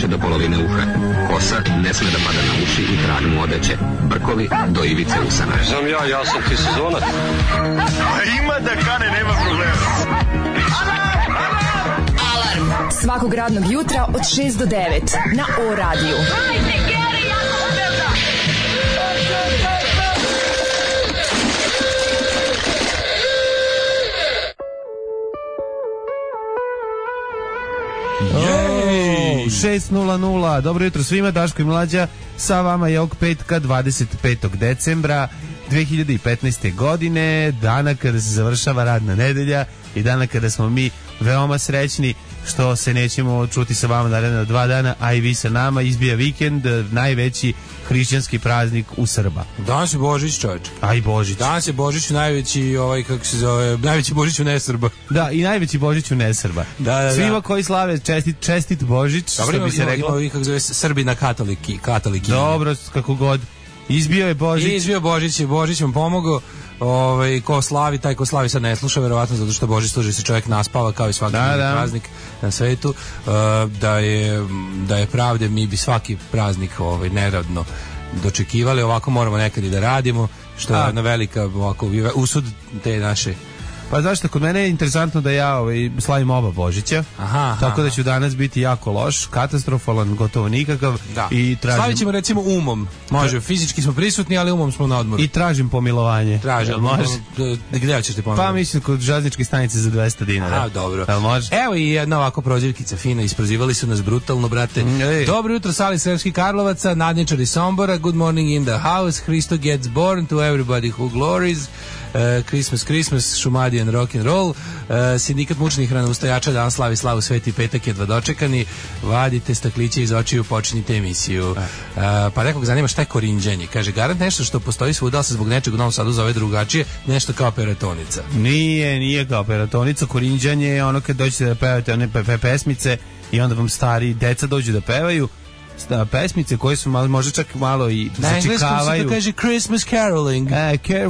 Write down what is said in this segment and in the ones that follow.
više do polovine uha. Kosa ne sme da pada na uši i tragnu odeće. Brkovi do ivice usana. Znam ja sam ti sezonac. Ima da kane, nema problema. Alarm svakog radnog jutra od 6 do 9 na O-radiju. Hajde, Geri, jako se velda! Jej! 6:00. Dobro jutro svima, Daško i Mlađa sa vama je ovog petka 25. decembra 2015. godine, dana kada se završava radna nedelja i dana kada smo mi veoma srećni što se nećemo čuti sa vama naredna 2 dana, a i vi sa nama. Izbija vikend, najveći hrišćanski praznik u Srba. Danas je Božić, čovječe. A i Božić. Danas je Božić najveći, kako se zove, najveći Božić u nesrba. Da, i najveći Božić u nesrba. Da. Svima koji slave čestit Božić, dobro, što bi se reklo. Ima, kako zove, Srbina katoliki. Dobro, kako god. Izbio je Božić. Izbio Božić, Božić vam pomogao. Ko slavi, taj ko slavi sad ne sluša, verovatno zato što Božić služi se čovjek naspava kao i svaki praznik na svetu. Da je pravde, mi bi svaki praznik neradno dočekivali, ovako moramo nekad i da radimo, što je jedna velika ovako usud te naše. Pa zašto, kod mene je interesantno da ja slavim oba Božića, tako da ću danas biti jako loš, katastrofalan, gotovo nikakav. Da. I tražim... Slavit ćemo recimo umom, može, fizički smo prisutni, ali umom smo na odmoru. I tražim pomilovanje. Može? Gdje ćeš ti pomilovanje? Pa mislim kod železničke stanice za 200 dinara. Dobro. Može? Evo i jedna ovako prozivkica fina, isprozivali su nas brutalno, brate. Dobro jutro, Sali Sremski Karlovaca, nadničari Sombora, good morning in the house, Hristo gets born to everybody who glories. Christmas, Šumadijan, rock and roll, sindikat mučnih ranovustajača danas slavi slavu Sveti petak, jedva dočekani, vadite stakliće iz očiju, počinite emisiju. Pa nekog zanima šta je korinđanje, kaže garant nešto što postoji svuda, ali se zbog nečeg u Novom Sadu zove drugačije, nešto kao peratonica. Nije kao peratonica, korinđanje je ono kad dođete da pevate one pesmice i onda vam stari deca dođu da pevaju pesmice koje su možda čak malo i začekavaju. Na engleskom se to kaže Christmas caroling.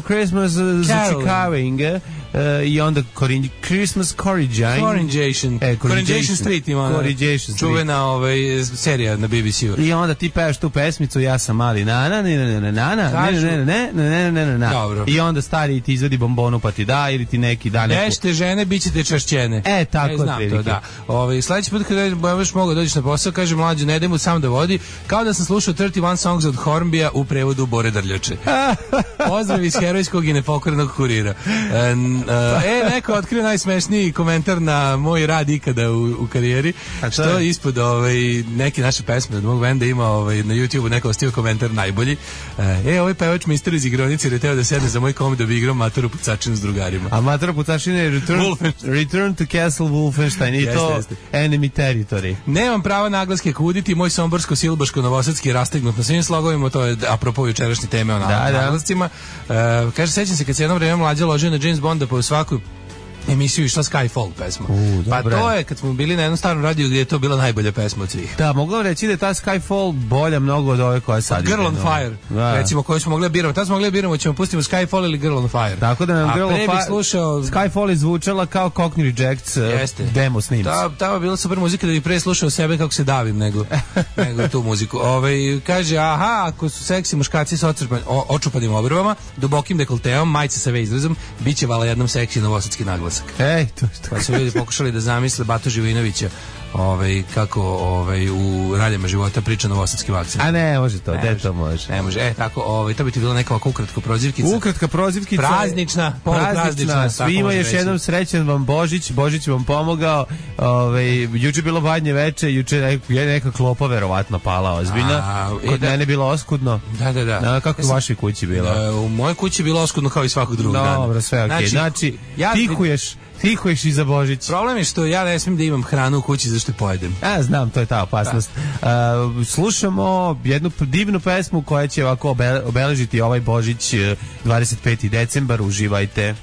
Christmas začekaving. I onda Christmas Coronation. Coronation Street ima čuvena serija na BBC-u. I onda ti pevaš tu pesmicu, ja sam mali nana. I onda stari ti izvedi bombonu pa ti da, ili ti neki da neku. Nešte žene, bit ćete čašćene. Tako to, da. Sljedeći put kada još mogu dođeš na posao, kaže Mlađe, ne idemo sam da vodi, kao da sam slušao 31 Songs od Hornbija u prevodu Bore Drljače. Pozdrav iz herojskog i nepokorenog kurira. Neko otkrio najsmešniji komentar na moj rad ikada u karijeri, što ispod neke naše pesme od mog benda ima na YouTube-u neko ostio komentar najbolji. Ovaj pevač mister iz igronice je teo da sedne za moj komid da bi igrao Matoru Pucačinu s drugarima. A Matora Pucačina je Return to Castle Wolfenstein i to Enemy Territory. Nemam prava naglaske kuditi, moj somborsko-silbaško-novosadski je rastegnut na svim slogovima, to je apropo jučerašnje teme o naglascima. Kaže, sećam se kad se jednom vreme Mlađa ložio na James Bonda po svaku emisiju išla Skyfall pesma. Pa to je kad smo bili na jednom starom radiju gdje je to bila najbolja pesma od svih. Da, mogu reći da je ta Skyfall bolja mnogo od ove koja sad Girl on Fire, recimo, koju smo mogli da biramo. Tad smo mogli da biramo, ćemo pustimo Skyfall ili Girl on Fire. Tako da nam Girl on Fire Skyfall je zvučala kao Cockney Rejects demo snims. Ta je bila super muzika da bi pre slušao sebe kako se davim nego tu muziku. Kaže, ako su seksi muškarci sa očupanim obrvama, dubokim dekolteom, majice sa V izrazom, bit će vala jednom seksi novosadski naglas. Pa su ljudi pokušali da zamisle Batu Živinovića kako u raljama života priča novosadskim akcentom. A ne može to, to može. Ne može. Tako, to bi ti bila neka ovako ukratko prozivkica. Ukratka prozivkica. Praznična. Svima još jednom srećan vam Božić. Božić vam pomogao. Juče bilo badnje veče, juče je neka klopa verovatno pala ozbiljna. Kod mene bilo oskudno. Da. Kako u vašoj kući bilo? U mojoj kući bilo oskudno kao i svakog drugog dana. Dobro, sve okej. Znači, tihuješ i za Božić. Problem je što ja ne smijem da imam hranu u kući zašto je pojedem. Znam, to je ta opasnost. Slušamo jednu divnu pesmu koja će ovako obeležiti ovaj Božić 25. decembar. Uživajte.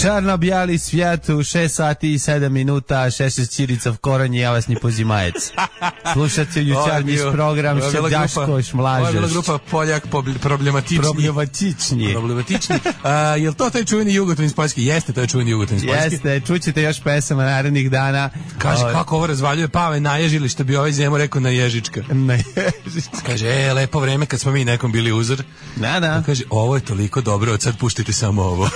Čarno-bijali svijet u 6 sati i 7 minuta, Šešelj Ćirica Koranje, ja vas ni pozimajac. Slušate jučarnji program Šedaškoš Mlažeš. Ovo je bila grupa Poljak problematični. Jel to taj čuveni Jugoton iz Poljske? Jeste, to je čuveni Jugoton iz Poljske. Jeste, čućete još pesama narednih dana. Kaže, kako ovo razvaljuje Pave, naježili, što bi ovaj Zemo rekao naježička. Naježička. Kaže, lepo vreme kad smo mi nekom bili uzor. Da. Kaže, ovo je toliko dobro, od sad puštite samo ovo.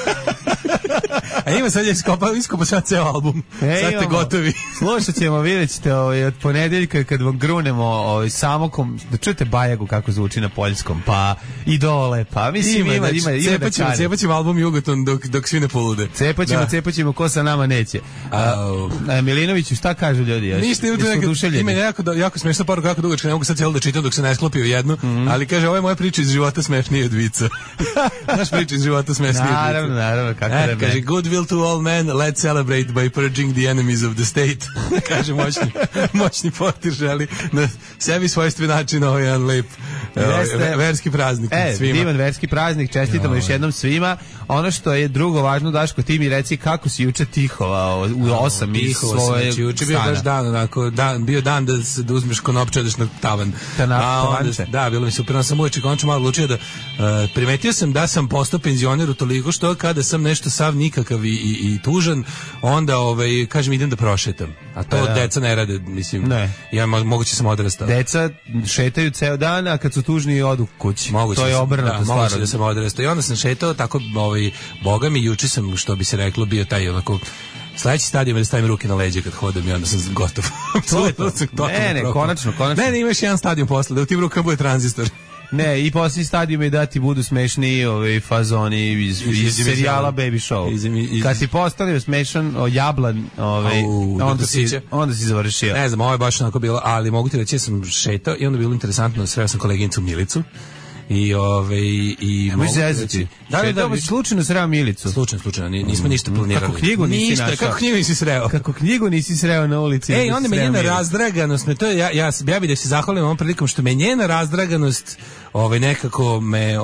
A ima sad je iskopa sad ceo album. Sad ste gotovi. Slušat ćemo, vidjet ćete od ponedeljka kad vam grunemo samokom, da čujete Bajagu kako zvuči na poljskom, pa i dole, pa mislim ima cepat ćemo album Jugoton dok svi ne polude. Cepat ćemo, ko sa nama neće. Milinoviću, šta kažu ljudi? Ništa, ima jako smešna poruka, jako dugačka, ne mogu sad cijelo da čitam dok se ne sklopi u jednu, ali kaže, ovo je moja priča iz života smešnije od vica. Naš priča iz života smešnije od vica. Naravno, kako da ne. Kaže, good will to all men, let's celebrate by purging the enemies of the state. Kaže, moćni portir želi na sebi svojstven način ovo je jedan lep verski praznik svima. Divan verski praznik, čestitamo još jednom svima. Ono što je drugo važno, Daško, ti mi reci kako si juče tihovao u 8 iz svoje stana. Juče bio baš dan, onako, bio dan da uzmeš konopče, odeš na tavan. Da, bilo mi super, sam uveče končno malo odlučio da primetio sam da sam postao penzioner utoliko što kada sam nešto sav nikakav i tužan, onda kažem idem da prošetam. A to deca ne rade, mislim. Ne. Ja moguće sam odrastao. Deca šetaju ceo dan, a kad su tužni odu kući. To je obrnuto stvar. Moguće da sam odrastao. I onda sam šetao tako, boga mi, juče sam, što bi se reklo, bio taj onako sledeći stadion da stavim ruke na leđe kad hodam i onda sam gotov. Ne, konačno. Ne, imaš jedan stadion posle, da u tim rukama bude tranzistor. Ne, i poslije stadium je da ti budu smešni fazoni iz serijala Baby Show. Kad si postavio smešan jablan, onda si završio. Ne znam, ovo je baš onako bilo, ali mogu ti reći da sam šetao i onda bilo interesantno, sreo sam koleginicu Milicu. I mogu zezati. Da, slučajno sreo Milicu. Slučajno, nismo ništa planirali. Kako knjigu nisi našao? Kako knjigu nisi sreo? Kako knjigu nisi sreo na ulici? Onda me njena razdraganost, ja bih da se zahvalim ovom prilikom što me njena razdraganost nekako me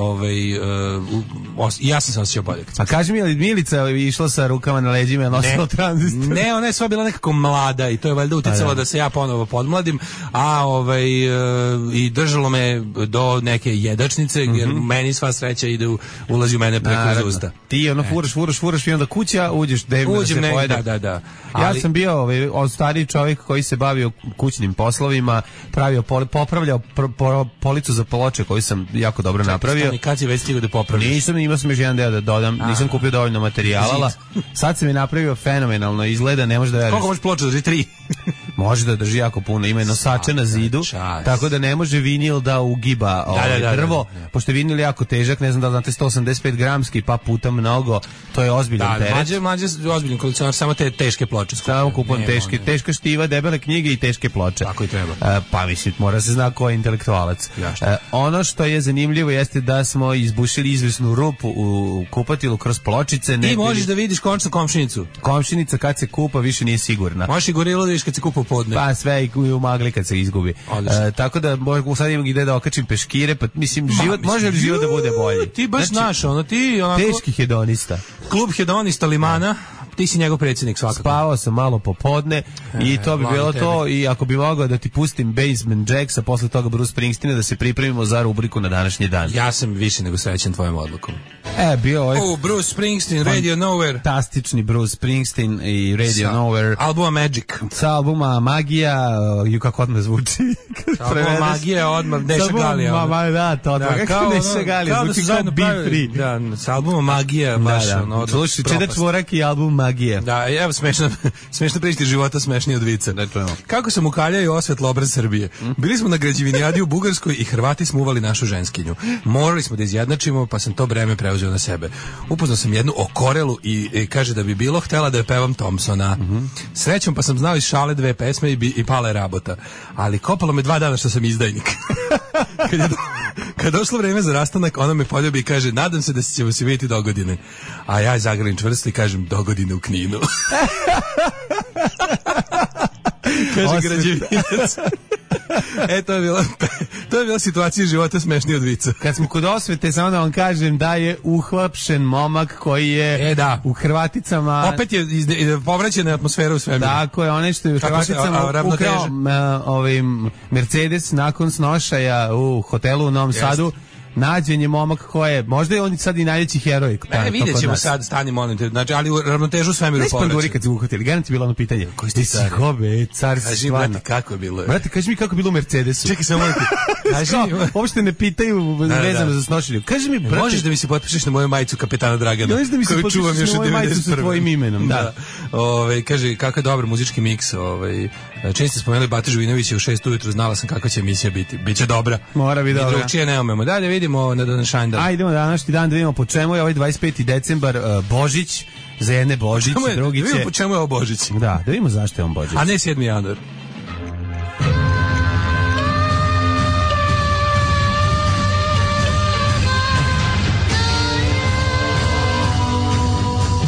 ja sam se osjećao bolje. A kaži mi, je li Milica išla sa rukama na leđima i nosila tranzistor? Ne, ona je sva bila nekako mlada i to je valjda uticalo da se ja ponovo podmladim, a i držalo me do neke jedačnice, jer meni sva sreća ulazi u mene preko usta. Ti furaš i onda kuća, uđeš dnevno da se pojede. Da. Ja sam bio stariji čovjek koji se bavio kućnim poslovima, popravljao policu za ploče koju sam jako dobro napravio. Kad si već stigao da popraviš? Nisam, imao sam još jedan deo da dodam, nisam kupio dovoljno materijala. Sad sam je napravio fenomenalno, izgleda, ne može da veriš. Koliko može ploča drži? 3? Može da drži jako puno, ima nosače na zidu, tako da ne može vinil da ugiba drvo, pošto je vinil jako težak, ne znam da znate, 185 gramski, pa puta mnogo, to je ozbiljan teret. Mlađe ozbiljan kolekcionar, samo te teške ploče. Samo kupujem teška štiva, debele knjige i teške ploče. Tako i treba. Pa mislim, mora se zna ko je intelektualac. Ono što je zanimljivo jeste da smo izbušili izvesnu rupu u kupatilu kroz pločice. Ti možeš da vidiš končno komšinicu. Komšinica kad se kupa više nije sigurna. Možeš i gorilo da vidiš kad se kupa u podne. Pa sve i u magli kad se izgubi. Tako da sad imam ide da okačim peškire, pa mislim, može li život da bude bolji? Ti baš naš, ti onako... Teški hedonista. Klub hedonista Limana. Ti si njegov predsjednik svakako. Spavao sam malo popodne i to bi bilo to, i ako bi mogao da ti pustim Basement Jacks, a posle toga Bruce Springsteena, da se pripremimo za rubriku na današnji dan. Ja sam više nego srećan tvojom odlukom. Bio Bruce Springsteen, Radio Nowhere. Fantastični Bruce Springsteen i Radio Nowhere. Albuma Magic. Sa albuma Magija, kako odmah zvuči. Albuma Magija, odmah Neša Galija. Da, to odmah. Kako Neša Galija, zvuči kao Be Free. Da, sa albuma Magija, baš ono. Slušaj, Čeda Čvorak i album Magija. Da, evo smešna priča života, smešnije od vica. Kako sam ukaljao i osvetlo obraz Srbije. Bili smo na građevinijadi u Bugarskoj i Hrvati smo uvali našu ženskinju. Morali smo da izjednačimo, pa sam to breme preuzeo na sebe. Upoznao sam jednu okorelu i kaže da bi bilo htela da je pevam Thompsona. Srećom pa sam znao iz šale 2 pesme i pala je rabota. Ali kopalo me 2 dana što sam izdajnik. Kad došlo vreme za rastanak, ona me poljubi i kaže, nadam se da ćemo se vidjeti dogodine. A ja zagrlim čvrsto i kažem, dogodine u Kninu. Kaže građevinac. To je bila situacija života smešnija od vica. Kad smo kod osvete, samo da vam kažem da je uhapšen momak koji je u Hrvaticama... Opet je povraćena atmosfera u svemiru. Tako je, onaj što je u Hrvaticama ukrao Mercedes nakon snošaja u hotelu u Novom Sadu. Nađen je momak koji je, možda je on sad i najveći heroj. Vidjet ćemo sad, stani molim te, znači, ali u ravnotežu svemiru povraća. Panduri kad si uhvatili, garant je bilo ono pitanje. Koji ste car? Car si stvarno. Brate, kako je bilo? Brate, kaži mi kako je bilo u Mercedesu. Čekaj, samo molim te. Kaži mi. Uopšte ne pitaju vezano za snošenje. Kaži mi, brate. Možeš da mi se potpišeš na moju majicu kapetana Dragana? Možeš da mi se potpišeš na moju majicu sa tvojim imenom, da. Kaže, kakav je dobar muzički miks. Čini ste spomenuli Batu Živinovića u 6 ujutru, znala sam kakva će emisija biti. Biće dobra. Mora biti dobra. Drugčije ne umemo. Dalje vidimo na današnji dan. Ajde, idemo na današnji dan da vidimo po čemu je ovaj 25. decembar Božić. Za jedne Božić, drugi će... Da vidimo po čemu je ovo Božić. Da vidimo zašto je on Božić. A ne 7. januar.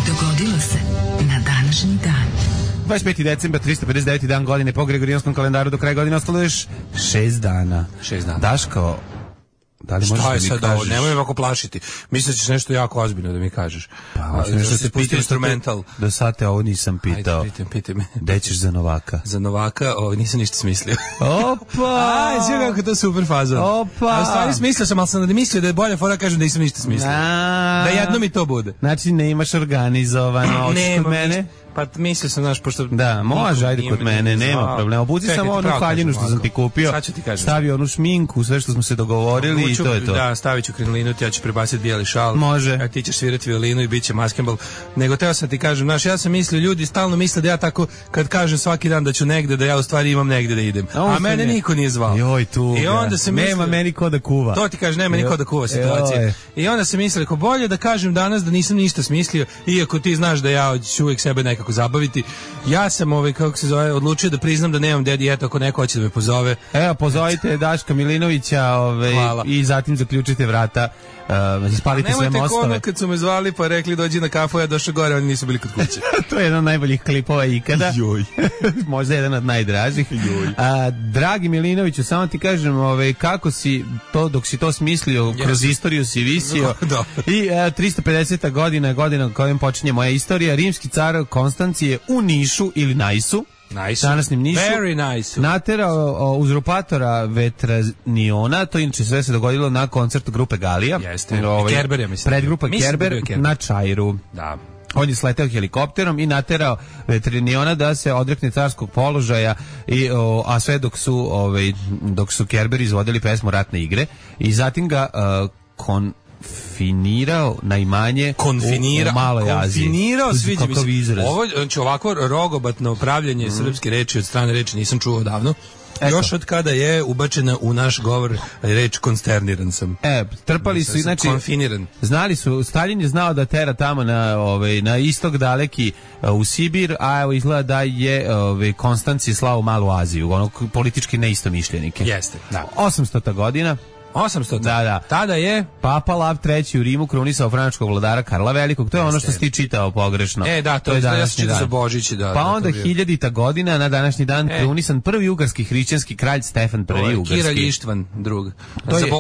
Dogodilo se na današnji dan. 25. decembar, 359. dan godine po Gregorijanskom kalendaru, do kraja godine ostalo još 6 dana. 6 dana. Daško, da li možeš da mi kažeš? Šta je sad ovo? Nemoj me ovako plašiti. Mislim da ćeš nešto jako ozbiljno da mi kažeš. Pa, nešto se pusti instrumental. Do sad te ovo nisam pitao. Ajde, pitaj me. Gde ćeš za Novaka? Za Novaka, nisam ništa smislio. Opa! Aj, sve kako to super fazon. Opa! A u stvari smislio sam, ali sam da mislio da je bolja fora kažem da nisam ništa smislio. Da jedno mi to bude. Znači ne imaš organizovano, hoćeš kod mene? Pa mislio sam, znaš, pošto... Da, može, ajde kod mene, nema problema. Obuci samo onu haljinu što sam ti kupio, stavi onu šminku, sve što smo se dogovorili i to je to. Da, stavit ću krinolinu, ja ću prebaciti bijeli šal. Može. A ti ćeš svirati violinu i bit će maskembal. Nego teo sam ti kažem, znaš, ja sam mislio, ljudi stalno misle da ja tako, kad kažem svaki dan da ću negde, da ja u stvari imam negde da idem. A mene niko nije zvao. Joj, tu. I onda se mislio, nema meni ko da kuva. To ti kažem, nema niko da kuva situacija. I onda se mislio, ako bolje da kažem danas da nisam ništa smislio, iako ti znaš da ja ću uvijek sebe nekako zabaviti. Ja sam kako se zove, odlučio da priznam da nemam dedi, eto ako neko hoće da me pozove. Evo, pozovite Daška Milinovića i zatim zaključite vrata, ispalite sve mostove. Nemojte ono kad su me zvali pa rekli dođi na kafu, ja došao gore, oni nisu bili kod kuće. To je jedan od najboljih klipova ikada. Joj. Možda jedan od najdražih. Dragi Milinoviću, samo ti kažem kako si to, dok si to smislio, kroz istoriju si visio. I 350. godina kojom počinje moja istorija. Rimski car Konstancije u Nišu ili Najsu, današnjem Nišu, naterao uzurpatora Vetraniona, to inače sve se dogodilo na koncertu grupe Galija. Jeste, Kerber, ja mislim. Predgrupa Kerber na Čairu. Da. On je sleteo helikopterom i naterao Vetraniona da se odrekne carskog položaja, a sve dok su Kerber izvodili pesmu Ratne igre, i zatim ga konfinirao na imanje u Maloj Aziji. Konfinirao, sviđa mi se. Ovo, znači, ovako rogobatno pravljanje srpske reči od strane reči nisam čuo davno. Još od kada je ubačena u naš govor reč konsterniran sam. Trpali su, znači, konfiniran. Znali su, Stalin je znao da tera tamo na istok daleki u Sibir, a evo izgleda da je Konstancije slao u Malu Aziju, politički neistomišljenike. Jeste, da. 800. godina. 800. Da. Tada je Papa Lav III u Rimu krunisao frančkog vladara Karla Velikog. To je ono što si ti čitao pogrešno. Da, to je današnji dan. Za Božić, da. Pa onda 1000. godina na današnji dan krunisan prvi ugarski hrišćanski kralj Stefan I ugarski. Kiralj Ištvan drug.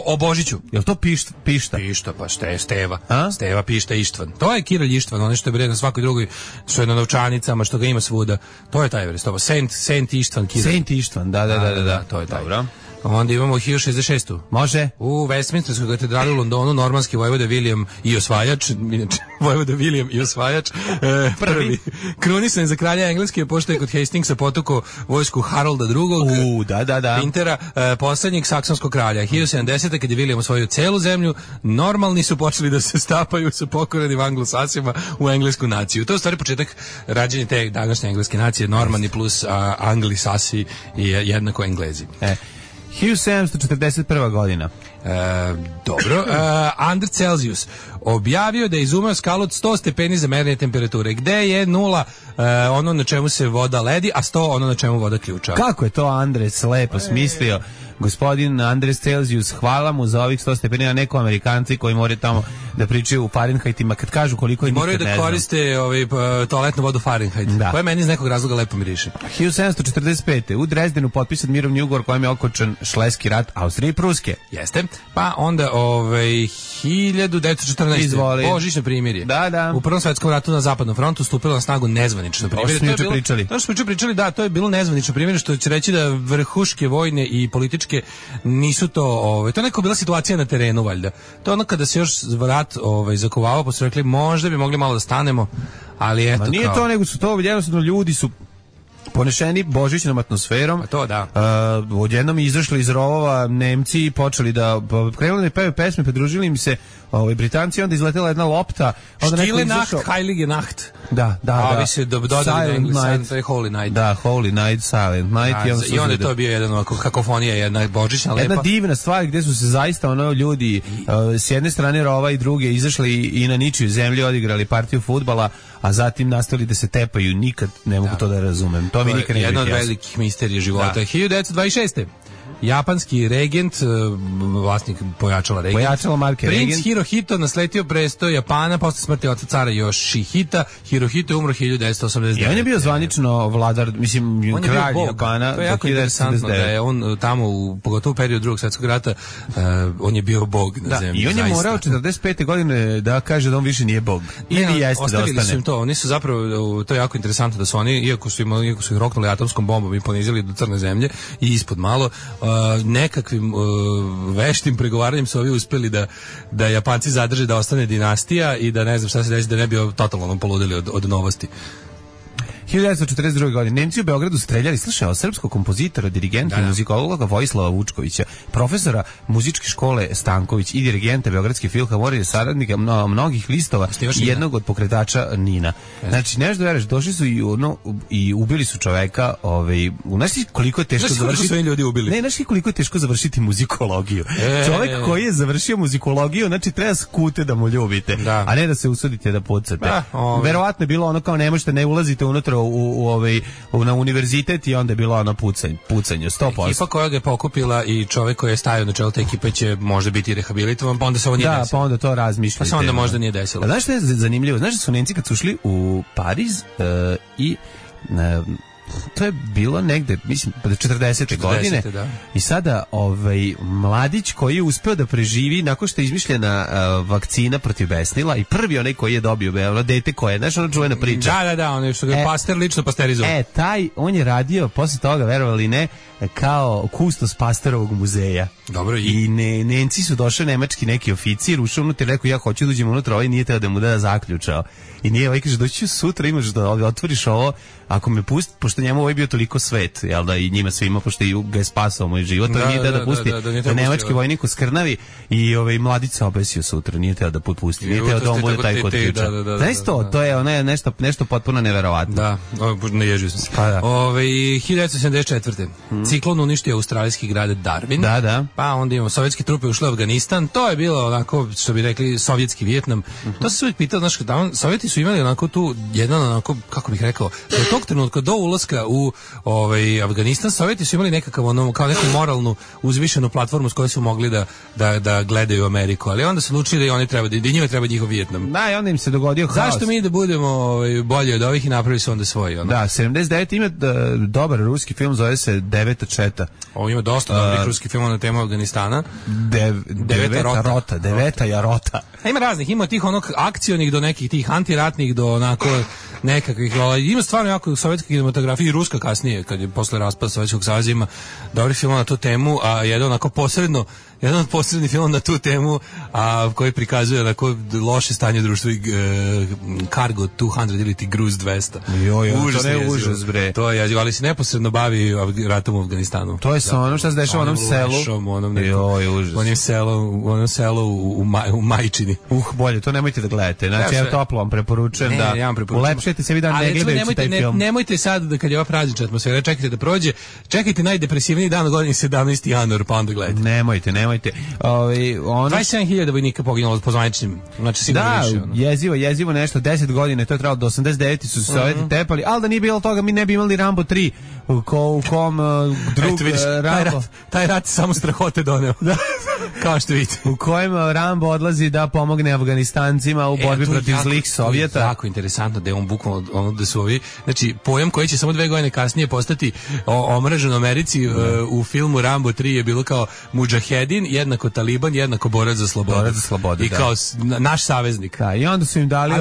O Božiću. Jel to Pišta? Pišta, pa Steva. Steva, Pišta, Ištvan. To je Kiralj Ištvan, ono što je bre na svakoj drugoj, što je na novčanicama, što ga ima svuda. To je taj vrst. Saint Ištvan Kiralj. Saint Ištvan, da. To je taj. Dobro. Onda imamo 1066. Može. U Westminsterskoj katedrali u Londonu normanski vojvoda William i osvajač, inače vojvoda William i osvajač, prvi krunisan za kralja Engleske, pošto je kod Hastingsa potukao vojsku Harolda II. Da. Pintera, poslednjeg saksonskog kralja. 1070. kad je William osvojio celu zemlju, normalni su počeli da se stapaju sa pokorenim anglosasima u englesku naciju. To je u stvari početak rađenja te današnje engleske nacije, normani plus anglisasi i jednako Englezi. 1741. godina. Dobro. Andr Celsius objavio da je izumeo skalu od 100 stepeni za merenje temperature. Gde je nula ono na čemu se voda ledi, a 100 ono na čemu voda ključa. Kako je to Andres lepo smislio? Gospodin Andres Celsius, hvala mu za ovih 100 stepeni, a neko Amerikanci koji moraju tamo da pričaju u Fahrenheitima, kad kažu koliko je nikad ne znam. Moraju da koriste toaletnu vodu Fahrenheit, koja meni iz nekog razloga lepo miriše. 1745. U Drezdenu potpisan mirovni ugovor kojem je okončan Šleski rat Austrije i Pruske. Jeste. Pa onda 1914. Izvoli. Božićno primirje. Da. U Prvom svetskom ratu na Zapadnom frontu stupilo na snagu nezvanično primirje. To smo pričali. To smo pričali, da, to je bilo nezvanično primirje, što će reći da vrhuške vojne i političke nisu to, to je neka bila situacija na terenu valjda. To je ono kada se još rat zakovavao, pa su rekli možda bi mogli malo da stanemo, ali eto. Ma nije to, nego su to jednostavno ljudi su ponešeni božićnom atmosferom. A to da. Odjednom izašli iz rovova Nemci i počeli da krenuli da pevaju pesme, pridružili im se Britanci, onda izletela jedna lopta, onda Stille Nacht, Heilige Nacht. Da. A vi se dodali na Englesku, to je Holy Night. Da, Holy Night, Silent Night. I onda je to bio jedan kakofonija, jedna božićna lepa. Jedna divna stvar gde su se zaista ljudi s jedne strane rova i druge izašli i na ničiju zemlji odigrali partiju fudbala, a zatim nastavili da se tepaju. Nikad ne mogu to da razumem. To mi nikad ne jedna od velikih misterija života. 1926. Japanski regent, vlasnik pojačala marke Princ regent. Hirohito nasletio presto Japana posle smrti oca cara Yoshihita. Hirohito je umro 1989. I on je bio zvanično vladar, mislim, kralj Japana. To je jako interesantno da je on tamo, pogotovo u periodu Drugog svjetskog rata, on je bio bog na zemlji. I on je morao 45. godine da kaže da on više nije bog. Ili jeste da ostane. Su im to, oni su zapravo, to je jako interesantno da su oni, iako su ih roknuli atomskom bombom i ponizili do crne zemlje i ispod malo, nekakvim veštim pregovaranjem su ovi uspeli da Japanci zadrže da ostane dinastija i da ne znam šta se desi, da ne bi totalno poludili od novosti. 1942. godine Nemci u Beogradu streljali, slušao, srpskog kompozitora, dirigenta i muzikologa Vojislava Vučkovića, profesora muzičke škole Stanković i dirigenta Beogradske filharmonije, saradnika mnogih listova i jednog od pokretača Nina. Znači, nešto veruješ, došli su i ubili su čoveka, znaš koliko je teško završiti. Ljudi ubili. Ne, znaš koliko je teško završiti muzikologiju. Čovek koji je završio muzikologiju, znači treba skute da mu ljubite, a ne da se usudite da pucate. Verovatno je bilo ono kao ne možete, ne ulazite unutra na univerzitet i onda je bilo ono pucanje 100%. Ekipa koja ga je pokupila i čovjek koji je stajao na čelu te ekipe će možda biti rehabilitovan, pa onda se ovo nije desilo. Da, pa onda to razmišljate. Pa se onda možda nije desilo. A znaš što je zanimljivo? Znaš da su Nemci kad su ušli u Pariz i to je bilo negde, mislim, 40. godine. Da. I sada mladić koji je uspeo da preživi nakon što je izmišljena vakcina protiv besnila i prvi onaj koji je dobio dete koje, znaš, ona čuvena priča. Da, ono što ga je Pasteur lično pasterizovao. On je radio posle toga, verovali ne, kao kustos Pasteurovog muzeja. Dobro, i Nemci su došli, nemački neki oficir, ušao unutra i rekao ja hoću da uđem unutra, ovaj nije teo da mu da zaključao. I nije, ovaj kaže, doći ću sutra, imaš da otvoriš ovo, ako me pusti, pošto njemu ovaj bio toliko svet, jel da, i njima svima, pošto ga je spasao moj život, to nije teo da pusti, nemački vojnik u Skrnavi i mladić se obesio sutra, nije teo da pusti, nije teo da on bude taj kod ključa. Znaš to je nešto potpuno neverovatno. Da, ne ježio sam se. 1974. Ciklon uništio australijski grad Darwin. Da. Pa onda imamo sovjetske trupe ušle u Afganistan. To je bilo onako, što bi rekli, sovjetski Vijetnam. To se uvijek pitao, znaš, Sovjeti su imali onako tu jedan onako, kako bih rekao, do tog trenutka, do ulaska u Afganistan, Sovjeti su imali nekakav kao neku moralnu uzvišenu platformu s kojoj su mogli da gledaju Ameriku, ali onda su odlučili da oni treba da njima treba njihov Vijetnam. Da, i onda im se dogodio haos. Zašto mi da budemo bolji od ovih i napravili su onda svoji? Da, 79 ima dobar ruski film, zove se Deveta četa. Ima dosta dobrih ruskih filmova na temu Afganistana. Deveta rota. Ima raznih, ima tih akcionih do nekih tih antiratnih do onako nekakvih, ima stvarno jako sovjetska kinematografija i ruska kasnije, kad je posle raspada Sovjetskog saveza, ima dobri film na tu temu, a jedan od posrednih film na tu temu, a koji prikazuje onako loše stanje društva i Cargo 200 ili ti Gruz 200. To je užas, bre. To je, ali se neposredno bavi ratom u Afganistanu. To je ono što se dešava u onom selu. Onom selu u Majčini. Bolje, to nemojte da gledate. Znači, ja toplo vam preporučujem da ulepšete dozvolite sebi da ne gledajući taj film. Nemojte sad da kad je ova praznična atmosfera, čekajte da prođe, čekajte najdepresivniji dan u godini 17. januar, pa onda gledajte. Nemojte. 27.000 vojnika poginulo po zvaničnim, znači sigurno više. Da, jezivo nešto, 10 godina, to je trebalo do 89. su se Sovjeti tepali, ali da nije bilo toga, mi ne bi imali Rambo 3, u kom drug Rambo... Taj rat samo strahote doneo. Da. Kao što vidite. U kojem Rambo odlazi da pomogne Afganistancima u borbi protiv zlih Sovjeta. Jako interesantno da je on bukvalno da su ovi, znači pojam koji će samo 2 godine kasnije postati omražen u Americi u filmu Rambo 3 je bilo kao mudžahedin, jednako taliban, jednako borac za slobodu. I kao naš saveznik. Da, i onda su im dali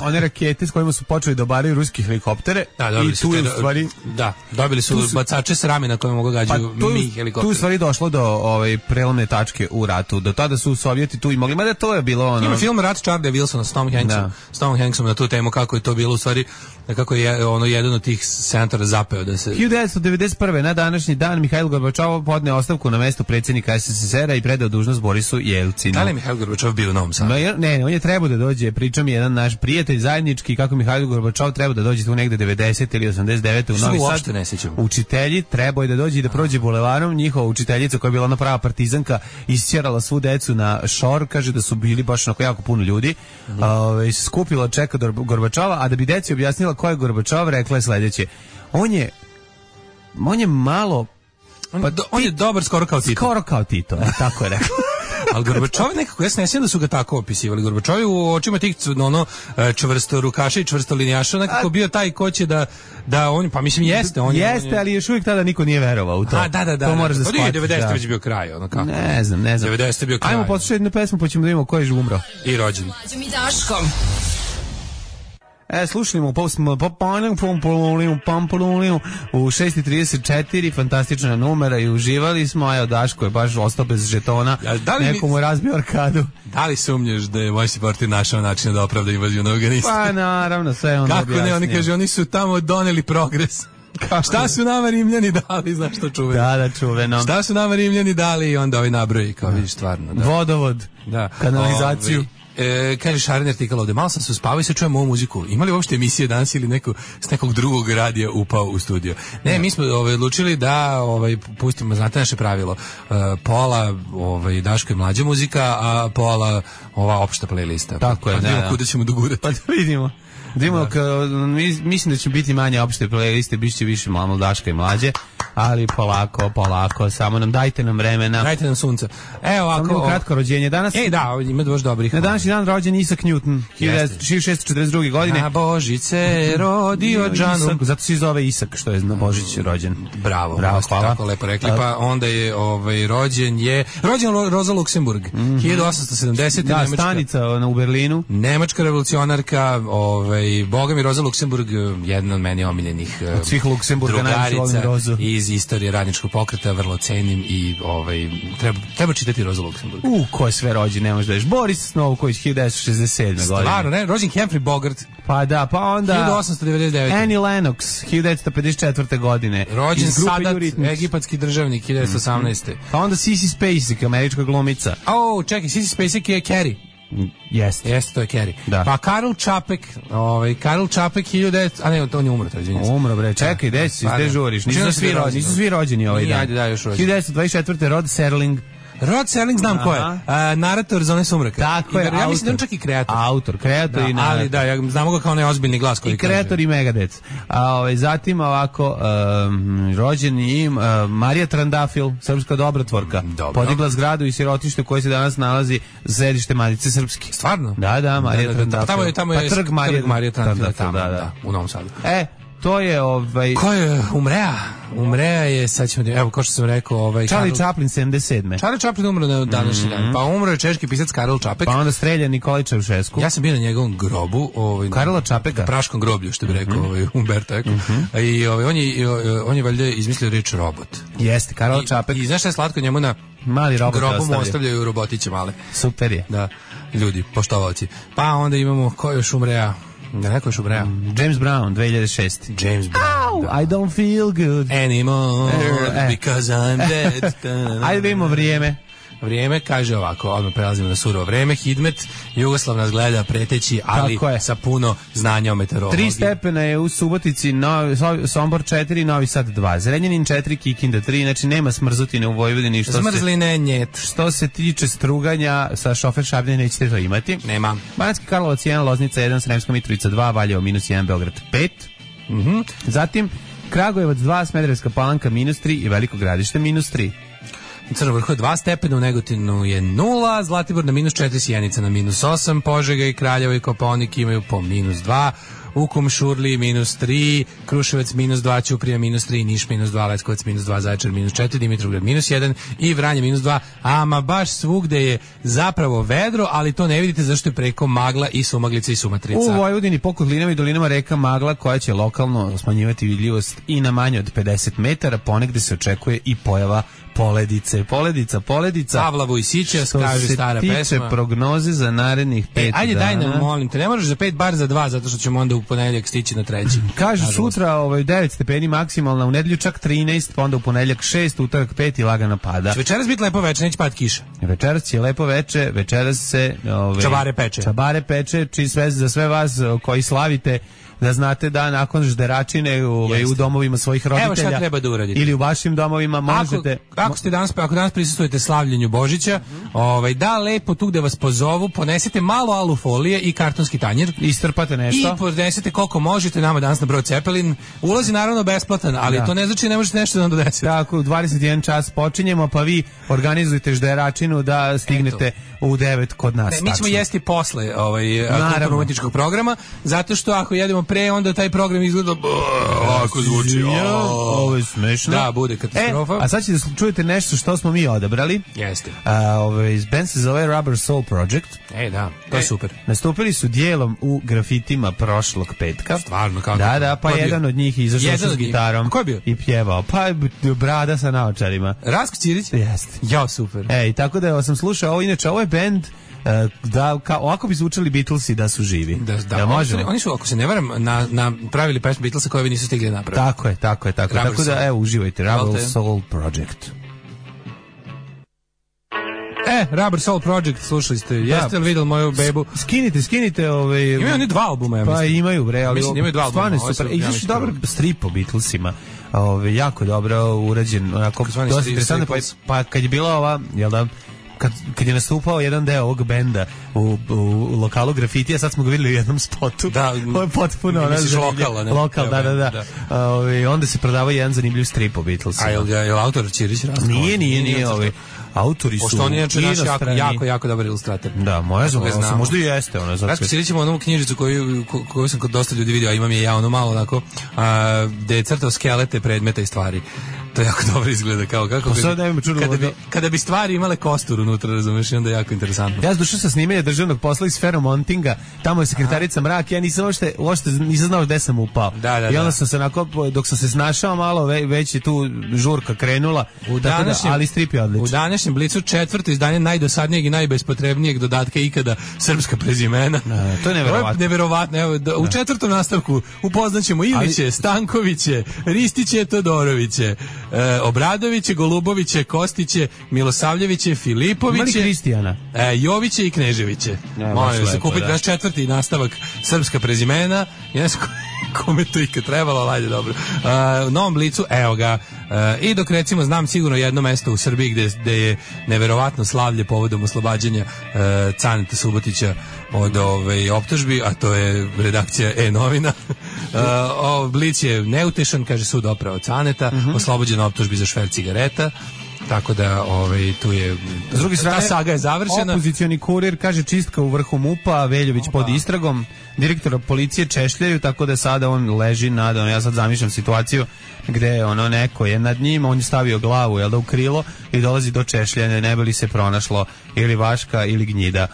one rakete s kojima su počeli da obaraju ruski helikoptere. Da, i tu je u stvari... Da, dobili su bacače s rame na koje mogu gađaju mi helikoptere. Tu je stvari došlo do prelomne tačke u ratu. Do tada su Sovjeti tu imali, mada to je bilo ono... Ima film Rat Charlie Wilsona s Tom Hanksom na tu temu kako je to bilo u stvari, kako je ono jedan od tih senatora zapeo da se... 1991. na današnji dan Mihajl Gorbačov podneo ostavku na mesto predsjednika SSSR-a i predao dužnost Borisu Jelcinu. Da li je Mihajl Gorbačov bio u Novom Sadu? Ne, on je trebao da dođe, pričam jedan naš prijatelj zajednički kako Mihajl Gorbačov treba da dođe tu negde 90 ili 89 u Novi Sad. Učitelji trebao je da dođe i da prođe bulevarom, njihova učiteljica koja je bila ona prava partizanka isćerala svu decu na šor, kaže da su bili baš onako jako puno ljudi, skupila čeka Gorbačova, a da bi deci objasnila ko je Gorbačov, rekla je sledeće: on je malo... On je dobar skoro kao Tito, tako je rekla. Ali Gorbačov nekako, ja se ne sjećam da su ga tako opisivali. Gorbačov je u očima tih čvrsto rukaša i čvrsto linijaša nekako bio taj ko će da on, pa mislim jeste. Jeste, ali još uvijek tada niko nije verovao u to. Da. To moraš da shvatiti. 90. već bio kraj, ono kako. Ne znam. 90. bio kraj. Ajmo poslušati jednu pesmu pa ćemo da vidimo ko je umro. I rođen. Slušajmo u 6.34, fantastična numera i uživali smo, evo Daško je baš ostao bez žetona, neko mu je razbio arkadu. Da li sumnjaš da je moj siportir našao način da opravda invaziju na Afganistan? Pa naravno, sve on objasnio. Kako ne, oni kaže, oni su tamo doneli progres. Šta su nama Rimljani dali, znaš što čuveno? Da, čuveno. Šta su nama Rimljani dali i onda ovi nabroji, kao vidiš stvarno. Da. Vodovod, kanalizaciju. Kaže Šaren artikal ovde, malo sam se uspavao i sad čujem ovu muziku. Imali uopšte emisije danas ili s nekog drugog radija upao u studio? Ne, mi smo odlučili da pustimo, znate naše pravilo, pola Daško i mlađa muzika, a pola ova opšta playlista. Tako je, da. Kuda ćemo dogurati. Pa da vidimo. Mislim da će biti manje opšte playliste, bit će više malo Daška i mlađe, ali polako, samo dajte nam vremena. Dajte nam sunca. Evo ovako. Kratko rođenje danas. Ima baš dobrih. Na današnji dan rođen Isaac Newton, 1642. godine. Na Božice rodio Džanu. Zato se zove Isak, što je na Božić rođen. Bravo, hvala. Tako lepo rekli. Pa onda je rođen Rosa Luxemburg, 1870. Da, stanica u Berlinu. Nemačka revolucionarka, boga mi Rosa Luxemburg, jedna od meni omiljenih svih Luksemburga, drugarica iz istorije radničkog pokreta, vrlo cenim i treba čitati Rosa Luxemburg. Ko je sve rođen, ne možeš da ješ. Boris Novković, 1967. godine. Stvarno, ne? Rođen Humphrey Bogart. Pa da, pa onda 1899. Annie Lennox, 1954. godine. Rođen Sadat, egipatski državnik, 1918. Pa onda Sissy Spacek, američka glumica. Čekaj, Sissy Spacek je Carrie. Jeste, to je Carrie. Da. Pa Karl Čapek, 1900, a ne, on je umro, to izvinjam se. Umro, bre, čekaj, gde žuriš? Nisu svi rođeni ovaj dan. Ajde, da, još rođeni. 1924. Rod Serling. Rod Serling znam ko je. Narator Zone sumraka. Tako je. Ja mislim da on čak i kreator. Kreator i narator. Ali da, ja znamo ga kao onaj ozbiljni glas koji kaže. I kreator i Megadeth. Zatim ovako, rođen je Marija Trandafil, srpska dobrotvorka. Podigla zgradu i sirotište koje se danas nalazi središte Matice Srpske. Stvarno? Da, Marija Trandafil. Tamo je trg Marija Trandafil, da, u Novom Sadu. To je Ko je Umrea je, sad ćemo, evo, kao što sam rekao, Charlie Chaplin, 77. Charlie Chaplin umro na današnji dan. Pa umro je češki pisac Karel Čapek. Pa onda streljan Nikolaj Čaušesku. Ja sam bio na njegovom grobu, Karela Čapeka, na praškom groblju, što bi rekao Umberto Eco. I on je valjda izmislio reč robot. Jeste, Karel Čapek. I znaš šta je slatko, njemu na mali robot grobu mu ostavljaju robotiće male. Super je. Da, ljudi, poštovalci. Pa onda imamo, ko još Umrea? Da, neko još Umrea. James Brown, 2006. James Brown. I don't feel good anymore because I'm dead. Ajde vidimo vrijeme. vrijeme, kaže ovako, odmah prelazimo na surovo vreme, Hidmet, Jugoslav nas gleda preteći, ali sa puno znanja o meteorologiji. 3 stepena je u Subotici, Sombor 4, Novi Sad 2, Zrenjanin 4, Kikinda 3, znači nema smrzutine u Vojvodini. Zmrzline njet. Što se tiče struganja, sa šofer Šabljene nećete to imati. Nema. Banatski Karlovac 1, Loznica 1, Sremska Mitrovica 2, Valjevo -1, Beograd 5. Zatim Kragujevac 2, Smederevska Palanka -3 i Veliko Gradište -3. Crno vrhu je 2 stepena, u Negotinu je 0, Zlatibor na -4, Sjenica na -8, Požega i Kraljevo i Kopaonik imaju po -2, Ukom Šurli -3, Kruševac -2, Ćuprija -3, Niš -2, Leskovac -2, Zaječar -4, Dimitrovgrad -1 i Vranje -2, ama baš svugde je zapravo vedro, ali to ne vidite zašto je preko magla i sumaglica i sumatrica. U Vojvodini po kotlinama i dolinama reka Magla koja će lokalno smanjivati vidljivost i na manje od 50 metara, ponegde se očekuje i pojava poledice. Poledica. Pavla Vujsića, kaže stara pesma. Što se tiče prognoze za narednih 5 dana. Ajde, daj nam, molim te, ne možeš za 5, bar za 2, zato što ćemo onda u ponedeljak stići na 3. Kaže sutra 9 stepeni maksimalna, u nedelju čak 13, pa onda u ponedeljak 6, utorak 5 i lagano pada. Će večeras biti lepo veče, neće pad kiša. Večeras će lepo veče, večeras se Čabare peče, sve za sve vas koji slavite, da znate da nakon žderačine u domovima svojih roditelja. Evo šta treba da uradite. Ili u vašim domovima možete. Ako danas prisustvujete slavljenju Božića, da lepo tu gde vas pozovu, ponesete malo alufolije i kartonski tanjir. Istrpate nešto. I ponesete koliko možete nama danas na brod Cepelin. Ulazi naravno besplatan, ali to ne znači ne možete nešto da nam donesete. Tako, u 21 čas počinjemo, pa vi organizujete žderačinu da stignete u 9 kod nas. Mi ćemo jesti posle kulturno-umetničkog programa, zato što ako jedemo pre, onda taj program izgleda ovako zvuči. Ovo je smešno. Da, bude katastrofa. A sad ćete da čujete nešto što smo mi odabrali. Jeste. Band se zove Rubber Soul Project. Da, to je super. Nastupili su dijelom u grafitima prošlog petka. Stvarno, kako? Da, pa jedan od njih izašao sa gitarom. Ko je bio? I pjevao. Pa brada sa naočarima. Rasko Ćirić? Jeste. Ja, super. Tako da sam slušao, inače ovo je band da ovako bi zvučali Beatlesi da su živi. Da možemo. Oni su, ako se ne varam, napravili pesmu Beatlesa koje vi nisu stigli napraviti. Tako je. Tako da evo, uživajte. Rubber Soul Project. Rubber Soul Project, slušali ste. Jeste li vidjeli moju bebu? Skinite imaju oni 2 albuma, ja mislim. Pa imaju, bre, ali mislim, imaju 2 albuma. Stvarno je super. I još dobar strip o Beatlesima. Jako dobro urađen. Onako, dosta interesantno. Pa kad je bila ova, jel da, kad je nastupao jedan deo ovog benda u lokalu Grafitija, sad smo ga vidjeli u jednom spotu. Da, ovo je potpuno lokal, da. Onda se prodavao jedan zanimljiv strip o Beatlesima. A je li autor Ćirić Rasko? Nije. Autori su pošto on je naš jako dobar ilustrator. Da, možda i jeste. Rasko Ćirić ima onu knjižicu koju sam kod dosta ljudi vidio, a imam je ja ono malo onako, gde je crtao skelete predmeta i stvari. To jako dobro izgleda, kao kako kada bi stvari imale kostur unutra, razumeš, i onda je jako interesantno. Ja došao sa snimanja državnog posla iz Feromontinga, tamo je sekretarica Mrak, ja nisam uopšte nisam znao gde sam upao. I onda sam se dok sam se snašao malo, već je tu žurka krenula, ali strip je odličan. U današnjem Blicu 4. izdanje najdosadnijeg i najbespotrebnijeg dodatka ikada, srpska prezimena. To je neverovatno. Evo, u 4. nastavku upoznaćemo Iviće, Stankoviće, Ristiće, Todoroviće, Obradoviće, Goluboviće, Kostiće, Milosavljeviće, Filipoviće, Kristijana, Joviće i Kneževiće. Molim se kupiti naš 4. nastavak srpska prezimena. Ja sam kome to ikad trebalo, ajde dobro. U Novom Blicu, evo ga. I dok recimo znam sigurno jedno mesto u Srbiji gde je neverovatno slavlje povodom oslobađanja Caneta Subotića od optužbi, a to je redakcija E-novina. Blic je neutešan, kaže sud opravo Caneta, oslobođen optužbi za šverc cigareta. Tako da tu je, s druge strane, ta saga je završena. Opozicioni kurir kaže čistka u vrhu MUP-a, Veljović pod istragom, direktora policije češljaju, tako da sada on leži ja sad zamišljam situaciju gde neko je nad njim, on je stavio glavu u krilo i dolazi do češljanja, ne bi li se pronašlo ili vaška ili gnjida.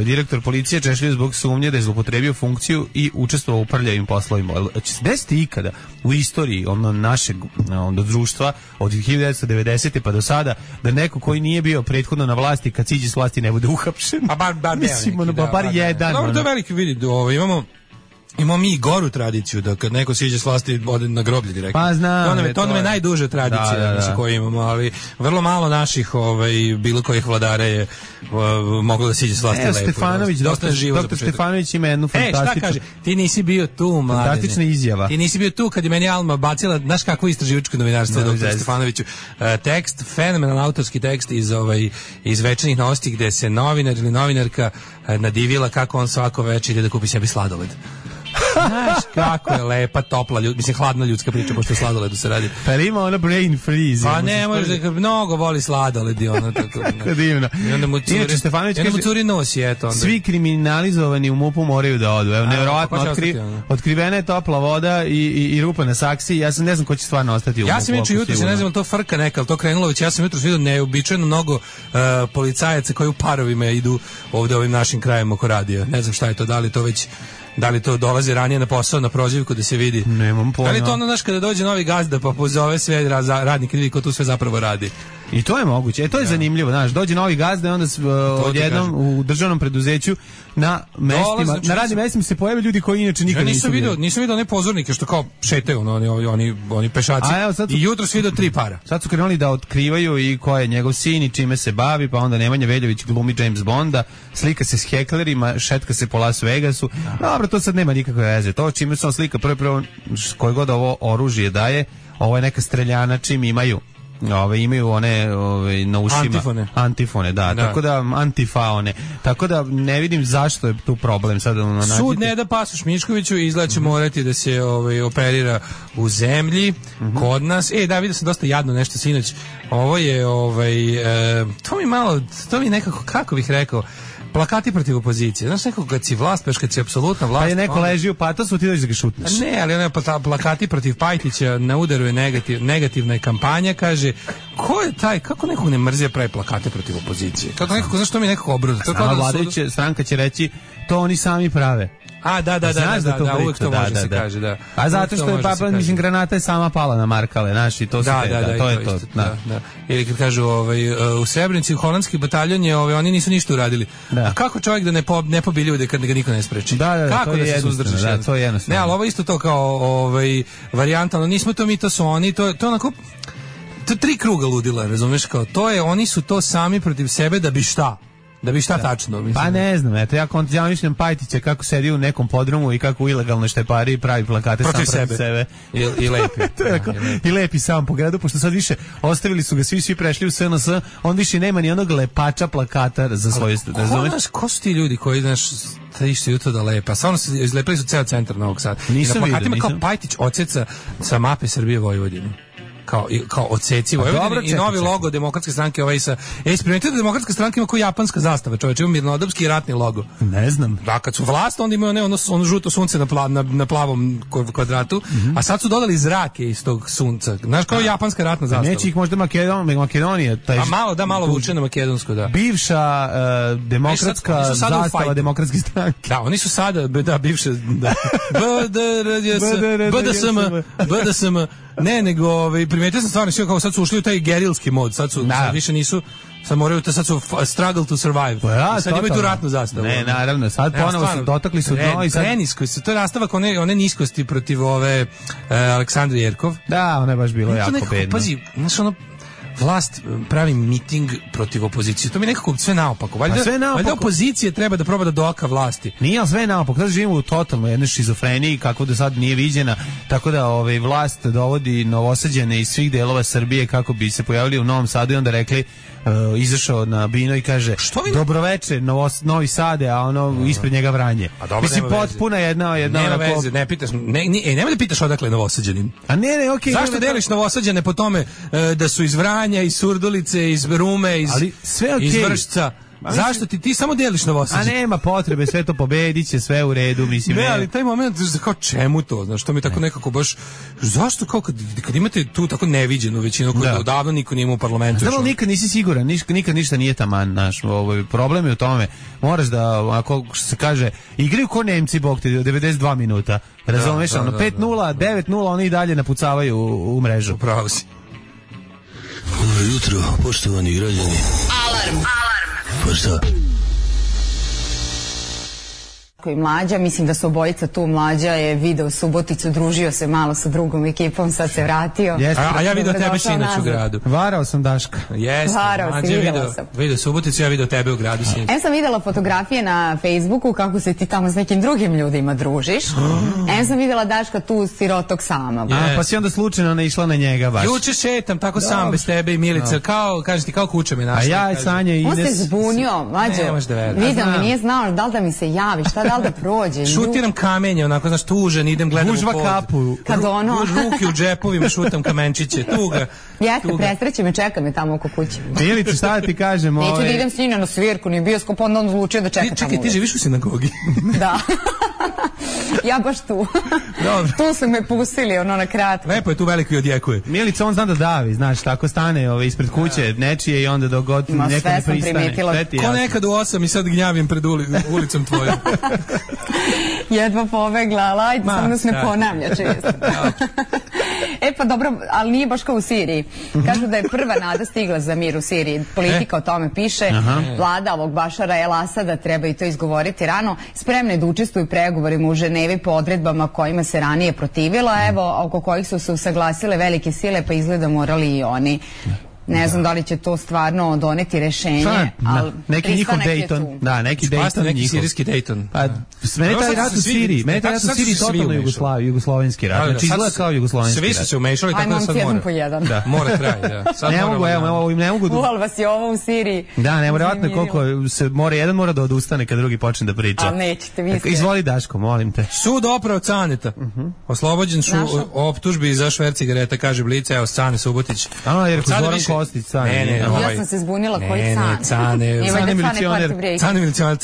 Direktor policije češljaju zbog sumnje da je zloupotrebio funkciju i učestvovao u prljavim poslovima. Će se desiti ikada u istoriji našeg društva od 1990. pa do sada da neko koji nije bio prethodno na vlasti, kad siđe s vlasti ne bude uhapšen? A bar mislim, bar jedan. Dobro, to je veliki vid. Imamo mi i goru tradiciju da kad neko siđe s vlasti ode na groblje direktno. Pa znam. To nam je najduža tradicija sa koju imamo, ali vrlo malo naših bilo kojih vladara je moglo da siđe s vlasti lepo. Stefanović, doktor Stefanović ima jednu fantastičnu. Šta kaže? Ti nisi bio tu, Mladene. Fantastična izjava. Ti nisi bio tu kad je meni Alma bacila, znaš kakvo istraživačko novinarstvo doktor Stefanoviću. Tekst, fenomenalan autorski tekst iz Večernjih novosti gde se novinar ili novinarka nadivila kako on svako večer ide da kupi sebi sladoled. Znaš kako je lepa, topla, hladna ljudska priča, pošto sladoledu se radi. Pa ima ona brain freeze. Pa ne, može da mnogo voli sladoled i ono tako. Divno. I onda mu curi nosi, eto. Onda. Svi kriminalizovani u MUP-u moraju da odu. Evo, nevjerovatno, otkrivena je topla voda i rupa na saksiji. Ja sam ne znam ko će stvarno ostati u MUP-u. Ja sam juče jutro, ne znam, to frka neka, ali to krenulo već, ja sam jutro vidio neobičajno mnogo policajaca koji u parovima idu ovde ovim našim krajima oko radija. Ne znam šta je to, da li to dolazi ranije na posao, na prozivku da se vidi? Nemam pojma. Da li to ono, znaš, kada dođe novi gazda pa pozove sve radnike, vidi ko tu sve zapravo radi? I to je moguće. To je zanimljivo, znaš, dođe novi gazda i onda odjednom u državnom preduzeću na mestima, na radnim mestima se pojave ljudi koji inače nikad nisu vidio. Nisam vidio one pozornike što kao šetaju, oni pešaci. I jutro su vidio 3 para. Sad su krenuli da otkrivaju i ko je njegov sin i čime se bavi, pa onda Nemanja Veljović glumi James Bonda, slika se s heklerima, šetka se po Las Vegasu. Dobro, to sad nema nikakve veze. To čime se on slika prvo koje god ovo oružje daje, ovo je neka streljana čim imaju one na ušima antifone, da, tako da antifaone, tako da ne vidim zašto je tu problem sad. Sud ne da pasoš Miškoviću i izgleda će morati da se operira u zemlji kod nas. Da, vidio sam dosta jadno nešto sinoć. Ovo je to mi nekako, kako bih rekao, plakati protiv opozicije. Znaš, nekako kad si vlast, kad si apsolutna vlast... Pa je neko leži u patosu, ti dođeš da ga šutneš. Ne, ali one plakati protiv Pajtića, na udaru je negativna kampanja, kaže, ko je taj, kako nekog ne mrzije pravi plakate protiv opozicije? Kako nekako, znaš, to mi nekako obruza. Vladajuća stranka će reći, to oni sami prave. Da, uvijek to može se kaže, da. A zato što je granata je sama pala na Markale, znaš, i to se to je to. Ili kad kažu u Srebrenici holandski bataljon je, oni nisu ništa uradili. A kako čovjek da ne pobi ljude kad ga niko ne spreči? Kako da se suzdržiš? Da, to je jednostavno. Ne, ali ovo isto to kao varijanta, ali nismo to mi, to su oni, to onako, to 3 kruga ludila, razumeš, kao to je, oni su to sami protiv sebe da bi šta? Da bi šta tačno, mislim. Pa ne znam, eto, ja mislim Pajtića kako sedi u nekom podrumu i kako u ilegalnoj štepari pravi plakate sam protiv sebe. I lepi. I lepi sam po gradu, pošto sad više ostavili su ga, svi prešli u SNS, on više nema ni onog lepača plakata za svoje... Ko su ti ljudi koji, znaš, išli jutro da lepa? Stvarno izlepili su ceo centar Novog Sada. Nisam vidio, nisam. Kao Pajtić odseca sa mape Srbije Vojvodinu. Kao odseci Vojvodine i novi logo Demokratske stranke sa... Primetite da Demokratska stranka ima kao japanska zastava, čovječe, ima mirnodopski ratni logo. Ne znam. Da, kad su vlast, onda imaju ono žuto sunce na plavom kvadratu, a sad su dodali zrake iz tog sunca. Znaš, kao japanska ratna zastava. Neće ih možda Makedonija. Malo vuče na makedonsko, da. Bivša demokratska zastava Demokratske stranke. Da, oni su sada, bivše, da. BDSM. Ne, nego primetio sam stvarno kao sad su ušli u taj gerilski mod, sad više nisu, sad su struggle to survive. Sad imaju tu ratnu zastavu. Ne, naravno, sad ponovo su dotakli su dno i sad... Preniskost, to je nastavak one niskosti protiv ove Aleksandre Jerkov. Da, ona je baš bilo jako bedno. Pazi, znaš ono, vlast pravi miting protiv opozicije. To mi je nekako sve naopako. Valjda opozicije treba da proba da doka vlasti. Nije, ali sve naopako. Sada živimo u totalno jednoj šizofreniji kako do sad nije viđena. Tako da vlast dovodi novosađene iz svih delova Srbije kako bi se pojavili u Novom Sadu i onda rekli, izašao na bino i kaže dobroveče Novi Sade, a ono ispred njega Vranje. Mislim, potpuna jedna nema veze, ne pitaš, nemoj da pitaš odakle novosađenin. A ne, okej. Zašto deliš novosađene po tome da su iz Vranja, iz Surdulice, iz Rume, iz Vršca? Zašto ti samo deliš Novosađe? A nema potrebe, sve to pobediće, sve u redu, mislim. Ne, ali taj moment, kao čemu to, znaš, to mi tako nekako baš, zašto kao kad imate tu tako neviđenu većinu koju odavno niko nije imao u parlamentu. Znamo, nikad nisi siguran, nikad ništa nije taman, znaš, problem je u tome, moraš da, ako se kaže, igraju ko Nemci, bog te, 92 minuta, razumeš, 5-0, 9-0, oni i dalje napucavaju u mrežu. Upravo si. Dobro jutro, poštovani građani. Alarm. Pa šta? i Mlađa, mislim da su obojica tu. Mlađa je video Suboticu, družio se malo sa drugom ekipom, sad se vratio. A ja video tebe sinoć u gradu. Varao sam Daška. Jeste, Mlađa je video Suboticu, ja video tebe u gradu sinoć. Sam videla fotografije na Facebooku kako se ti tamo s nekim drugim ljudima družiš. Sam videla Daška tu sirotog sama. Pa si onda slučajno naišla na njega baš. Juče šetam tako sam bez tebe i Milica, kažeš ti kao kuća me našla. A ja, Sanja i Ines. On se zbunio, Mlađo. Vidio me, nije znao da li da mi se javi, šta da li da prođe. Šutiram kamenje, onako, znaš, tužan, idem gledam Gužva u pod. kapu. Kad ono... Ruke u džepovima, šutam kamenčiće, tuga. Jeste, presreće me, čeka me tamo oko kuće. Milica, šta da ti kažem? Neću da idem s njina na svirku, ni bioskop, onda on odlučio da čeka tamo. Čekaj, ti živiš u sinagogi? Da. Ja baš tu. Dobro. Tu su me pustili, ono na kratko. Lepo je tu veliko i odjekuje. Milica, on zna da davi, znaš, tako stane ispred kuće nečije i onda dok god neko ne pristane. Ko nekad u 8 i sad gnjavim pred ulicom tvojom. Jedva pobegla, ali ajde, samo da se ne ponavlja često. Pa dobro, ali nije baš kao u Siriji. Kažu da je prva nada stigla za mir u Siriji. Politika o tome piše. Vlada ovog Bašara El Asada, treba i to izgovoriti rano, spremna je da učestvuju pregovorima u Ženevi po odredbama kojima se ranije protivila, evo, oko kojih su se usaglasile velike sile, pa izgleda morali i oni. Ne znam da li će to stvarno doneti rešenje, ali neki njihov Dayton. Da, neki Dayton, neki sirijski Dayton. Pa, mene taj rat u Siriji, totalno jugoslovenski rat. Znači, izgleda kao jugoslovenski rat. Svi su se umešali, tako da sad mora. Ajmo jedan po jedan. Mora kraj, da. Ne mogu... Uvali vas je ovo u Siriji. Da, nevjerovatno koliko se jedan mora da odustane kad drugi počne da priča. Ali nećete, vi ste... Izvoli Daško, molim te. Sud oprao Caneta. Oslobođen optužbi za šverc cigareta, kaže Blic, evo Cane Subotić. Kostić, Cane. Ja sam se zbunila koji Cane. Cane milicionar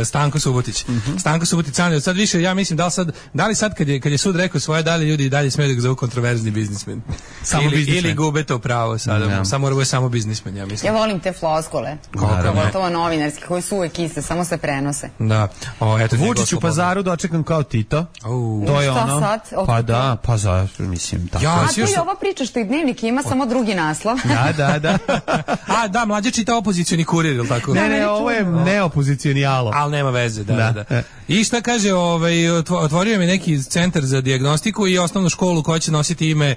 Stanko Subotić. Stanko Subotić, Cane. Sad više, ja mislim, da li sad kad je sud rekao svoje, da li ljudi i dalje smeju da ga zovu kontroverzni biznismen? Ili gube to pravo sada. Samo biznismen, ja mislim. Ja volim te floskule. Pogotovo novinarski, koji su uvek iste, samo se prenose. Da. Vučić u Pazaru dočekan kao Tito. To je ono. Pa da, pa zašto, mislim. A to je ova priča što i Dnevnik ima, samo drugi naslov. Da. Da, Mlađa čita opozicioni kurir, ili tako? Ne, ovo je neopozicioni alo. Ali nema veze, da. I šta kaže, otvorio mi neki centar za dijagnostiku i osnovnu školu koja će nositi ime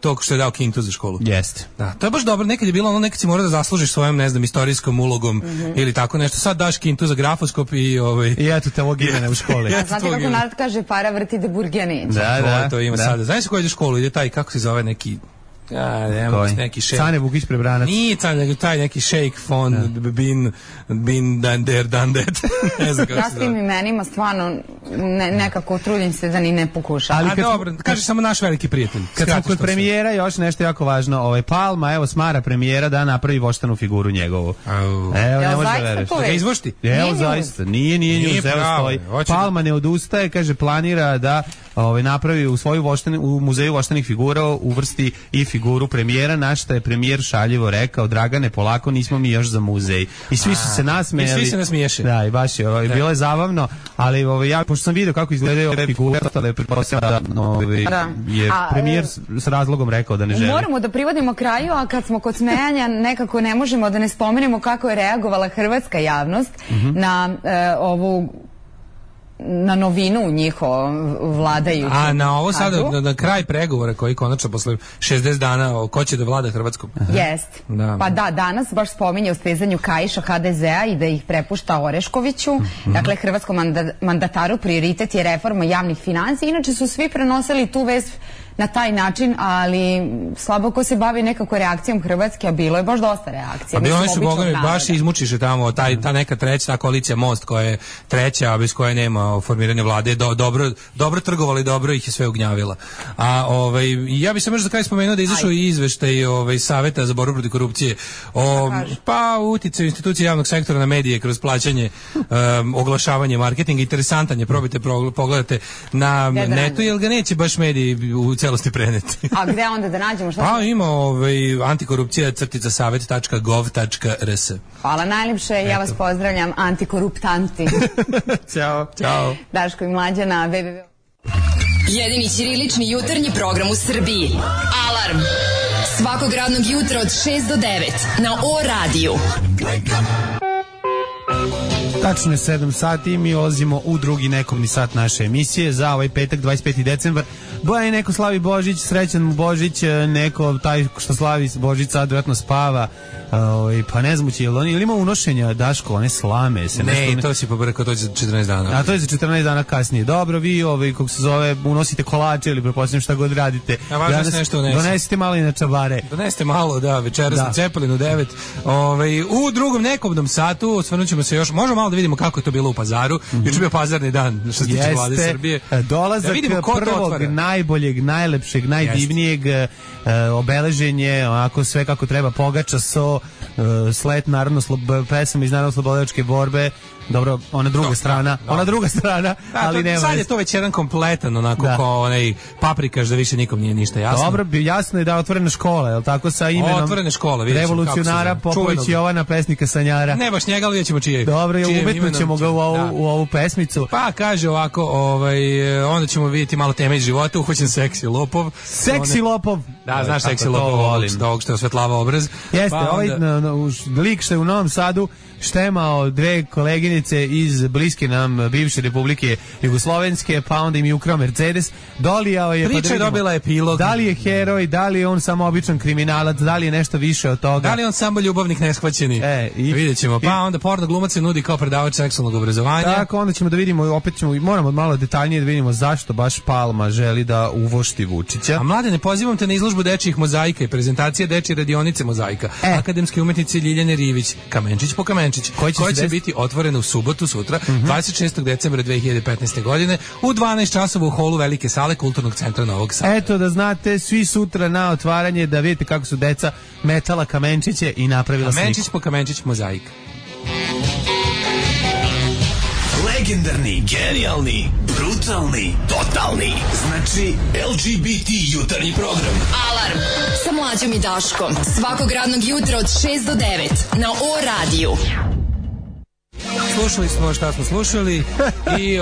tog što je dao Kintu za školu. Jeste. Da, to je baš dobro, nekad je bilo ono, nekad si morao da zaslužiš svojom, ne znam, istorijskom ulogom ili tako nešto. Sad daš Kintu za grafoskop i I eto te ovog imena u školi. Znate kako narod kaže, para vrti da burge neće. Da. To ima sada. Znaš se ko ide u školu, ide taj, kako se zove, neki... neki šejk. Cane Vukić Prebranac. Nije Cane, nego taj neki šejk fon bin done that. Ne znam kako se zove. Ja s tim imenima stvarno nekako trudim se da ni ne pokušam. A dobro, kaži samo naš veliki prijatelj. Kad smo kod premijera, još nešto jako važno. Palma, evo smara premijera da napravi voštanu figuru njegovu. Evo, ne može da veruješ. Da ga izvošti? Evo, zaista. Nije njuz, evo stoji. Palma ne odustaje, kaže, planira da napravi u muzeju voštanih figura uvrsti i figuru premijera, na što je premijer šaljivo rekao: Dragane, polako, nismo mi još za muzej. I svi su se nasmejali. I svi se nasmiješe. Da, i baš je, bilo je zabavno, ali ja, pošto sam vidio kako izgledaju ove figure, pretpostavljam da je premijer s razlogom rekao da ne želi. Moramo da privodimo kraju, a kad smo kod smejanja, nekako ne možemo da ne spomenemo kako je reagovala hrvatska javnost na ovu na novinu njihov vladajući. A na ovo sada, na kraj pregovora koji konačno posle 60 dana, ko će da vlada Hrvatskom? Jest. Pa da, danas baš spominje u stezanju kaiša HDZ-a i da ih prepušta Oreškoviću. Dakle, hrvatskom mandataru prioritet je reforma javnih finansija. Inače su svi prenosili tu vest na taj način, ali slabo ko se bavi nekako reakcijom Hrvatske, a bilo je baš dosta reakcija. A bilo oni su, boga mi, baš izmučiše tamo, ta neka treća, ta koalicija Most koja je treća, a bez koje nema formiranja vlade, dobro trgovali, dobro ih je sve ugnjavila. A ja bih se možda za kraj spomenuo da izašao i izveštaj Saveta za borbu protiv korupcije pa uticaju institucije javnog sektora na medije kroz plaćanje, oglašavanje, marketing, interesantan je, probajte, pogledate na netu, jer ga neće baš mediji u celosti preneti. A gde onda da nađemo? Ima antikorupcija-savet.gov.rs. Hvala najljepše, ja vas pozdravljam, antikoruptanti. Ćao. Daško i Mlađa na www. Jedini ćirilični jutarnji program u Srbiji. Alarm. Svakog radnog jutra od 6 do 9 na O radiju. Tačno je 7 sati i mi ulazimo u drugi nekovni sat naše emisije za ovaj petak 25. decembar. Bojan neko slavi Božić, srećan mu Božić, neko taj što slavi Božić sad vjerojatno spava. Pa ne znam ili ima unošenja, Daško, one slame se ne, nešto, to si pobrkao, to je za 14 dana. A to je za 14 dana kasnije. Dobro, vi kako se zove, unosite kolače ili pretpostavljam šta god radite. A važno se nešto unese. Donesite malo i na čabare. Donesite malo, da, večeras na Cepelinu 9. U drugom nekobnom satu osvrnut ćemo se još, možemo malo da vidimo kako je to bilo u Pazaru. Juče bio pazarni dan što se tiče Vlade Srbije. Dolazak prvog, najboljeg, najlepšeg, najdivnijeg, obeleženje, onako sve kako treba, pogača, so, slet, naravno, pesama iz naravno slobodilačke borbe. Dobro, ona druga strana, ali nema. Sad je to već jedan kompletan, onako kao onaj paprikaš da više nikom nije ništa jasno. Dobro, jasno je da otvorena škola, je li tako, sa imenom otvorena škola, vidjet ćemo revolucionara Popović Jovana, pesnika Sanjara. Ne baš njega, ali vidjet ćemo čije. Dobro, umetnut ćemo ga u ovu pesmicu. Pa kaže ovako, onda ćemo vidjeti malo teme iz života, uhvaćen seksi lopov. Seksi lopov? Da, znaš seksi lopov, ovog što je osvetlava obraz. Jeste, ovaj lik što je u Novom Sadu štemao dve koleginice iz bliske nam bivše Republike Jugoslovenske, pa onda im je ukrao Mercedes, dolijao je, priča je dobila epilog. Da li je heroj, da li je on samo običan kriminalac, da li je nešto više od toga, da li je on samo ljubavnik neshvaćeni, vidjet ćemo. Pa onda porno glumac se nudi kao predavač seksualnog obrazovanja. Tako, onda ćemo da vidimo, opet moramo malo detaljnije da vidimo zašto baš Palma želi da uvošti Vučića. A Mladene, pozivam te na izložbu dečijih mozaika i prezentacija dečije radionice mozaika, akademske umetnice Ljiljane Rivić, Kamenčić po Kamenčić, koja će biti otvorena u subotu sutra, 26. decembra 2015. godine u 12 časova u holu Velike sale Kulturnog centra Novog Sada. Eto, da znate, svi sutra na otvaranje, da vidite kako su deca metala kamenčiće i napravila sliku. Kamenčić po Kamenčić mozaik. Legendarni, genijalni, brutalni, totalni. Znači LGBT jutarnji program. Alarm sa Mlađom i Daškom. Svakog radnog jutra od 6 do 9 na O-radiju. Slušali smo šta smo slušali i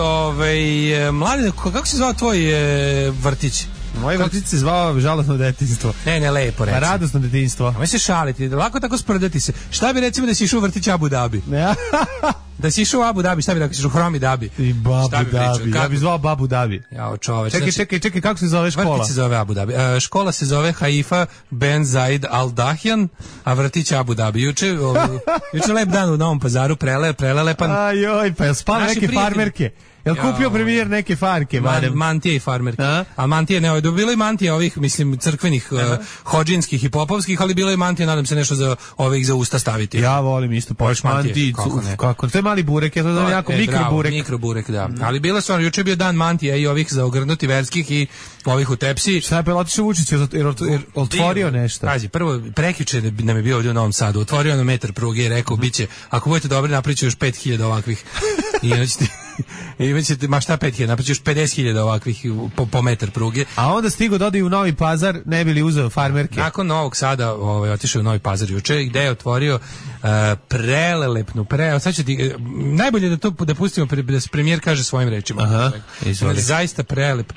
Mladine, kako se zvao tvoj vrtić? Moj vrtić se zvao žalostno detinjstvo. Ne, lepo reći. Radosno detinjstvo. A mi se šaliti, lako tako sprdati se. Šta bi recimo da si išao u vrtić Abu Dhabi? Da si išao u Abu Dhabi, šta bi da si išao u Hromi Dhabi? I Babu Dhabi, ja bi zvao Babu Dhabi. Jao čoveč. Čekaj, kako se zove škola? Vrtić se zove Abu Dhabi. Škola se zove Haifa Ben Zaid Al Dahjan, a vrtić Abu Dhabi. Juče lep dan u Novom Pazaru, prelepan. Ajoj, pa je spala neke farmerke. Jel kupio premijer neke farke? Mantije i farmerke. A mantije ne, bilo je mantije ovih, mislim, crkvenih, hodžinskih i popovskih, ali bilo je mantije, nadam se nešto za ovih za usta staviti. Ja volim isto poš mantije. Kako? To je mali burek, ja to znam jako mikroburek. Mikroburek, da. Ali bilo su, juče je bio dan mantija i ovih za ogrnuti verskih i ovih u tepsi. Šta je pa otišao Vučić, jer otvorio nešto? Pazi, prvo, prekjuče nam je bio ovdje u Novom Sadu, otvorio nam metar pruge i rekao, biće, ako budete dobri, napriču još 5000 ovakvih. I imaćete, ma šta 5000, napraći još 50.000 ovakvih po metar pruge. A onda stigo da ode u Novi Pazar, ne bi li uzeo farmerke? Nakon Novog Sada otišao u Novi Pazar juče, gde je otvorio prelelepnu, sad ću ti, najbolje da pustimo, da se premijer kaže svojim rečima. Aha, izvoli. Zaista prelep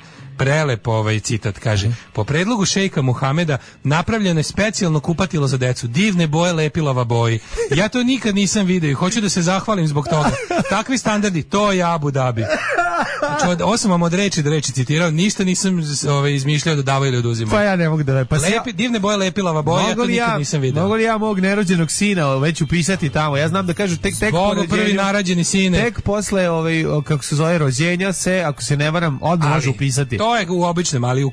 citat, kaže: po predlogu šejka Muhameda napravljeno je specijalno kupatilo za decu, divne boje lepilava boji. Ja to nikad nisam vidio i hoću da se zahvalim zbog toga. Takvi standardi, to je Abu Dhabi. Znači, ovo sam vam od reči do reči citirao, ništa nisam izmišljao da dava ili oduzima. Pa ja ne mogu da... divne boje lepilava boja, ja to nikad nisam vidio. Mogu li ja mog nerođenog sina već upisati tamo? Ja znam da kažu tek po rođenju, prvi narađeni sine. Tek posle, kako se zove, rođenja se, ako se ne varam, odmah može upisati. To je u običnom, ali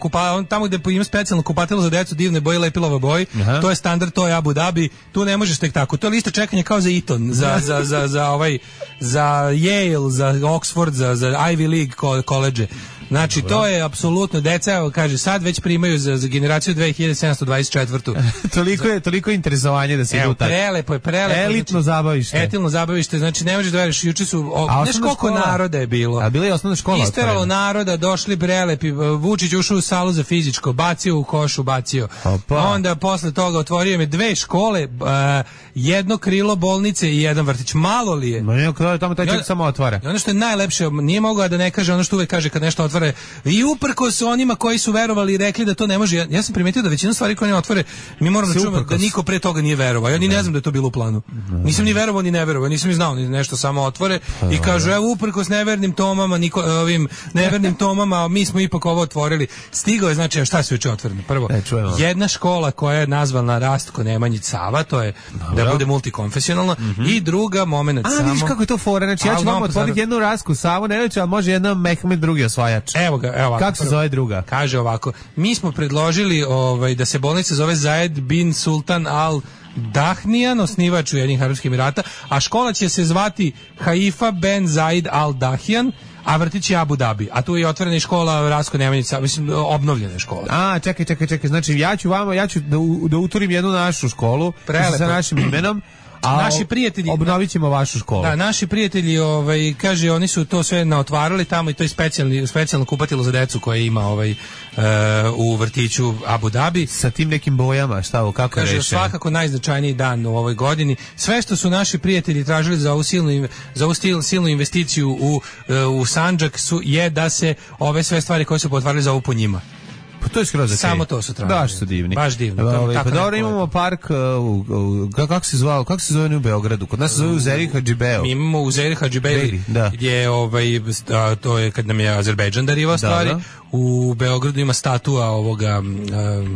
tamo gde ima specijalno kupatilo za decu, divne boje lepilava boji, to je standard, to je Abu Dhabi, tu ne možeš tek tako. To je lista čekanja kao za Eton, za Yale, za Oxford, za Ivy League koledže. Znači, to je apsolutno, deca, kaže, sad već primaju za generaciju 2724. Toliko interesovanje da se idu tako. Prelepo je. Elitno zabavište. Elitno zabavište, znači ne možeš da veriš, juče su, znaš koliko naroda je bilo. A bila je osnovna škola. Isteralo naroda, došli prelepi, Vučić ušao u salu za fizičko, bacio u košu, onda posle toga otvorio me 2 škole, jedno krilo bolnice i jedan vrtić. Malo li je? Tamo taj čovjek samo otvara. I ono što je najlepše, nije mogao da ne kaže ono što uvek kaže kad nešto otvara, otvore. I uprkos onima koji su verovali i rekli da to ne može, ja sam primetio da većina stvari koje ne otvore, mi moramo da čujemo da niko pre toga nije verovao. Ja ni ne znam da je to bilo u planu. Nisam ni verovao ni ne verovao, nisam ni znao ni nešto, samo otvore i kažu evo uprkos nevernim tomama, ovim nevernim tomama, mi smo ipak ovo otvorili. Stigao je, znači, šta se juče otvoreno? Prvo, jedna škola koja je nazvana Rastko Nemanjić Sava, to je da bude multikonfesionalna, i druga momenat samo. Vidiš kako je to fora, znači ja ću vam otvoriti jednu Rastku Savu, ne reći, ali može jedna Mehmed drugi osvajač. Evo ga, evo ovako. Kako se zove druga? Kaže ovako, mi smo predložili da se bolnica zove Zayed bin Sultan Al Dahnijan, osnivač Ujedinjenih Arapskih Emirata, a škola će se zvati Haifa ben Zayed Al Dahyan, a vrtić je Abu Dhabi. A tu je otvorena škola Rastko Nemanjić, mislim, obnovljena škola. A, čekaj. Znači, ja ću da uturim jednu našu školu sa našim imenom, a naši prijatelji obnovit ćemo vašu školu. Da, naši prijatelji, kaže, oni su to sve naotvarali tamo i to je specijalno kupatilo za decu koje ima u vrtiću Abu Dhabi. Sa tim nekim bojama, kako je rešeno? Kaže, svakako najznačajniji dan u ovoj godini. Sve što su naši prijatelji tražili za ovu silnu investiciju u Sandžak je da se ove sve stvari koje su potvarali za ovu po njima. Pa to je skroz okej. Samo to su tražili. Baš su divni. Baš divno. Pa dobro, imamo park, kako se zove u Beogradu? Kod nas se zove Uzeri Hadžibeo. Mi imamo Uzeri Hadžibeo, gdje to je kad nam je Azerbejdžan darivao stvari. U Beogradu ima statua ovoga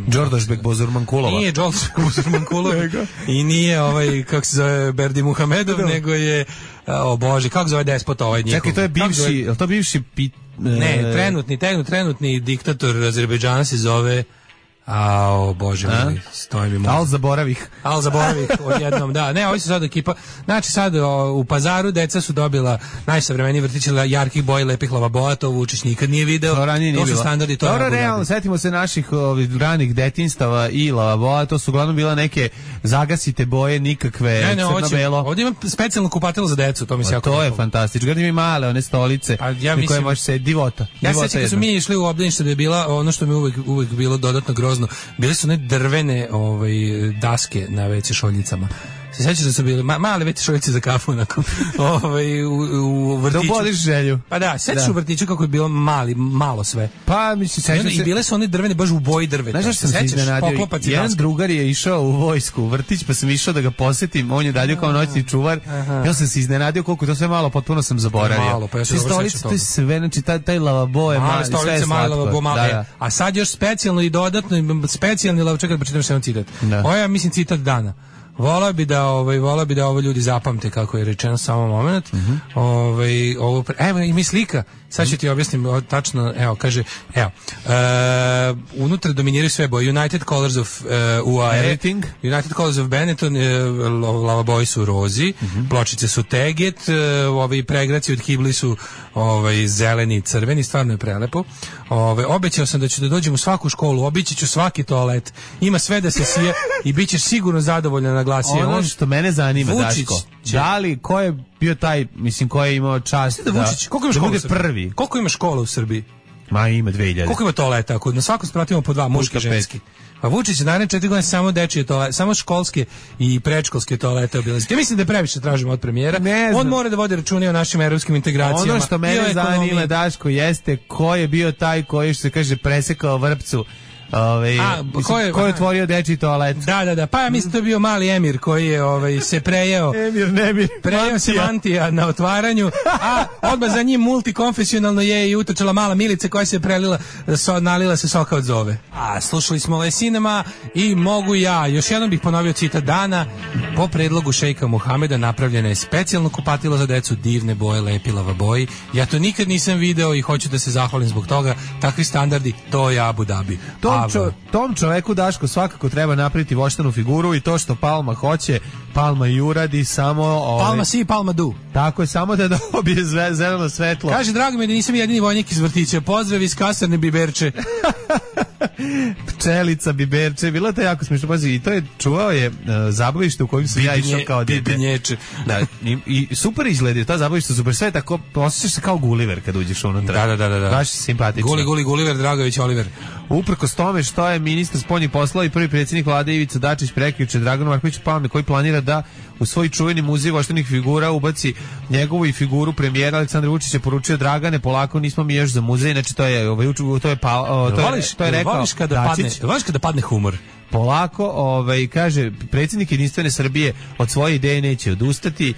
Đorđebek Bozurmankulova. Nije Đorđebek Bozurmankulov i nije kako se zove Berdi Muhamedov, nego je Bože, kako zove despota ovaj njihov. Čekaj, to je bivši Ne, trenutni diktator Azerbejdžana se zove Bože moj, stoji mi možda. Al zaboravih odjednom, da. Ne, ovi su sad ekipa. Znači sad u Pazaru deca su dobila najsavremeniji vrtić jarkih boja, lepih lavaboja, to Vučić nikad nije video. To su standardi. Dobro, realno, setimo se naših ranih detinstava i lavaboja, to su uglavnom bila neke zagasite boje, nikakve crno-belo. Ovdje ima specijalno kupatilo za decu, to mi se jako to je fantastično. Gledam i male, one stolice na koje može se divota. Ja se sjećam kad su mi išli u obdanište da je bila, ono što mi uvek bilo dodatno grozno, bile su one drvene daske na WC šoljicama. Se sjećaš da su bile male WC šoljice za kafu onako, u vrtiću. Da boliš želju. Pa da, sjećaš u vrtiću kako je bilo malo sve. Pa mislim, sjećam se. I bile su one drvene baš u boji drveta. Znaš što sam se iznenadio? Jedan drugar je išao u vojsku, u vrtić, pa sam išao da ga posjetim, on je dalje kao noćni čuvar. Ja sam se iznenadio koliko to sve malo, potpuno sam zaboravio. Malo, pa ja se dobro sjećam toga. Sve, znači taj lavabo je mali, sve je slatko. A sad još specijalno i dodatno, specijalni lavabo, čekaj da pročitam še jedan citat. Ovo je, mislim, citat dana. Volao bi da ovo ljudi zapamte kako je rečeno, samo moment. Evo ima slika. Sad ću ti objasnim tačno, kaže, unutra dominiraju sve boje. United Colors of UAE, United Colors of Benetton, lavaboji su rozi, pločice su teget, pregraci od kibli su zeleni i crveni, stvarno je prelepo. Obećao sam da ću da dođem u svaku školu, obići ću svaki toalet, ima sve da se sije i bit ćeš sigurno zadovoljna, naglasio. Ono što mene zanima, Daško, da li, ko je bio taj, mislim, ko je imao čast da bude prvi? Koliko ima škola u Srbiji? Ma ima 2000. Koliko ima toaleta? Na svakom spratu imamo po 2, muški i ženski. A Vučić je naredne 4 godine samo dečije toalete, samo školske i predškolske toalete obilaziti. Ja mislim da je previše tražimo od premijera. On mora da vodi račune o našim evropskim integracijama. Ono što mene zanima, Daško, jeste ko je bio taj koji, što se kaže, presekao vrpcu. Ko je otvorio dečji toalet? Da, pa ja mislim to je bio mali Emir koji je se prejeo. Prejeo se mantija na otvaranju, a odmah za njim multikonfesionalno je i utrčala mala Milica koja se prelila, nalila se soka od zove. Slušali smo Lesinema i mogu ja. Još jednom bih ponovio citat dana. Po predlogu šejka Muhameda napravljeno je specijalno kupatilo za decu, divne boje, lepi lavaboji. Ja to nikad nisam video i hoću da se zahvalim zbog toga. Takvi standardi, to je Abu Dhabi. Tom čoveku, Daško, svakako treba napraviti voštanu figuru i to što Palma hoće, Palma i uradi, samo... Palma si, Palma du. Tako je, samo da dobije zeleno svetlo. Kaže, drago mi je da nisam jedini vojnik iz vrtića. Pozdrav iz kasarne Biberče. Pčelica Biberče, bilo to jako smiješno. Pazi, i to je čuvao je zabavište u kojem sam ja išao kao dete. Bibinječe. Da, i super izgledaju, ta zabavište super, sve tako, osjećaš se kao Gulliver kad uđeš unutra. Da. Baš simpatično. Gulliver, Dragović, Oliver. Uprkos tome što je ministar spoljnih poslova i prvi predsjednik vlade Ivica Dačić prekjuče Draganu Markoviću Palme, koji planira da u svoj čuveni muzej voštanih figura ubaci njegovu i figuru premijera Aleksandra Vučića, poručio: Dragane, polako, nismo mi još za muzej. Znači to je rekao voliš kada padne humor. Polako, kaže, predsjednik Jedinstvene Srbije od svoje ideje neće odustati.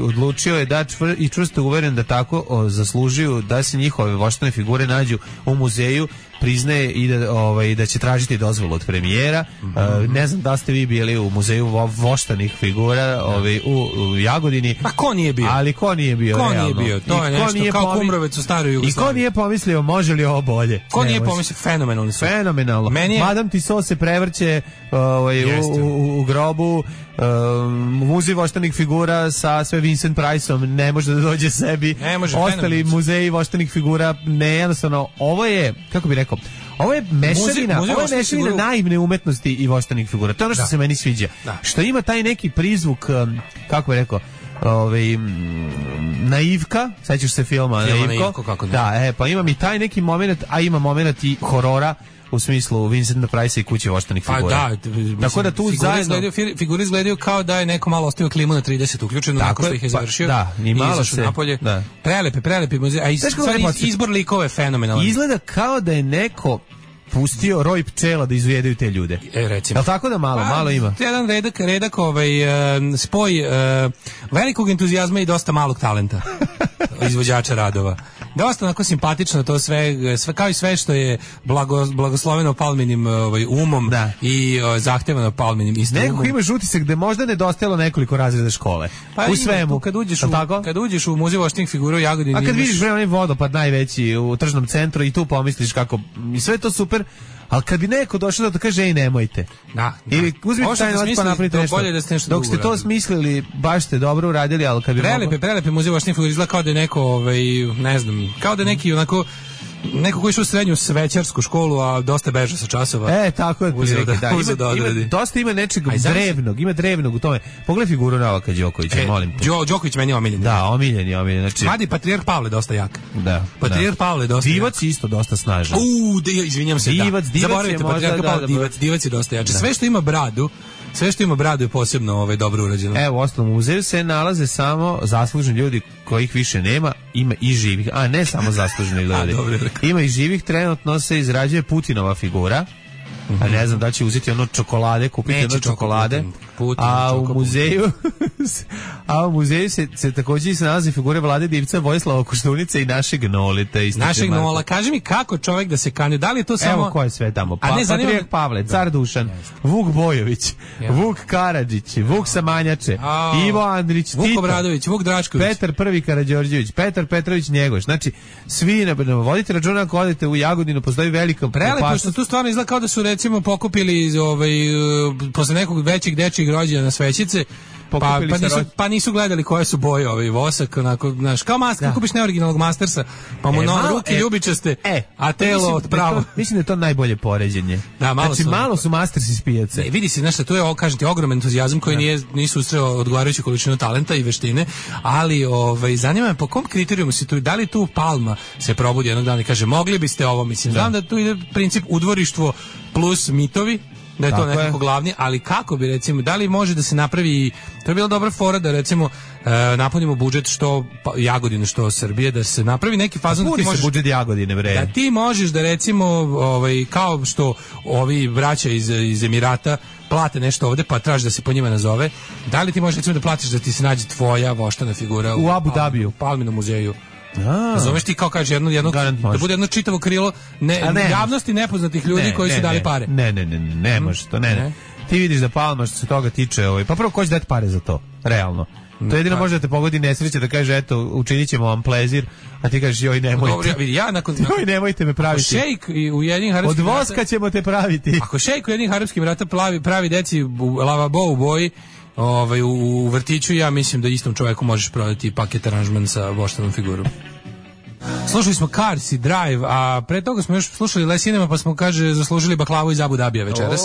Odlučio je da i čvrsto uveren da tako zaslužuju da se njihove voštane figure nađu u muzeju, priznaje i da će tražiti dozvolu od premijera. Ne znam da ste vi bili u muzeju voštanih figura u Jagodini. Pa ko nije bio? Ali ko nije bio? Ko nije bio? To je nešto kao Kumrovec u staroj Jugoslaviji. I ko nije pomislio može li ovo bolje? Ko nije pomislio? Fenomenalno. Fenomenalno. Madame Tussauds se prevrće u grobu. Muzej voštanih figura sa sve Vincent Priceom ne može da dođe sebi. Ostali muzeji voštanih figura ne, jednostavno ovo je, kako bi rekao, ovo je mešavina naivne umetnosti i voštanih figura. To je ono što se meni sviđa. Što ima taj neki prizvuk, kako bi rekao, naivka, sećaš se filma Naivko? Da, pa imam i taj neki moment, a ima moment i horora u smislu Vincenta Price i kuće voštanih figura. Tako da tu zajedno figure izgledaju kao da je neko malo ostavio klimu na 30 uključenu nakon što ih je završio. Da, ni malo se napolje. Prelepi muzej, a izbor likova je fenomenalan. Izgleda kao da je neko pustio roj pčela da izvedaju te ljude. Recimo. Jel tako da malo ima? Jedan redak spoj velikog entuzijazma i dosta malog talenta izvođača radova. Dosta onako simpatično to sve kao i sve što je blagosloveno Palminim umom i zahtevano Palminim istim umom. Neko imaš utisak da možda nedostajalo nekoliko razreda škole. Pa u svemu. Kad uđeš u muzej voštanih figura u Jagodini. A kad vidiš onaj vodopad najveći u tržnom centru i tu pomisliš kako i sve to super. Ali kad bi neko došao da kaže ej nemojte. Ili uzmite taj novac pa napravite nešto. Dok ste to smislili, baš ste dobro uradili, ali kad bi prelepi muzej voštanih figura izgleda kao da je neko ne znam, kao da je neki onako neko koji je išao u srednju svećarsku školu, a dosta beža sa časova. Tako je. Dosta ima nečeg drevnog u tome. Pogledaj figuru Novaka Đokovića, molim te. Đoković meni je omiljen. Da, omiljen. Znači, mada i Patrijarh Pavle dosta jak. Patrijarh Pavle dosta jak. Divac isto dosta snažan. Izvinjam se, zaboravite, Patrijarh Pavle, Divac je dosta jači. Sve što ima bradu je posebno dobro urađeno. Evo, u ostalom muzeju se nalaze samo zaslužni ljudi kojih više nema, ima i živih, a ne samo zaslužni ljudi. Ima i živih, trenutno se izrađuje Putinova figura. A ne znam da će uzeti ono čokolade, kupiti ono čokolade. A u muzeju se također se nalazi figure Vlade Divca, Vojislava Koštunice i našeg Nolita. Našeg Nola. Kaži mi kako čovjek da se kandiduje, da li je to samo... Evo ko je sve tamo. Patrijarh Pavle, Car Dušan, Vuk Bojović, Vuk Karadžić, Vuk Samanjače, Ivo Andrić, Vuk Obradović, Vuk Drašković, Petar I Karađorđević, Petar Petrović Njegoš. Znači, svi, vodite računa ako odete u Jagodinu, postoji velika opasnost. Prelepo što tu stvarno izgleda kao da su recimo pokupili posle nekog većeg dečijeg rođenja na svećice, pa nisu gledali koje su boje vosak, onako, znaš, kao master, kupiš neoriginalnog Mastersa, pa mu ruke ljubičaste, a telo odpravo. Mislim da je to najbolje poređenje. Malo su Mastersi iz pijace. Vidi se, znaš, to je, kažem ti, ogroman entuzijazam koji nisu ustreo odgovarajuću količinu talenta i veštine, ali zanima me po kom kriterijumu si tu, da li tu Palma se probudi jednog dana i kaže, mogli biste ovo, mislim, znam da tu ide princip udvorištvo plus mitovi, da je to nekako glavni, ali kako bi recimo, da li može da se napravi, to je bila dobra fora da recimo napunimo budžet što Jagodine, što Srbije, da se napravi neki fazon da ti možeš budžet Jagodine, bre. Da ti možeš da recimo kao što ovi braća iz Emirata plate nešto ovde pa traži da se po njima nazove, da li ti možeš recimo da platiš da ti se nađe tvoja voštana figura u Abu Dabiju, Palminom muzeju? Razumeš ti kao kaže jedno da bude jedno čitavo krilo javnosti nepoznatih ljudi koji su dali pare. Ne može to, ne. Ti vidiš da Palma što se toga tiče, pa prvo ko će dati pare za to, realno. To jedino može da te pogodi nesreća da kaže eto učinit ćemo vam plezir, a ti kažeš joj nemojte. Joj nemojte me praviti. Šejk u Ujedinjenim Arapskim Od voska ćemo te praviti. Ako šejk u Ujedinjenim Arapskim Emiratama pravi deci lavabo u boji, u vrtiću, ja mislim da istom čovjeku možeš prodati paket aranžman sa voštanom figurom. Slušali smo Cars i Drive, a pre toga smo još slušali Les Cinema, pa smo, kaže, zaslužili baklavu iz Abu Dabija večeras.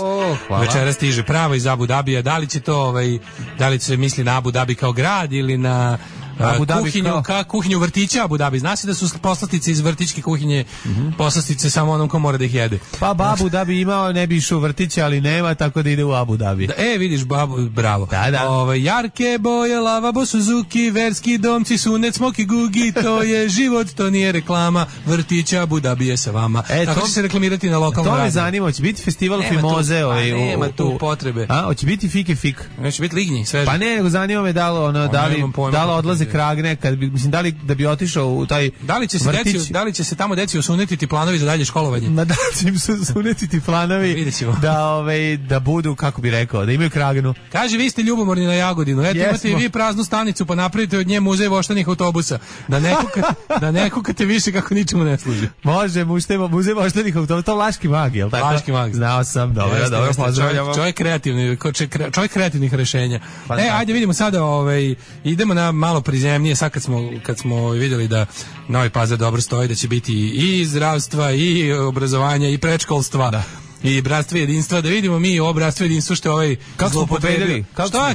Večeras stiže prava iz Abu Dabija. Da li će to, da li se misli na Abu Dhabi kao grad ili na kuhinju vrtića Abu Dhabi. Zna se da su poslastice iz vrtićke kuhinje poslastice samo onom ko mora da ih jede. Pa babu da bi imao, ne bi išao u vrtiće, ali nema, tako da ide u Abu Dhabi. Vidiš, babu, bravo. Da. Jarke boje, lavabo, Suzuki, verski domci, sunet, smoki, gugi, to je život, to nije reklama, vrtića Abu Dhabi je sa vama. Tako će se reklamirati na lokalnom radiju. To me zanima, hoće biti festival Fimoze. Nema tu potrebe. Hoće biti fik. Neće biti lignji, sveže. Pa ne, nego zanima me da li odlaze kragne, da li da bi otišao u taj vrtić. Da li će se tamo deci osunetiti planovi za dalje školovanje? Da će im se osunetiti planovi da budu, kako bi rekao, da imaju kragnu. Kaže, vi ste ljubomorni na Jagodinu. Eto, imate i vi praznu stanicu, pa napravite od nje muzej voštanih autobusa. Da ne kukate više kako ničemu ne služi. Može, muzej voštanih autobusa, to Vlaški mag, jel tako? Vlaški mag. Znao sam, dobro, pozdravljamo. Čovjek kreativnih rešenja. Ajde vidimo sada, idemo na malo prizemnije, sad kad smo vidjeli da Novi Pazar dobro stoji, da će biti i zdravstva, i obrazovanja, i predškolstva. I bratstvo i jedinstva, da vidimo mi ovo bratstvo i jedinstvo što je zloupotrebio.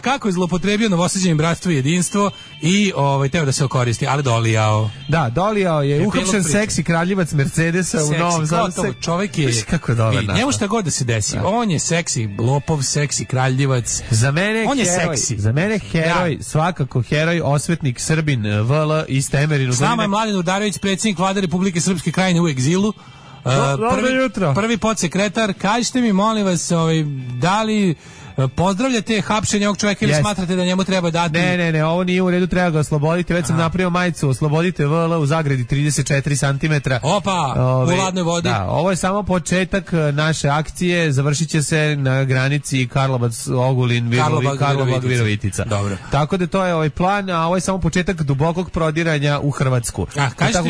Kako je zloupotrebio novosađenje bratstvo i jedinstvo i teo da se okoristi, ali dolijao. Da, dolijao je uhapšen seksi kraljevac Mercedesa u Novom Sadu. Čovjek je, kako je dobar naš. Njemu šta god da se desi, on je seksi lopov, seksi kraljevac. Za mene on je seksi. Za mene heroj, svakako heroj, osvetnik Srbin VL iz Temerinu. S nama je Mladen Udarević, predsjednik Vlade Republike Srpske Krajine u egzilu. Prvi podsekretar, kažite mi, molim vas, da li pozdravljate hapšenje ovog čovjeka ili smatrate da njemu treba dati? Ne, ovo nije u redu, treba ga osloboditi. Već sam napravio majicu, oslobodite VL u zagradi 34 cm. Opa, u ladnoj vodi. Da, ovo je samo početak naše akcije, završit će se na granici Karlobag-Virovitica. Dobro. Tako da to je plan, a ovo je samo početak dubokog prodiranja u Hrvatsku. Kažite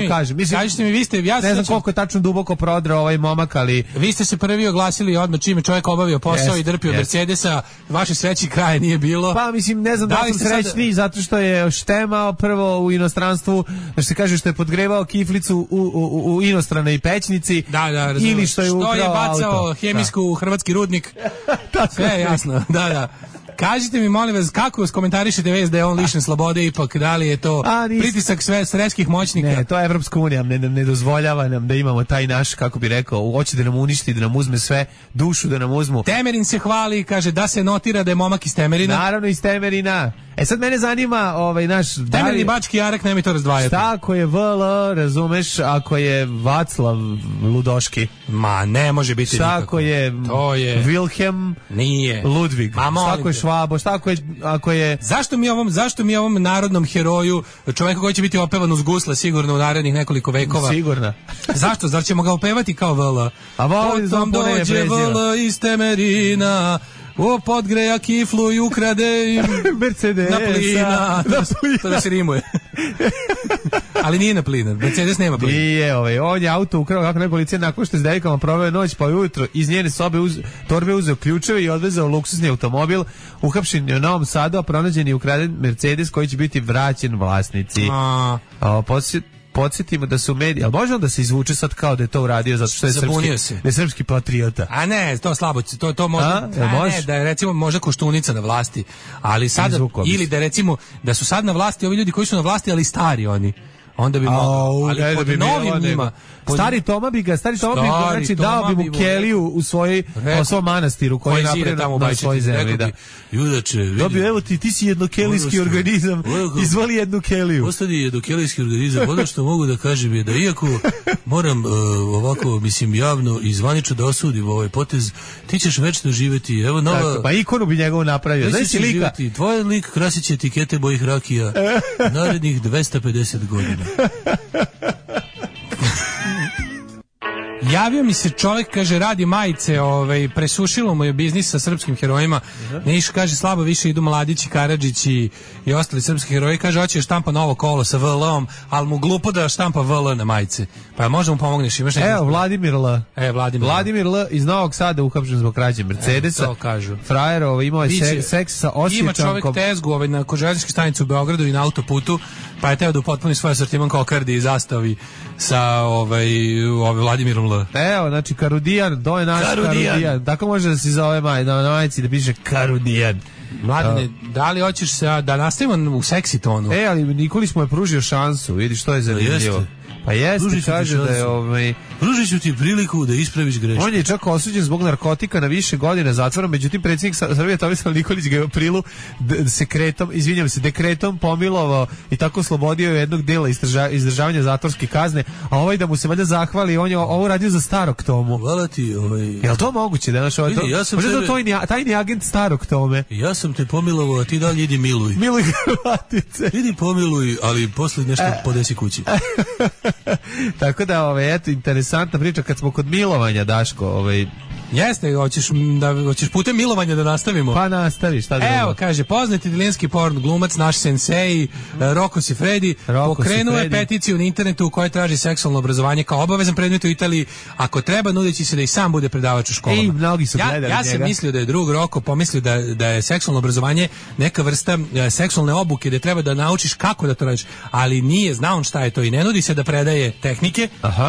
mi, vi ste... Ne znam koliko je tačno duboko prodrao ovaj momak, ali... Vi ste se prvi oglasili odmah čime čovjek obavio posao i drpio Mercedesa. Vaše sreći kraja nije bilo. Pa mislim, ne znam da sam srećni zato što je štemao prvo u inostranstvu, da se kaže što je podgrevao kiflicu u inostranoj pećnici. Da, ili što je ukrao auto. Što je bacao hemijsku u hrvatski rudnik. Sve je jasno, da. Kažite mi, molim vas, kako skomentarišete vez da je on lišen slobode, ipak da li je to pritisak svetskih moćnika? Ne, to je Evropska unija, ne dozvoljava nam da imamo taj naš, kako bi rekao, hoće da nam uništi, da nam uzme sve, dušu da nam uzmu. Temerin se hvali, kaže da se notira da je momak iz Temerina. Naravno iz Temerina. Sad mene zanima naš... Temerin i Bački Jarak, ne mi to razdvajati. Šta ako je VL, razumeš, ako je Vaclav Ludoški? Ma, ne može biti nikako. Šta ako je Wilhelm Nije. Ludvig? Šta ako je Švabo? Šta ako je... Zašto mi ovom narodnom heroju, čoveku koji će biti opevan uz gusle sigurno u narednih nekoliko vekova? Sigurno. Zašto? Zar ćemo ga opevati kao VL? A potom dođe VL iz Temerina, podgreja kiflu i ukrade Mercedes na plina. To da se rimuje. Ali nije na plina. Mercedes nema plina. Nije, on je auto ukrao kako ne policija nakon što je s devojkama proveo noć, pa ujutro iz njene sobe torbe uzeo ključeve i odvezao luksuzni automobil, uhapšen je u Novom Sadu, a pronađen je ukraden Mercedes koji će biti vraćen vlasnici. Podsjetimo da su mediji, ali može on da se izvuče sad kao da je to uradio zato što je srpski patriota? A ne, to slabo, to može. Ne, da je recimo možda Koštunica na vlasti, ali sada, ili da recimo da su sad na vlasti ovi ljudi koji su na vlasti, ali stari oni. Onda bi mogao, ali pod novim njima. Stari Toma bi ga, znači dao bi mu keliju u svom manastiru koji je napravio na svojoj zemlji. Judače, vidi. Evo ti si jednokelijski organizam, izvoli jednu keliju. Ostani jednokelijski organizam, ono što mogu da kažem je da iako moram ovako, mislim, javno i zvanično da osudim ovaj potez, ti ćeš večno živjeti, evo nova... Pa ikonu bi njegovu napravio, znaš si lika? Tvoj lik krasit će etikete bojih rakija narednih 250 godina. Javio mi se čovjek, kaže, radi majice, presušilo mu je biznis sa srpskim herojima. Niš, kaže, slabo više idu Mladići, Karadžići i ostali srpski heroji. Kaže, hoće štampa novo kolo sa VL-om, ali mu glupo da štampa VL na majice. Pa možda mu pomogneš, imaš neki... Evo, Vladimir L. Vladimir L. iz Novog Sada uhapšen zbog krađe Mercedesa. To kažu. Frajer, imao je seks sa Osjećankom. Ima čovjek tezgu na železničkoj stanici u Beogradu i na autoputu, pa je teo da upotpuni svoj asortiman kokardi i zastavi sa Vladimirom L. Evo, znači Karudijan, to je naš Karudijan. Tako može da se zove na majici da piše Karudijan. Mladine, da li hoćeš da nastavimo u seksi tonu? Ali Nikolić mu je pružio šansu, vidi što je zanimljivo. Pa jeste, kaže da je pružit ću ti priliku da ispraviš grešku. On je čak osuđen zbog narkotika na više godina zatvora, međutim predsjednik Srbije Tomislav Nikolić ga je u aprilu dekretom pomilovao i tako oslobodio jednog dela izdržavanja zatvorske kazne, a ovaj da mu se valjda zahvali, on je ovo radio za Starog Tomu. Hvala ti, Jel to moguće da naš ovaj to? Ja tajni agent Starog Tome. Ja sam te pomilovao, a ti dalje idi miluj. Miluj Hrvatice. Idi pomiluj, ali posle nešto podesi kući. Tako da, eto, interesantna priča kad smo kod milovanja, Daško, Jeste, hoćeš putem milovanja da nastavimo? Pa nastavi, šta drugo? Evo, kaže, poznati italijanski porn glumac, naš sensei, Rocco Siffredi, pokrenuo je peticiju na internetu u kojoj traži seksualno obrazovanje kao obavezan predmet u Italiji, ako treba, nudeći se da i sam bude predavač u školama. I mnogi su gledali njega. Ja sam mislio da je drug Rocco pomislio da je seksualno obrazovanje neka vrsta seksualne obuke, da treba da naučiš kako da to radiš, ali nije, zna on šta je to i ne nudi se da predaje tehnike,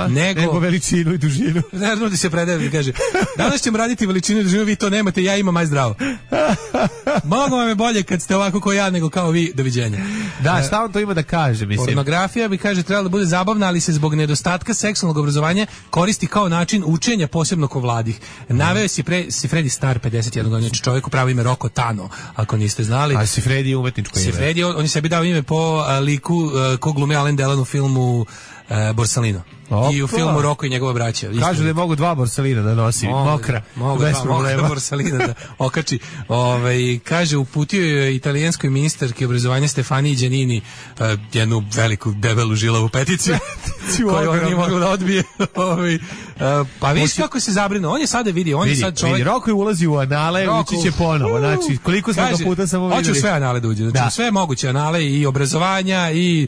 nego veličinu i dužinu. Ne nudi se predaje, kaže, danas ćemo raditi veličinu i dužinu, vi to nemate, ja imam, aj zdravo. Mnogo vam je bolje kad ste ovako kao ja nego kao vi, doviđenja. Da, šta on to ima da kaže, mislim? Pornografija bi, kaže, trebala da bude zabavna, ali se zbog nedostatka seksualnog obrazovanja koristi kao način učenja, posebno kod mladih. Naveo Siffredi star 51 godina, čovjek pravo ime Rocco Tano, ako niste znali. A Siffredi je umetničko ime. Siffredi, on je sebi dao ime po liku ko glumi Alain Delon u filmu Borsalino. I u filmu Rocco i njegova braća. Kažu da je mogu 2 Borsalina da nosi, mokra, bez problema. Borsalina da okači. Kaže, uputio je italijanskoj ministarki obrazovanja Stefaniji Giannini jednu veliku, debelu, žilavu peticiju koju on nije mogao da odbije. Pa viš kako se zabrinuo. On je sada vidio, on je sad čovjek. Rocco je ulazi u anale, ući će ponovo. Znači, koliko smo ga puta samo vidjeli. Hoću sve anale da uđe. Znači, sve moguće anale i obrazovanja i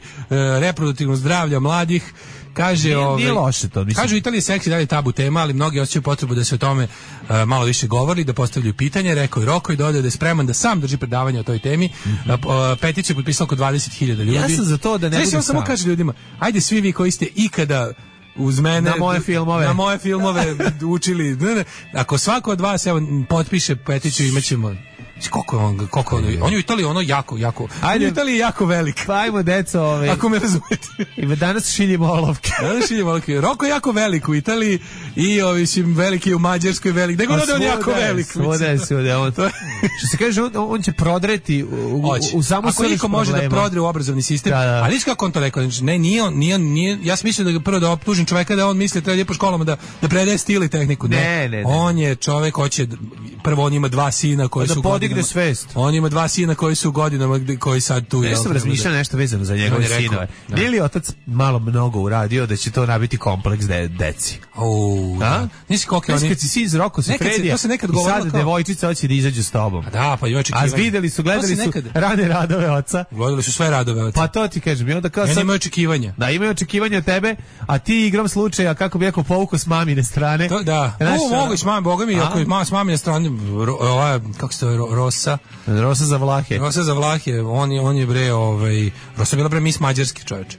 reproduktivno zdravlja mladih. Kaže, nije loše to, mislim. Kažu, Italija je seksi, dalje tabu tema, ali mnogi osjećaju potrebu da se o tome malo više govori, da postavljaju pitanje. Rekao je Rocco i dodao da je spreman da sam drži predavanje o toj temi. Peticiju je potpisalo oko 20.000 ljudi. Ja sam za to da ne budu sam. Samo kaže ljudima, ajde svi vi koji ste ikada uz mene na moje filmove učili. Ako svako od vas potpiše peticiju, imaćemo. Koliko on je u Italiji jako. Ajde, u Italiji je jako velik. Pa ajmo, deco, ako me razumete. I danas šiljimo olovke. Rocco je jako velik u Italiji i veliki je u Mađarskoj, velik. Nego da on je jako velik. Svuda. Što se kaže, on će prodreti u samu ako niko može da prodre u obrazovni sistem, ali viš kako on to rekao, ne, nije, ja sam mislio da ga prvo da optužim čoveka da on misli da treba po školama da predaje stil i tehniku. Ne. On je čovek, prvo on ima 2 sina koji su podigne svest. On ima 2 sina koji su u godinama koji sad tu. Ja sam razmišljao nešto vezano za njegove sinove. Nije li otac mnogo uradio da će to nabiti kompleks deci? Nisi koliko oni. Kad si sin iz Rocco Siffredija i sad devojčica hoće da izađu s tobom. Da, pa i očekivanje. A gledali su rane radove oca. Gledali su sve radove oca. Pa to ti kažem. I onda kao sad imaju očekivanja. Da, imaju očekivanja od tebe, a ti igram slučaja, kako bi rekao, povukao s mamine strane. Da. Mogu s mamine, boga mi, ako je s mamine strane, kako se to Rosa za Vlahe. On je bre, Rosa bila bre Miss Mađarski, čoveče.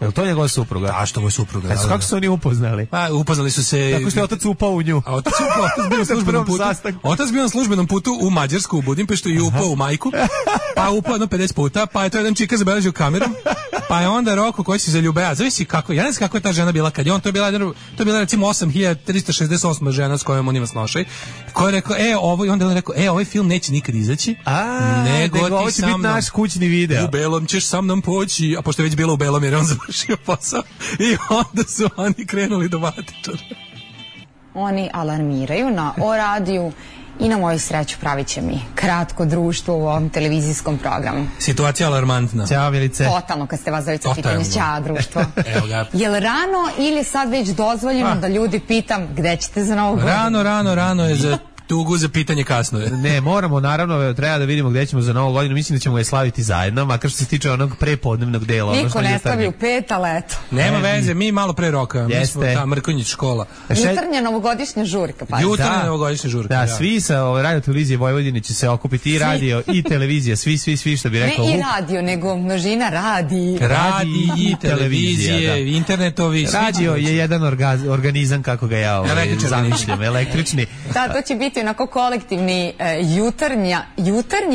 Je li to njegova supruga? Da, što mu je supruga. Kako su oni upoznali? Pa, upoznali su se. Kako što je otac upao u nju? A otac bio na službenom putu u Mađarsku, u Budimpeštu i upao u majku. Pa upao 50 puta, pa je to jedan čika zabeležio kamerom. Pa je onda Rocco koji se zaljubeo. Zavisi kako, ja ne znam kako je ta žena bila kad je on, to je bila recimo 8368 žena s kojom on ima snošaj. Ko je rekao, i onda on rekao, ovaj film neće nikad izaći. Nego ovo će biti naš kućni video. U belom ćeš sa mnom poći, a pošto je već bilo u belom jer on završio posao. I onda su oni krenuli do vatičara. Oni alarmiraju na O radiju i na moju sreću pravit će mi kratko društvo u ovom televizijskom programu. Situacija alarmantna. Ćao, Milice. Totalno, kad ste vas zavica pitanje, ćao društvo. Je li rano ili sad već dozvoljeno da ljudi pitam gde ćete za Novu godinu? Rano je za tugu, za pitanje kasno je. Ne, moramo, naravno, treba da vidimo gde ćemo za Novu godinu. Mislim da ćemo je slaviti zajedno, makar što se tiče onog prepodnevnog dela. Niko ne stavi u 5, ali eto. Nema veze, mi malo pre roka. Mi smo ta Mrkonjić škola. Jutarnja novogodišnja žurka. Jutarnja novogodišnja žurka. Da, svi sa radio televizije Vojvodine će se okupiti, i radio i televizija, svi što bi rekao. Ne i radio, nego množina radi i televizije, internetovi. Radio je jedan organizam, kako ga ja zamišljam, električni. Da, to će biti onako kolektivni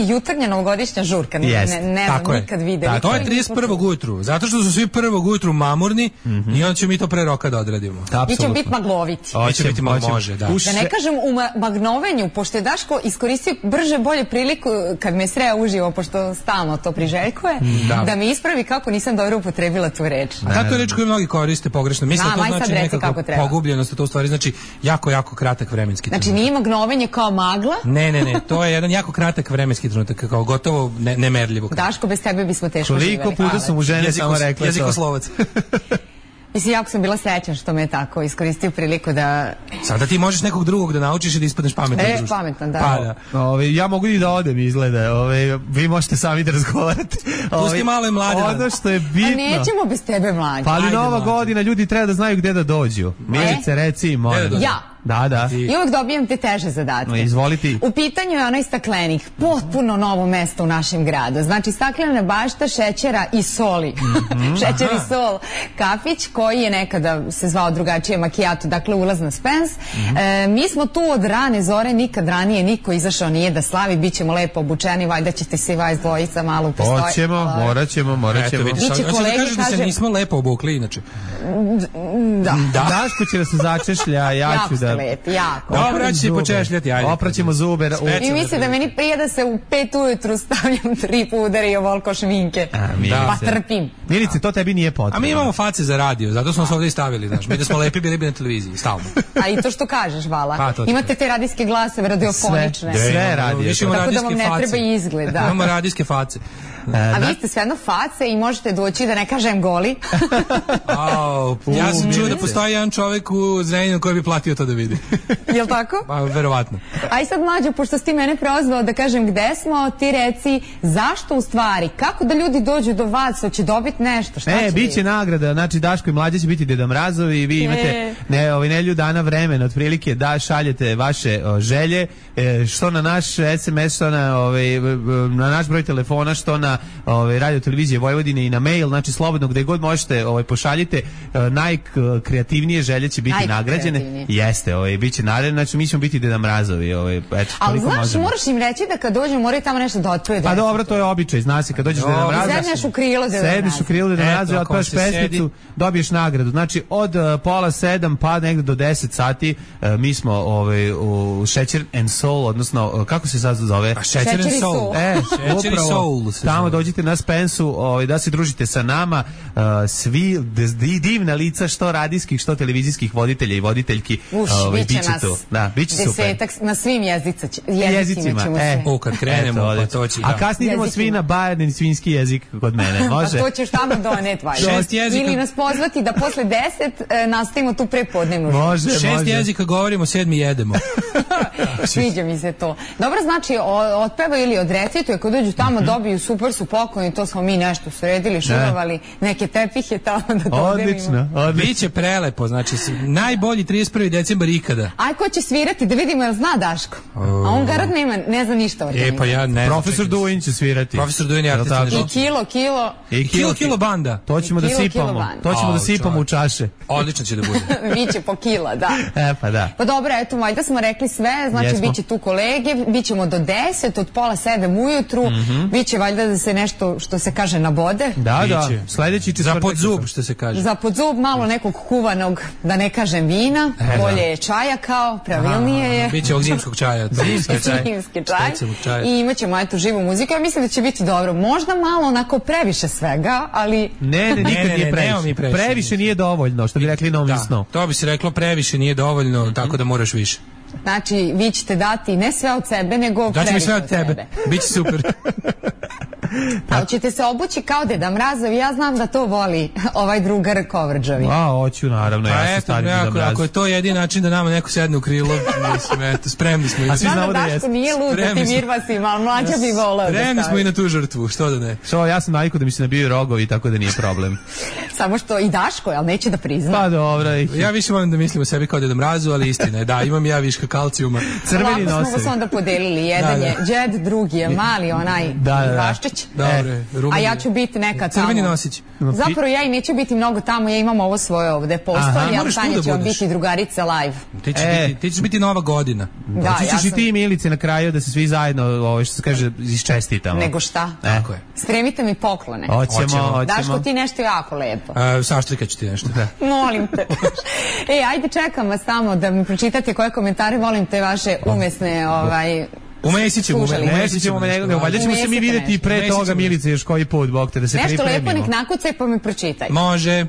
jutarnja novogodišnja žurka. Ne znam nikad videli. To je 31. ujutru, zato što su svi 1. ujutru mamurni i onda ćemo mi to pre roka da odradimo. Mi ćemo biti magloviti. Može, da. Da ne kažem u magnovenju, pošto je Daško iskoristio brže bolje priliku kad me sreo uživo, pošto stalno to priželjkuje, da me ispravi kako nisam dobro upotrebila tu reč. A ta to reč koju mnogi koriste pogrešno. Mislim da to znači nekako pogubljenost, a to u stvari znači jako kratak vremenski trenutak. Znači nije magnovenje kao magla? Ne, to je jedan jako kratak vremenski trenutak, kao gotovo nemerljivo. Daško, bez tebe bismo teško živjeli. Koliko puta su mu žene samo rekle to. Jezikoslovac. Mislim, jako sam bila srećna što me je tako iskoristio priliku da... Sada ti možeš nekog drugog da naučiš i da ispadneš pametan. Pametan, da. Ja mogu i da odem, izgleda. Vi možete sami da razgovarate. Pusti malo i mlade. Ono što je bitno... A nećemo bez tebe, mlađe. Pa ali Nova godina, ljudi treba da znaju gde da dođu. Milice, reci im. Ja. Da. I uvek dobijam te teže zadatke. Izvoliti. U pitanju je onaj staklenik, potpuno novo mesto u našem gradu. Znači staklena bašta šećera i soli. Šećer i sol. Kafić koji je nekada se zvao drugačije Macchiato, dakle ulaz na Spence. Mi smo tu od rane zore, nikad ranije niko izašao nije da slavi, bit ćemo lepo obučeni, valjda ćete se vas dvojica malo upostoji. Hoćemo, morat ćemo. Biće kolege, da se nismo lepo obukli, inače. Da. Daško će da se začešlja, ja ću da... Lepi, jako. Dobro, ću se počešljati, ajde. Opraćemo zube. I misli da meni prije da se u 5 ujutru stavljam 3 pudera i ovoliko šminke. Pa trpim. Milice, to tebi nije potrebno. A mi imamo face za radio, zato smo se ovdje i stavili, znaš. Mi da smo lepi bili bi na televiziji, stalno. A i to što kažeš, Vala. Imate te radijske glasove, radiofonične. Sve radije. Tako da vam ne treba izgled, da. Imamo radijske face. A vi ste sve jedno face i možete doći, da ne kažem goli. Ja sam čuo da postoji jedan čovjek u Zrenjaninu koji bi platio to da vidi. Jel' tako? Pa, verovatno. A i sad, Mlađo, pošto si ti mene prozvao da kažem gde smo, ti reci zašto u stvari, kako da ljudi dođu do vas, hoće dobiti nešto, šta će biće nagrada, znači Daško i Mlađa će biti Deda Mrazovi i vi imate nelju dana vremena, otprilike da šaljete vaše želje, što na naš SMS, što na naš broj telefona, što na radio televizije Vojvodine i na mail, znači slobodno gde god možete pošaljite, najkreativnije želje će biti nagrađene. Jeste, biće naredno, znači mi ćemo biti Deda Mrazovi. Ali znaš, moraš im reći da kad dođu moraju tamo nešto da otpiju. Pa dobro, to je običaj, zna se, kad dođeš Deda Mraza. Sedneš u krilo Deda Mraza. Sedneš u krilo Deda Mraza i otpevaš pesmicu, dobiješ nagradu. Znači od 6:30 pa negde do 10 sati mi smo u Šećer and Soul, odnosno kako se sad zove? Šećer and Soul. Šećer i Soul. Tamo dođite na Spensu da se družite sa nama, svi divna lica, što radijskih, što televizijskih voditelja i voditeljki. Biće nas biće desetak na svim jezicima ćemo se. Kad krenemo, pa to će. A kasnije idemo svi na bajerni svinjski jezik kod mene, može? A to ćeš tamo doneti, valjda. Ili nas pozvati da posle 10 nastavimo tu prepodnevnu. Može. 6 jezika govorimo, 7 jedemo. Sviđa mi se to. Dobro, znači, otpeva ili odrecituje, kad dođu tamo dobiju super su pokloni, to smo mi nešto sredili, šurovali, neke tepihe tamo da dodelimo. Odlično. Biće prelepo, znači najbolji 31. decembar ikada. Aj, ko će svirati, da vidimo, jel zna Daško? A on garant ne zna ništa o tome. Pa ja ne znam. Profesor Duin će svirati. Profesor Duin je artista. I kilo banda. To ćemo da sipamo. To ćemo da sipamo u čaše. Odlično će da bude. Biće po kila, da. Pa da. Pa dobro, eto, valjda smo rekli sve, znači biće tu kolege, bićemo do 10, od 6:30 ujutru, biće valjda da se nešto, što se kaže, nabode. Da, sledeći četvrtak. Za podzub, što se kaže. Za podzub malo nekog kuvanog, da ne kažem vina, bolje je čaja kao, pravilnije je. Biće ovog zimskog čaja. Zimski čaj. I imat ćemo eto živu muziku, ja mislim da će biti dobro. Možda malo onako previše svega, ali... Ne, nikad nije previše. Previše nije dovoljno, što bi rekli novisno. To bi se reklo, previše nije dovoljno, tako da moraš više. Znači, vi ćete dati ne sve od sebe, nego previše od sebe. Daći mi sve od tebe. Biće super. Ali ćete se obući kao Deda Mrazovi, ja znam da to voli ovaj drugar Kovrđavi. Hoću, naravno, ja sam stari Deda Mraz. Ako je to jedini način da nama neko sedne u krilo, mislim, eto, spremni smo. A svi znamo da Daško nije lud da ti mirvasima, ali Mlađa bi volao da stavi. Spremni smo i na tu žrtvu, što da ne. Ja sam navikao da mi se nabiju rogovi, tako da nije problem. Samo što i Daško, ali neće da prizna. Pa dobro. Ja više volim da mislim o sebi kao Deda Mrazu, ali istina je, da, imam ja viška kalcijuma. Crveni nose. Lako smo se onda podelili, jedan je džed, drugi je mali onaj Vaščić. A ja ću biti neka tamo. Crveni nosić. Zapravo ja i neću biti mnogo tamo, ja imam ovo svoje ovde postolje, a Tanja će vam biti drugarica live. Ti ćeš biti Nova godina. Da, ja sam... i ti i Milice na kraju da se svi zajedno, što se kaže, iščestitamo. Nego šta? Tako je. Spremite mi poklone. Hoćemo. Daško, ti nešto jako lepo. Saštrika ću ti nešto. Molim te. Ajde, čekam vas tamo da mi pročitate koje komentare, volim te vaše umesne, Umesit ćemo, valjda ćemo se mi vidjeti pre toga, Milice, još koji put, Bog te, da se pripremimo. Nešto lepo nek nakucaj pa mi pročitaj. Može.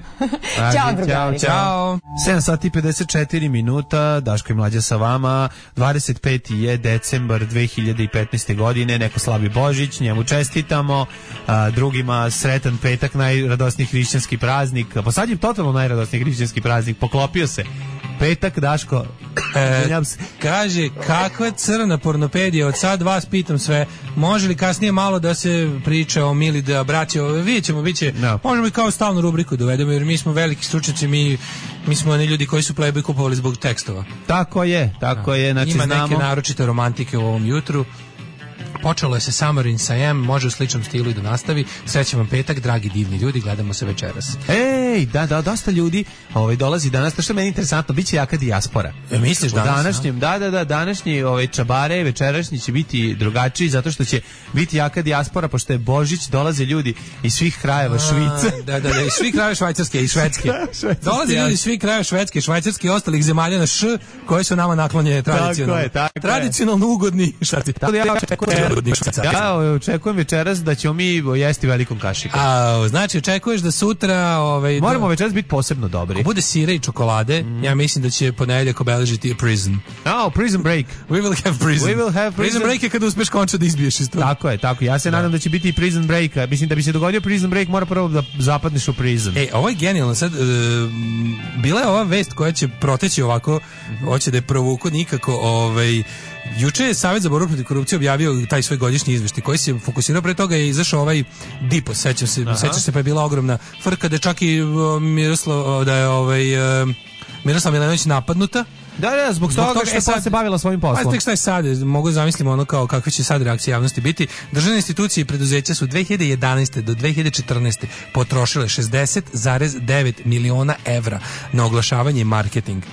Ćao, drugari. Ćao. 7 sati 54 minuta, Daško i Mlađa sa vama, 25. je decembar 2015. godine, neko slavi Božić, njemu čestitamo, drugima sretan petak, najradosniji hrišćanski praznik, pa sad je totalno najradosniji hrišćanski praznik, poklopio se. Petak, Daško, kaže, kakva crna pornopedija, od sad vas pitam sve, može li kasnije malo da se priča o Mili, da braće, vidjet ćemo, možemo i kao stalnu rubriku dovedemo, jer mi smo veliki stručnjaci, mi smo oni ljudi koji su Playboy kupovali zbog tekstova. Tako je, znači ima znamo. Neke naročite romantike u ovom jutru. Počelo je se Summer in Siam, može u sličnom stilu i da nastavi. Srećan vam petak, dragi divni ljudi, gledamo se večeras. Ej, da, dosta ljudi dolazi danas, to što je meni interesantno, bit će jaka dijaspora. Misliš danas? Današnjem, današnji čabare, večerašnji će biti drugačiji, zato što će biti jaka dijaspora, pošto je Božić, dolaze ljudi iz svih krajeva Švice. Da, iz svih krajeva Švajcarske i Švedske. Dolaze ljudi iz svih krajeva Švedske, Švajcarske i ostalih zemalja na Š, koje su nama naklonjene tradicionalno. Tradicionalno ugodni. Ja očekujem večeras da ćemo mi jesti velikom kašikom. Znači, očekuješ da sutra... Moramo večeras biti posebno dobri. Ako bude sira i čokolade, ja mislim da će ponedeljak obeležiti a Prison. Prison Break. We will have Prison. Prison Break je kada uspeš končno da izbiješ iz toga. Tako je. Ja se nadam da će biti i Prison Break. Mislim da bi se dogodio Prison Break, mora prvo da zapadneš u prison. Ovo je genijalno. Sad, bila je ova vest koja će proteći ovako, hoće da je provuku nikako, juče je Savjet za borbu protiv korupcije objavio taj svoj godišnji izveštaj koji se fokusirao, pre toga je izašao ovaj Dipos, sećaš se, pa je bila ogromna frka da je čak i Miroslav Milanović napadnuta. Da, zbog toga što se bavila svojim poslom. Tek šta je sad, mogu zamisliti kao kakve će sad reakcije javnosti biti. Državne institucije i preduzeća su 2011. do 2014. potrošile 60,9 miliona evra na oglašavanje i marketing.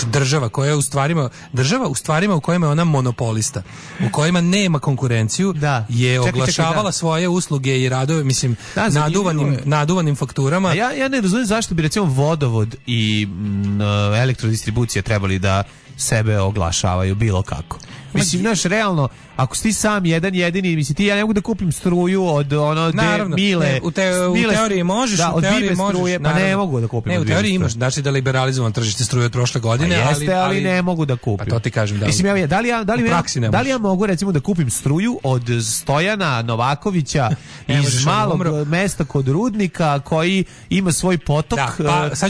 Država koja je u stvarima u kojima je ona monopolista, u kojima nema konkurenciju, je oglašavala svoje usluge i radove, mislim, naduvanim fakturama. Ja ne razumijem zašto bi recimo vodovod i elektrodistribucija trebali da sebe oglašavaju bilo kako. Mislim, realno, ako si ti sam jedan jedini, mislim, ja ne mogu da kupim struju od Mile. U teoriji možeš, u teoriji možeš. Struje, pa ne mogu da kupim. Ne, u teoriji imaš, znači da liberalizujemo tržište struje od prošle godine, ali ne mogu da kupim. Pa to ti kažem, mislim, da li ja mogu recimo da kupim struju od Stojana Novakovića iz malog mesta kod Rudnika koji ima svoj potok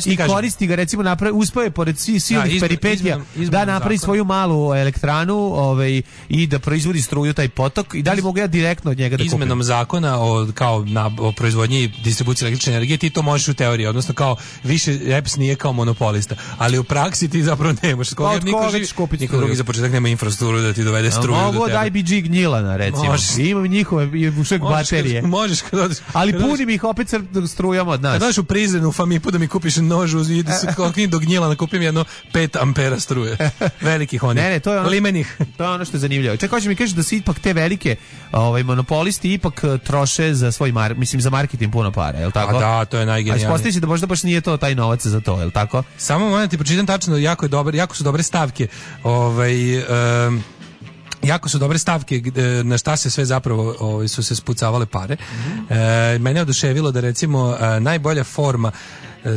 i koristi ga, recimo, uspeo je pored silnih peripetija da napravi svoju malu elektranu i da proizvodi struju taj potok, i da li mogu ja direktno od njega da kupim? Izmenom zakona o proizvodnji i distribuciji električne energije ti to možeš u teoriji, odnosno kao više EPS nije kao monopolista, ali u praksi ti zapravo nemaš. Niko drugi za početak nema infrastrukturu da ti dovede struju. Mogu od IBG Gnjilana, recimo. Imam njihove baterije. Možeš kad odeš. Ali punim ih opet strujom od nas. Kad odeš u Prizren, u Famipu da mi kupiš nož, ide se do Gnjilana, kupim jedno 5 ampera struje. Velikih onih. Ne, to je limenih. To je ono što je zanimljivo. Čekaj, hoće mi kažeš da se ipak te velike monopolisti ipak troše za svoj za marketing puno para, je li tako? Da, to je najgenijalnije. A ispostavi se da možda baš nije to taj novac za to, je li tako? Samo moram ti pročitam tačno, jako su dobre stavke. Jako su dobre stavke na šta se sve zapravo su se spucavale pare. Mene je oduševilo da recimo najbolja forma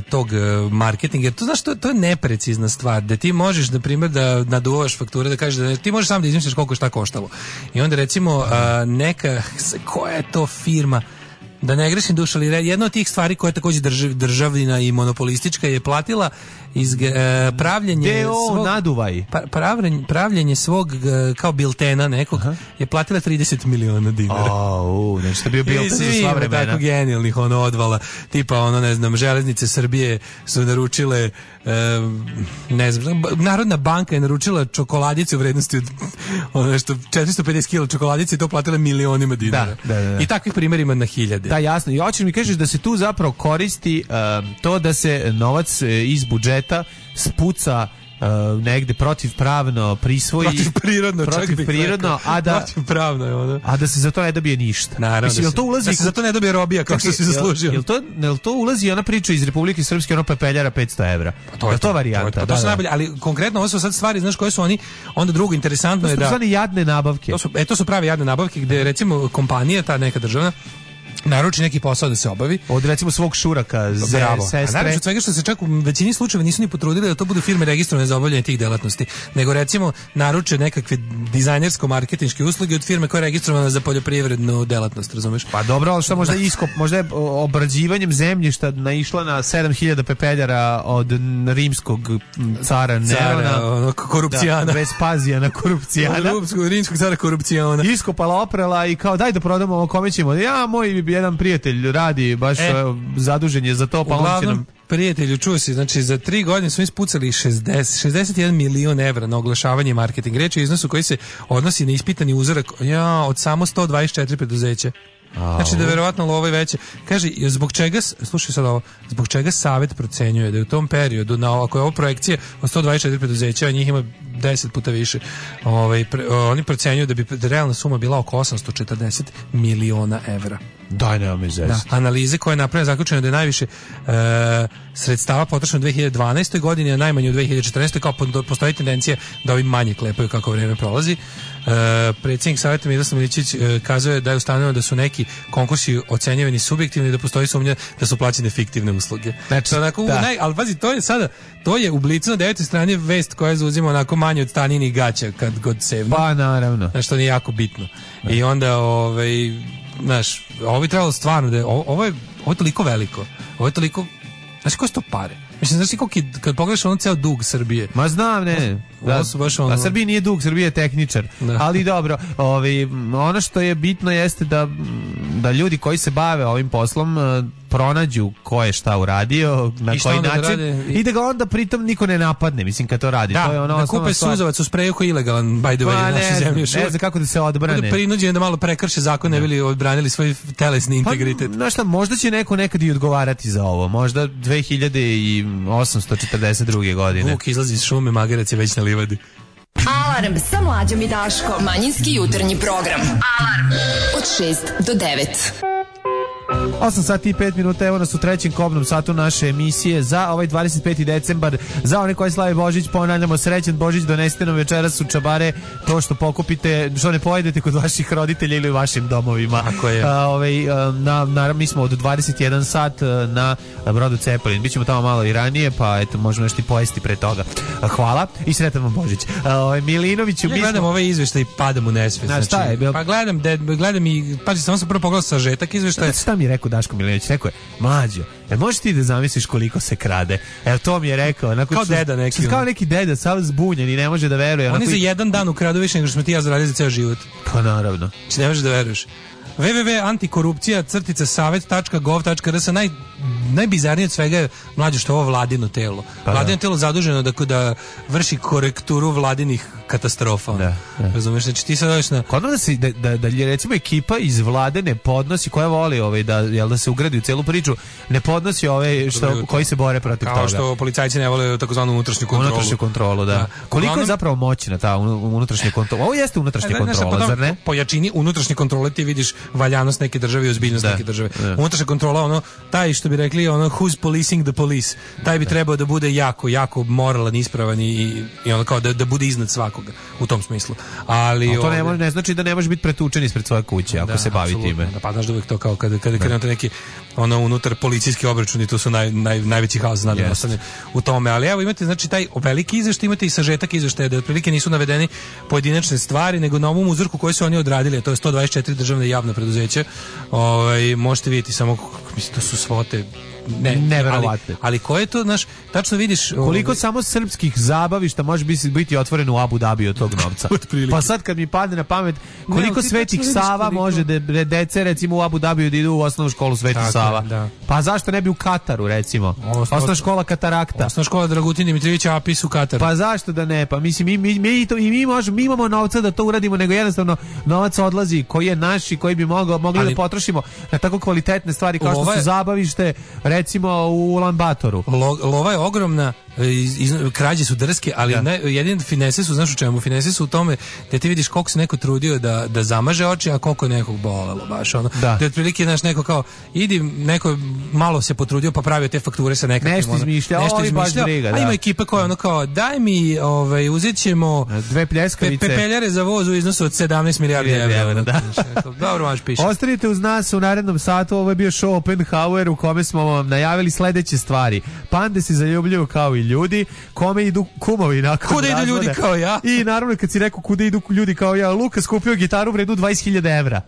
tog marketinga, jer to znaš, to je neprecizna stvar, da ti možeš, na primjer, da naduvaš fakture, da kažeš da ti možeš sam da izmisliš koliko šta koštalo. I onda recimo koja je to firma, da ne grešim dušu, ali jedna od tih stvari koja je takođe državina i monopolistička je platila iz pravljenje svog naduvaj. Pravljenje svog kao biltena nekog je platila 30 miliona dinara. Znači to bio bilten za sva vremena. Tako genijalnih odvala, tipa ne znam, Železnice Srbije su naručile ne znam, Narodna banka je naručila čokoladice u vrednosti od nešto 450 kg čokoladice i to platila milionima dinara. Da. I takvih primjera ima na hiljade. Da, jasno. I hoćeš mi kažeš da se tu zapravo koristi to da se novac iz budžeta spuca negde protivpravno prisvoji, protivprirodno, protivpravno je ono. A da se za to ne dobije ništa. Naravno, mislim, da se za to ne dobije robija kao što si zaslužio. Jel to ulazi ona priča iz Republike Srpske, ono pepeljara 500 evra? To je to varijanta. To su najbolje, ali konkretno ovo su sad stvari, znaš koje su oni, onda drugo interesantno je da... To su jadne nabavke. To su prave jadne nabavke gde recimo kompanija, ta neka državna, naruči neki posao da se obavi. Od recimo svog šuraka, sestre. A naravno od svega što se čak u većini slučajeva nisu ni potrudili da to budu firme registrovane za obavljanje tih delatnosti, nego recimo naruče nekakve dizajnersko-marketinške usluge od firme koja je registrovana za poljoprivrednu delatnost, razumeš? Pa dobro, ali šta možda je obrađivanjem zemljišta naišla na 7000 pepeljara od rimskog cara Nerona. Korupcijana. Vespazijana korupcijana. Rimskog cara korupcijana. Iskopala, oprela i kao daj da prodamo ovo, kome ćemo. Ja, moj jedan prijatelj radi baš zadužen je za to, pa on će nam... Prijatelju, čuo si, znači za 3 godine smo ispucali 61 milion evra na oglašavanje i marketing. Reč je o iznosu koji se odnosi na ispitani uzorak od samo 124 preduzeća. Znači da verovatno lova je veće. Kaže, zbog čega, slušaj sad ovo, zbog čega Savet procenjuje da je u tom periodu, ako je ovo projekcija od 124 preduzeća, a njih ima 10 puta više, oni procenjuju da bi realna suma bila oko 840 miliona evra. Daj, nema mi zesti. Analize koje je napravljena zaključeno da je najviše sredstava potrošeno u 2012. godini, a najmanje u 2014. kao postoji tendencija da ovi manje klepaju kako vreme prolazi. Predsjednik Saveta Miroslav Milićević kazuje da je ustanovljeno da su neki konkursi ocenjivani subjektivni i da postoji sumnja da su plaćene fiktivne usluge. Znači, ali pazi, to je u Blicu na 9. strani vest koja zauzima onako manje od Staninih gaća kad god sevno. Pa naravno. Znači, to nije jako bitno. I onda, znaš, ovo bi trebalo stvarno da ovo je toliko veliko. Ovo je toliko, znaš koje su to pare? Mislim, znaš ti kad pogledaš ono ceo dug Srbije. Ma znam, ne. A Srbiji nije dug, Srbije je tehničar. Ali dobro, ono što je bitno jeste da ljudi koji se bave ovim poslom pronađu ko je šta uradio, na koji način i da ga onda pritom niko ne napadne, mislim, kad to radi. Da, to je ono da kupe suzavac u spreju koji je ilegalan, by the way, na našoj zemlji. Ne znam kako da se odbrane. Budu prinuđeni da malo prekrše zakon, ne bili odbranili svoj telesni integritet. Znaš šta, možda će neko nekad i odgovarati za ovo. Možda 2842. godine. Vuk izlazi iz šume, magarac je već na livadi. Alarm sa Mlađom i Daškom. Manjinski jutarnji program. Alarm od 6 do 9. 8 sati i 5 minuta, evo nas u trećem kobnom satu naše emisije za ovaj 25. decembar. Za one koji slavi Božić, ponavljamo, srećan Božić, donesite nam večeras u čabare to što pokupite, što ne pojedete kod vaših roditelja ili u vašim domovima. Tako je. Naravno, mi smo od 21 sat na brodu Cepelin. Bićemo tamo malo i ranije, pa eto, možemo nešto i pojesti pre toga. Hvala i sretan vam Božić. Milinoviću, ja gledam ovaj izveštaj i padam u nesvest. Znači, pa gledam i, pazi, samo sam prvo pogledao sažetak izveštaja. Šta mi je rekao Daško Milinović? Rekao je, Mlađo, možeš ti da zamisliš koliko se krade? Evo, to mi je rekao. Kao deda neki. Kao neki deda, sav zbunjen i ne može da veruje. Oni za jedan dan ukradu više nego što smo ti ja zaradili za ceo život. Pa naravno. Znači ne možeš da veruješ. www.antikorupcija-savet.gov.rs. Najbizarnije od svega je, Mlađe, što je ovo vladino telo. Vladino telo zaduženo da vrši korekturu vladinih katastrofa. Da. Razumeš, znači ti sad dođeš na... Kod da recimo ekipa iz vlade ne podnosi, koja voli da se ugradi u celu priču, ne podnosi koji se bore protiv toga. Kao što policajci ne vole takozvanu unutrašnju kontrolu. Unutrašnju kontrolu, da. Koliko je zapravo moćna ta unutrašnja kontrola? Ovo jeste unutrašnja kontrola, zar ne? Po jačini unutrašnje kontrole ti vidiš valjanost neke države i ozbiljnost neke države. Unutrašnja kontrola, taj što bi rekli rekli ono who's policing the police. Taj bi trebao da bude jako moralan, ispravan i ono kao da bude iznad svakoga u tom smislu. Ali to ne znači da ne može biti pretučen ispred svoje kuće ako se bavi time. Da, pa znaš da uvijek to kao kada krenete neki ono unutar policijski obračuni, tu su najveći haos ostane u tome. Ali evo imate znači taj veliki izveštaj, imate i sažetak izveštaja da otprilike nisu navedeni pojedinačne stvari, nego na ovom uzorku koji su oni odradili, a to je 124 državne i javna preduzeća. Možete vidjeti samo, mislim, to su svote neverovatne. Ali ko je to, znaš, tačno vidiš koliko samo srpskih zabavišta može biti otvoreno u Abu Dhabi od tog novca. Pa sad kad mi padne na pamet koliko Svetih Sava može da dece recimo u Abu Dhabi da idu u osnovnu školu Sveti Sava. Da. Pa zašto ne bi u Kataru recimo? Osnovna škola Katarakta. Osnovna škola Dragutin Dimitrijevića Apis u Kataru. Pa zašto da ne? Pa mislim mi imamo novca da to uradimo, nego jednostavno novac odlazi koji je naš i koji bi mogli da potrošimo na tako kvalitetne stvari kao što su zabavište recimo u Ulan Batoru. Lova je ogromna, krađe su drske, ali jedine finese su, znaš u čemu? Finese su u tome da ti vidiš koliko se neko trudio da zamaže oči, a koliko nekog bolelo baš ono. Da je otprilike, znaš, neko kao idi, neko malo se potrudio pa pravio te fakture sa nekakvim nešto izmišljao, a ima ekipa koja ono kao daj mi, uzet ćemo 2 pljeskavice pepeljare za voz u iznosu od 17 milijardi evra. Dobro, maš piše. Ostanite uz nas u narednom satu, ovo je bio show Oppenhauer u kome smo vam najavili sledeće stvari. Pande se zaljubljuju kao i ljudi, kome idu kumovi nakon kuda idu ljudi kao ja. I naravno kad si rekao kuda idu ljudi kao ja, Lukas kupio gitaru vrednu 20.000 evra.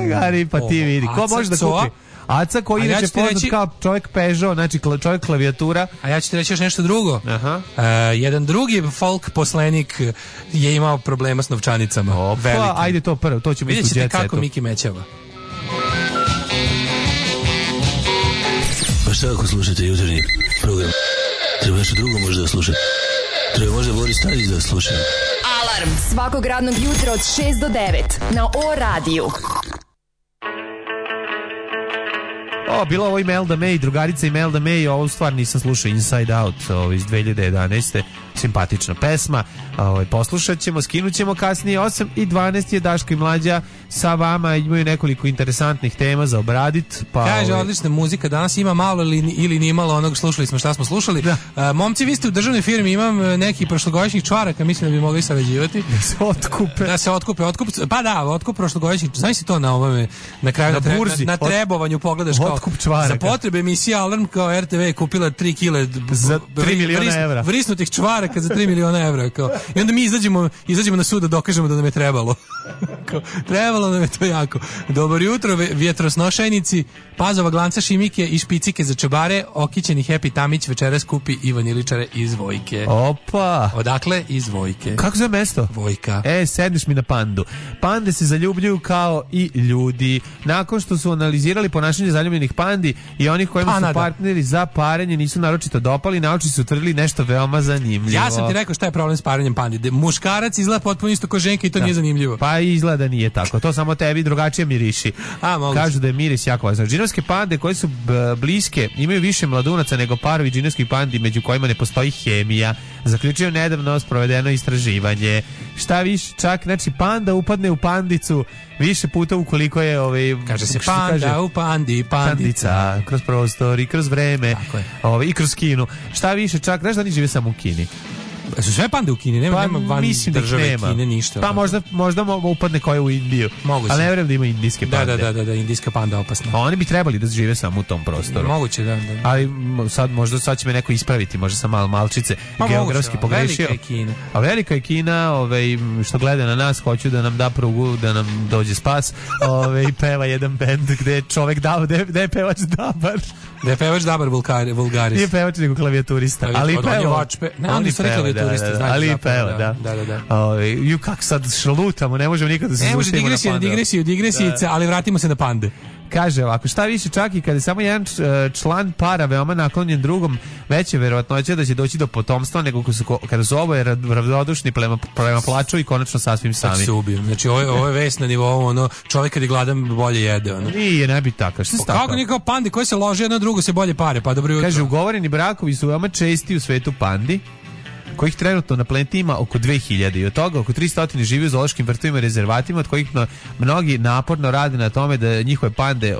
Gari, pa ti vidi. Ko može da kupi? Aca koji inače poznat kao čovjek Peugeot, znači čovjek klavijatura. A ja ću ti reći još nešto drugo. Jedan drugi folk poslenik je imao problema s novčanicama. Pa ajde to prvo, to ćemo vidjeti u jet setu. Vidjet ćete kako Miki mećava. Pa šta ako slušate jutarnji program? Treba nešto drugo možda da slušate. Treba možda Boris Tadić da sluša. Alarm svakog radnog jutra od 6 do 9 na O-radiju. Bilo ovo Imelda May, drugarica Imelda May, ovo stvar nisam slušao, Inside Out iz 2011. Simpatična pesma, poslušat ćemo, skinut ćemo kasnije. 8:12 je Daško i Mlađa sa vama, imaju nekoliko interesantnih tema za obradit. Kaže, odlična muzika, danas ima malo ili ni malo onog, slušali smo šta smo slušali. Momci, vi ste u državnoj firmi, imam neki prošlogodišnjih čvaraka, mislim da bi mogli sarađivati. Da se otkupe. Pa da, otkup prošlogodišnjih, znaš si to na ovome, na kraju na trebovanju pogledaš kao za potrebe emisije Alarm, kao RTV je kupila 3 kile za 3 miliona evra. Vrisnutih čvaraka za 3 miliona evra. Kao. I onda mi izađemo na sud da dokažemo da nam je trebalo. Trebalo nam je to jako. Dobro jutro, vjetrosnošajnici, Pazova, Glanca, Šimike i špicike za čebare, okićeni Happy Tamić večeras kupi Ivan Iličare iz Vojke. Opa! Odakle? Iz Vojke. Kako zove mesto? Vojka. Sedneš mi na Pandu. Pande se zaljubljuju kao i ljudi. Nakon što su analizirali ponašanje zaljubljenih pandi i onih kojima su partneri za parenje nisu naročito dopali, naučnici su utvrdili nešto veoma zanimljivo. Ja sam ti rekao šta je problem s parenjem pandi. Muškarac izgleda potpuno isto kao ženka i to nije zanimljivo. Pa izgleda nije tako. To samo tebi drugačije miriši. Kažu da je miris jako važan. Džinovske pande koje su bliske imaju više mladunaca nego parovi džinovskih pandi među kojima ne postoji hemija. Zaključio nedavno sprovedeno istraživanje. Šta više, čak znači panda upadne u pandicu više puta ukoliko je kaže se panda u pandi, pandica kroz prostor i kroz vreme i kroz Kinu. Šta više, čak znaš da oni žive samo u Kini. Su sve pande u Kini, nema van države Kine ništa. Pa možda upadne koja u Indiju. Moguće. Ali ne vjerujem da ima indijske pande. Da, indijska panda opasna. Oni bi trebali da žive samo u tom prostoru. Moguće, da. Ali sad će me neko ispraviti, možda sam malčice geografski pogrešio. A velika je Kina, što gleda na nas, hoću da nam da prugu, da nam dođe spas. I peva jedan bend gde je čovek gde je pevač Dabar. Da je pevač Dabar Vulgaris. Nije pevač nego klavijaturista. Ali peva. Oni peva. Ali peva, da. Kako sad šalutamo, ne možemo nikad da se zauštimo na pande. Digresijice, ali vratimo se na pande. Kaže ovako, šta više, čak i kada je samo jedan član para veoma naklonjen drugom, veće verovatnoće da će doći do potomstva nego kada su oboje ravnodušni prema plaču i konačno sasvim sami. Znači ovo je vest na nivou čovjek kad je gladan bolje jede. Nije, ne bi tako. Šta kako nije kao pandi koji se lože jedno drugo se bolje pare, pa dobro jutro. Kaže, ugovoreni brakovi su veoma česti u svetu pandi. kojih trenutno na planeti ima oko 2000 i od toga oko 300 živi u zoološkim vrtovima i rezervatima, od kojih mnogi naporno rade na tome da njihove pande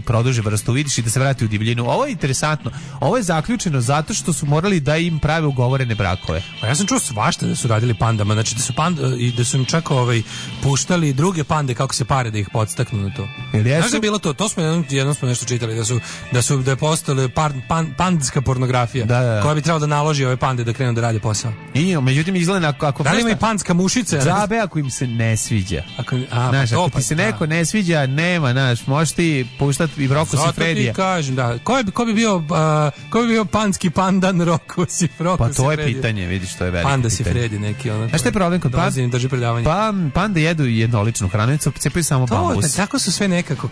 produže vrstu vidiš i da se vrati u divljinu. Ovo je interesantno. Ovo je zaključeno zato što su morali da im prave ugovorene brakove. Pa ja sam čuo svašta da su radili pandama, znači da su im čak puštali druge pande kako se pare da ih podstaknu na to. Znaš da je bilo to smo jednom smo nešto čitali da je postala pandska pornografija koja bi trebala da naloži ove pande da krenu da rade posao. I međutim izgleda ako da li ima i pandska mušica? Džabe ako im se ne sviđa. Ako ti se neko ne sviđa, nema, možeš ti puštati i Rocco Siffredija. Zato ti kažem, da. Ko bi bio pandski pandan Rocco Siffredija? Pa to je pitanje, vidiš, to je veliko Panda pitanje. Siffredi neki ono. Znaš šta je problem kod pande jedu jednoličnu hranu, cepaju samo bambus. Tako su sve nekako.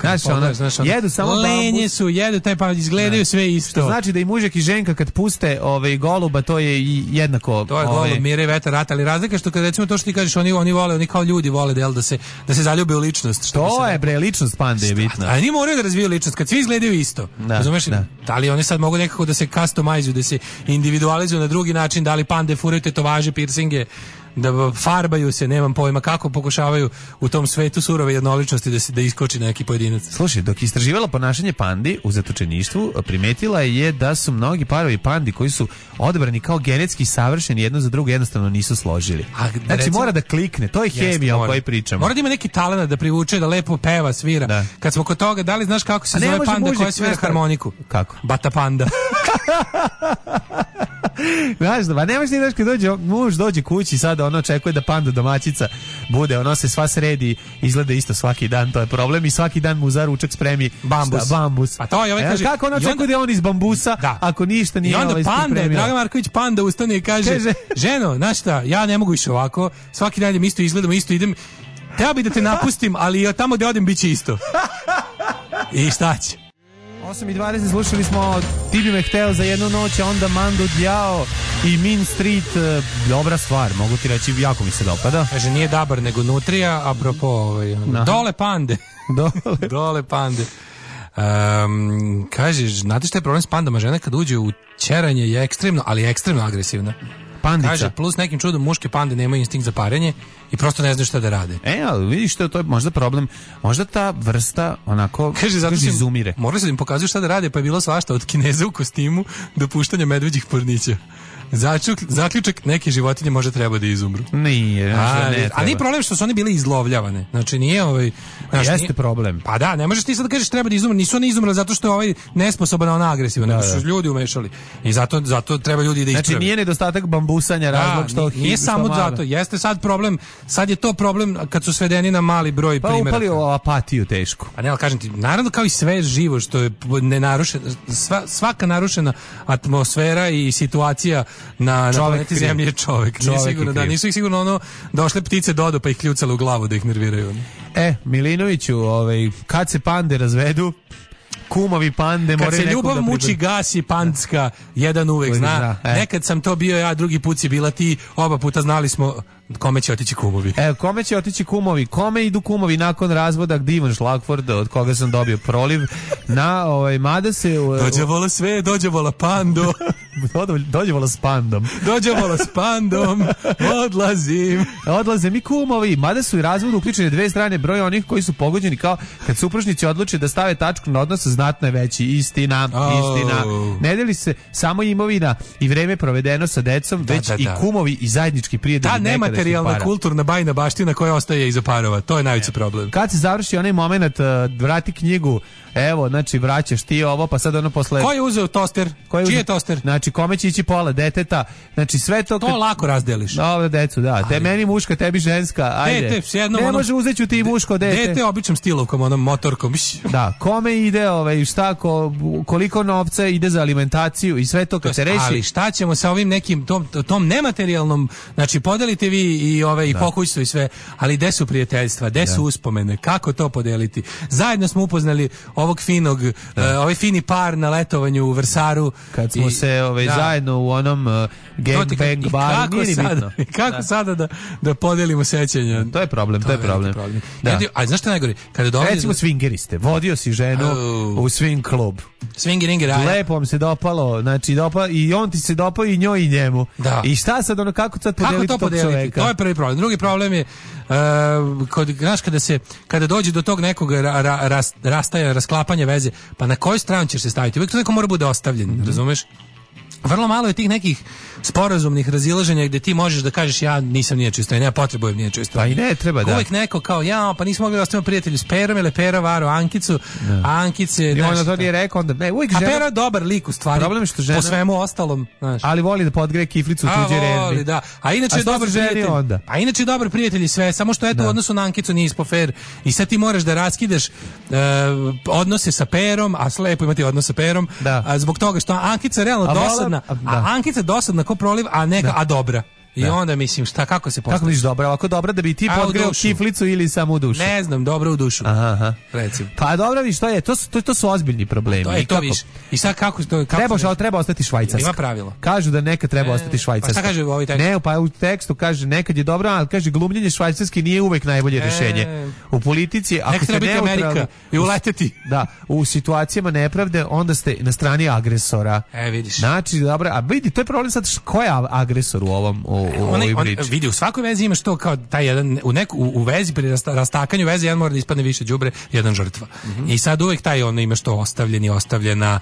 Jedu samo bambus. Lenje su, jedu taj pa izgledaju sve isto. Što znači da i mužek i ženka kad puste goluba, to je i jednako. To je golub, mire, vetar, rat, ali razlika što kad recimo to što ti kažeš, oni vole, oni kao ljudi vole da se zaljube u ličnost. To je bre, ličnost pande je bitna. Ali oni moraju da razviju ličnost, kad svi izgledaju isto. Razumeš? Da li oni sad mogu nekako da se customizuju, da se individualizuju na drugi način, da li pande furaju tetovaže, piercinge, da farbaju se, nemam pojma kako pokušavaju u tom svetu surove jednoličnosti da iskoči neki pojedinac. Slušaj, dok istraživala ponašanje pandi u zatočeništvu, primetila je da su mnogi parovi pandi koji su odabrani kao genetski savršeni jedno za drugo jednostavno nisu složili. Znači mora da klikne, to je hemija o kojoj pričamo. Mora da ima neki talent da privuče, da lepo peva, svira. Da. Kad smo kod toga, da li znaš kako se zove panda koja svira harmoniku? Kako? Bata panda. Znaš, ba nemaš ni kad muž dođe kući sada očekuje da panda domaćica bude, se sva sredi, izgleda isto svaki dan, to je problem i svaki dan mu za ručak spremi bambus. A to je kaže, kako očekuje da on iz bambusa, ako ništa nije spremio. I onda panda, Dragan Marković panda ustane i kaže, ženo, znaš šta, ja ne mogu više ovako, svaki dan isto izgledam, isto idem, teo bi da te napustim, ali tamo gde odem bit će isto. I šta će? 8:20 slušali smo Ti bi me hteo za jednu noć, a onda Mando Diao i Mean Street, dobra stvar, mogu ti reći, jako mi se dopada. Kaže, nije Dabar, nego Nutrija, apropo, dole pande. Dole pande. Kaže, znate šta je problem s pandama? Žena kad uđe u ćeranje je ekstremno, ali ekstremno agresivna. Pandica. Kaže, plus nekim čudom muške pande nemaju instinkt za parenje i prosto ne znaju šta da rade. Ali vidiš to je možda problem. Možda ta vrsta onako izumire. Morali su da im pokazuju šta da rade, pa je bilo svašta od Kineza u kostimu do puštanja medveđih pornića. Zaključak, neke životinje možda treba da izumru. Nije, a nije problem što su one bile izlovljavane. Znači nije jeste problem. Pa da, ne možeš ti sad da kažeš treba da izumru. Nisu one izumrle zato što je nesposoban, ona agresivna, nego su ljudi umešali. I zato treba ljudi da isprave. Znači nije nedostatak bambusanja razlog što nije samo zato. Jeste sad problem, sad je to problem kad su svedeni na mali broj primjera. Pa upali u apatiju teško. A ne, ali kažem ti, naravno kao i sve živo što je nenarušeno, svaka narušena atmosfera i situacija na planeti Zemlji je čovjek. Nisu ih sigurno došle ptice dodo pa ih kljucale u glavu da ih nerviraju. Milinoviću, kad se pande razvedu, kumovi pande moraju nekog da Kad se ljubav muči, gasi pandska, jedan uvek zna. Nekad sam to bio ja, drugi put si bila ti, oba puta znali smo kome će otići kumovi. Kome će otići kumovi? Kome idu kumovi nakon razvoda? Divan Šlagford, od koga sam dobio proliv. Mada se... Dođe vola sve, dođe vola pando. Dođe vola s pandom. Dođe vola s pandom, odlazim. Odlaze mi kumovi. Mada su i razvodu uključene dve strane, broj onih koji su pogođeni kao kad supružnici odluče da stave tačku na odnos, znatno je veći. Istina. Ne deli se samo imovina i vreme provedeno sa decom, već i kumovi i zajednički prijatelji. Ta nematerijalna kulturna bajna baština koja ostaje iza parova, to je najveći problem. Kad se završi onaj moment, vrati knjigu, evo, znači vraćaš ti ovo, pa sad posle... Ko je uzeo toster? Čiji je toster? Znači, kome će ići pola deteta? Znači, sve to... To lako razdeliš. Dobro, decu, da. Te meni muška, tebi ženska, ajde. Dete, ne može uzeću ti muško dete. Dete običnom stilovkom, motorkom. Da, kome ide, šta, koliko novca ide za alimentaciju i sve to kad se reši... Ali šta ćemo sa ovim nekim, tom nematerijalnom, znači, podelite vi i pokućstvo i sve, ali gde su prijateljstva, gde su uspomene, kako to podeliti? Zajedno smo upoznali ovog finog, ovaj fini par na letovanju u Vrsaru. Kad smo se zajedno u onom gangbang baru, nije ni bitno. Kako sada da podelimo sećanja? To je problem. Da. A znaš šta najgore? Recimo swingeriste, vodio si ženu u swing klub. Swingeringer, lepo vam se dopalo, znači i on ti se dopao i njoj i njemu. Da. I šta sad kako sad podeliti tog čoveka? To je prvi problem. Drugi problem je kada dođe do tog nekog rasklapanja veze, pa na koju stranu ćeš se staviti? Uvijek to neko mora bude ostavljen, razumeš? Vrlo malo je tih nekih sporazumnih razilaženja gdje ti možeš da kažeš ja nisam nije čisto, ja potrebujem nije čisto. Pa i ne treba, da. Uvijek neko kao pa nismo mogli da ostavimo prijatelju s Perom, ili Pera varo Ankicu, a Ankice... I onda to nije rekao, onda ne, uvijek žena... A Pera je dobar lik u stvari, problem što žena... po svemu ostalom, znaš. Ali voli da podgreje kiflicu u tuđe redbi. Da. A inače je dobar prijatelj. A inače je dobar prijatelj i sve, samo što eto u odnosu na Ankicu nije ispo fer. I sad ti moraš da raskidaš odnose sa Perom, a slepo imati odnos sa Perom, zbog toga što Ankica realno dosadna. Ankica dosadna ko proliv, a neka, a dobra. I onda mislim, kako se postaviš? Kako misliš dobra? Ovako dobra da bi ti podgreo kiflicu ili samo u dušu? Ne znam, dobro u dušu. Aha. Recimo. Pa dobro, vi što je? To su ozbiljni problemi. To viš. I sad kako to... Treba ostati Švajcarska. Ima pravilo. Kažu da nekad treba ostati Švajcarska. Pa šta kaže u ovoj tekstu? Ne, pa u tekstu kaže nekad je dobro, ali kaže glumljenje Švajcarske nije uvek najbolje rješenje. U politici, ako ste neutralni... Amerika i uleteti. Da, u situacijama nepravde, onda ste na strani agresora. Vidiš. Znači, dobro, a vidi, to je problem sad, ko je agresor u ovom vidi, u svakoj vezi imaš to kao taj jedan, u vezi, pri rastakanju veze, jedan mora da ispadne više đubre, jedan žrtva. I sad uvek taj imaš to ostavljena,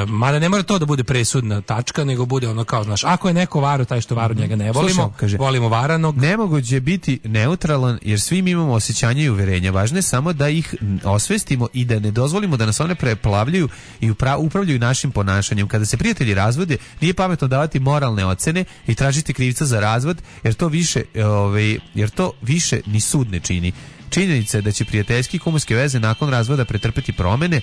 mada ne mora to da bude presudna tačka, nego bude ono kao, znaš, ako je neko varo, taj što varo njega ne volimo, volimo varanog. Nemoguće je biti neutralan, jer svi mi imamo osjećanja i uverenja. Važno je samo da ih osvestimo i da ne dozvolimo da nas one preplavljaju i upravljaju našim ponašanjem. Kada se prijatelji razvode, nije pametno davati moralne ocene i tražiti krivca za razvod, jer to više ni sud ne čini. Činjenica je da će prijateljski i kumovske veze nakon razvoda pretrpeti promene.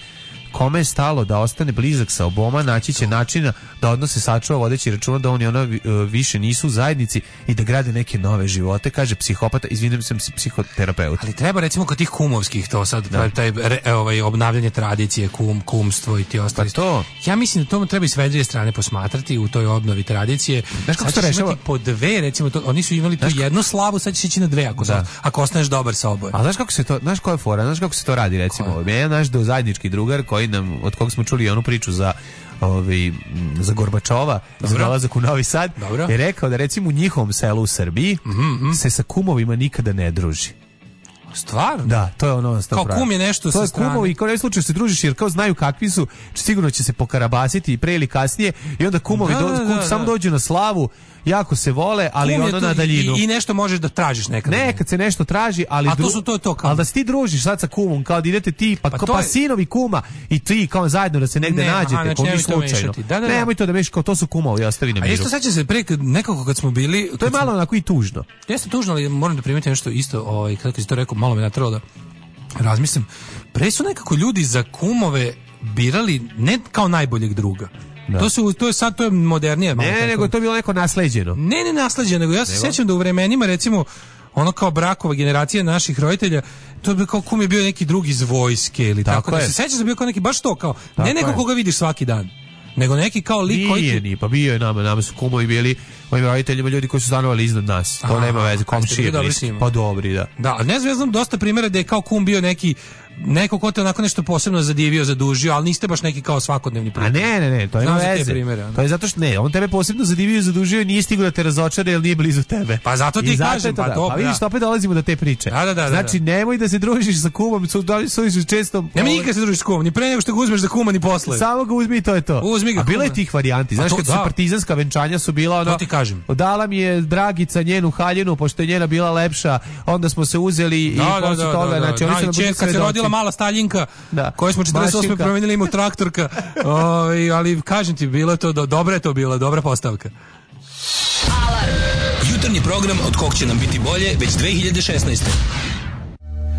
Kome je stalo da ostane blizak sa oboma, naći će načina da odnose sačuva vodeći računa da on i ona više nisu u zajednici i da grade neke nove živote, kaže psihopata, izvinim sam psihoterapeut. Ali treba recimo kod tih kumovskih to sad, taj obnavljanje tradicije, kumstvo i ti ostali. Pa to. Ja mislim da to treba i s vedrije strane posmatrati u toj obnovi tradicije. Znaš kako se to rešava? Po dve, recimo, oni su imali tu jednu slavu, sad će ići na dve ako ostaneš dobar sa oboje. A znaš kako se to, znaš koja je fora, znaš kako se to radi recimo? Jedan naš zajednički drugar od kog smo čuli onu priču za Gorbačova, za dolazak u Novi Sad, je rekao da recimo u njihovom selu u Srbiji se sa kumovima nikada ne druži. Stvarno? Da, to je ono kao kum je nešto sa strane. To je kumovi i kao ne slučaju se družiš jer kao znaju kakvi su, sigurno će se pokarabasiti pre ili kasnije i onda kumovi samo dođu na slavu, jako se vole, ali ono na daljinu. I nešto možeš da tražiš nekad. Nekad se nešto traži, ali a to su to kao. Ali da se ti družiš sad sa kumom, kao da idete ti, pa sinovi kuma i ti kao zajedno da se negde nađete, kao ni slučajno. Nemoj to da mešati, kao to su kumovi, ostavi na miru. A isto sećam se pre nekako kad smo bili, to je malo onako i tužno. Jeste tužno, ali moram da primetim nešto isto, kako si to rekao, malo me natralo da razmislim. Pre su nekako ljudi za kumove birali ne kao najboljeg druga. Da. To je modernije. Ne, nego to je bilo neko nasleđeno. Ne nasleđeno, nego ja se sjećam da u vremenima recimo ono kao brakova generacija naših roditelja, to bi kao kum je bio neki drugi iz vojske ili tako. Da se sjećam da bio kao neki baš to kao, tako ne neko koga vidiš svaki dan. Nego neki kao lik koji... Nije ni, pa bio je nama su kumovi bili, mojim roditeljima ljudi koji su stanovali iznad nas. To nema veze, komšije. Pa dobri, da. Da, ali ne znam dosta primjera da je kao kum bio neko ko te onako nešto posebno zadivio, zadužio, ali niste baš neki kao svakodnevni primjer. A ne, to ima veze. To je zato što on tebe posebno zadivio, zadužio i nije stigao da te razočara jer nije blizu tebe. Pa zato ti kažem, pa dobro. Pa vidiš, opet dolazimo do te priče. Da. Znači, nemoj da se družiš sa kumom, su često... Nemoj nikad se družiš s kumom, ni pre nego što ga uzmeš za kuma, ni posle. Samo ga uzmi i to je to. A bilo je tih varijanti. Znaš, kad su partizanska venčanja su bila ono... To ti kažem. Dala mi je Dragica njenu haljinu, pošto je njena bila lepša, onda smo se uzeli i posle toga, znači oni su nam kad se rodila mala Staljinka, koju smo 48. promenili ima traktorka, ali kažem ti, bilo je to, dobra je to bila, dobra postavka. Jutarnji program od kog će nam biti bolje već 2016.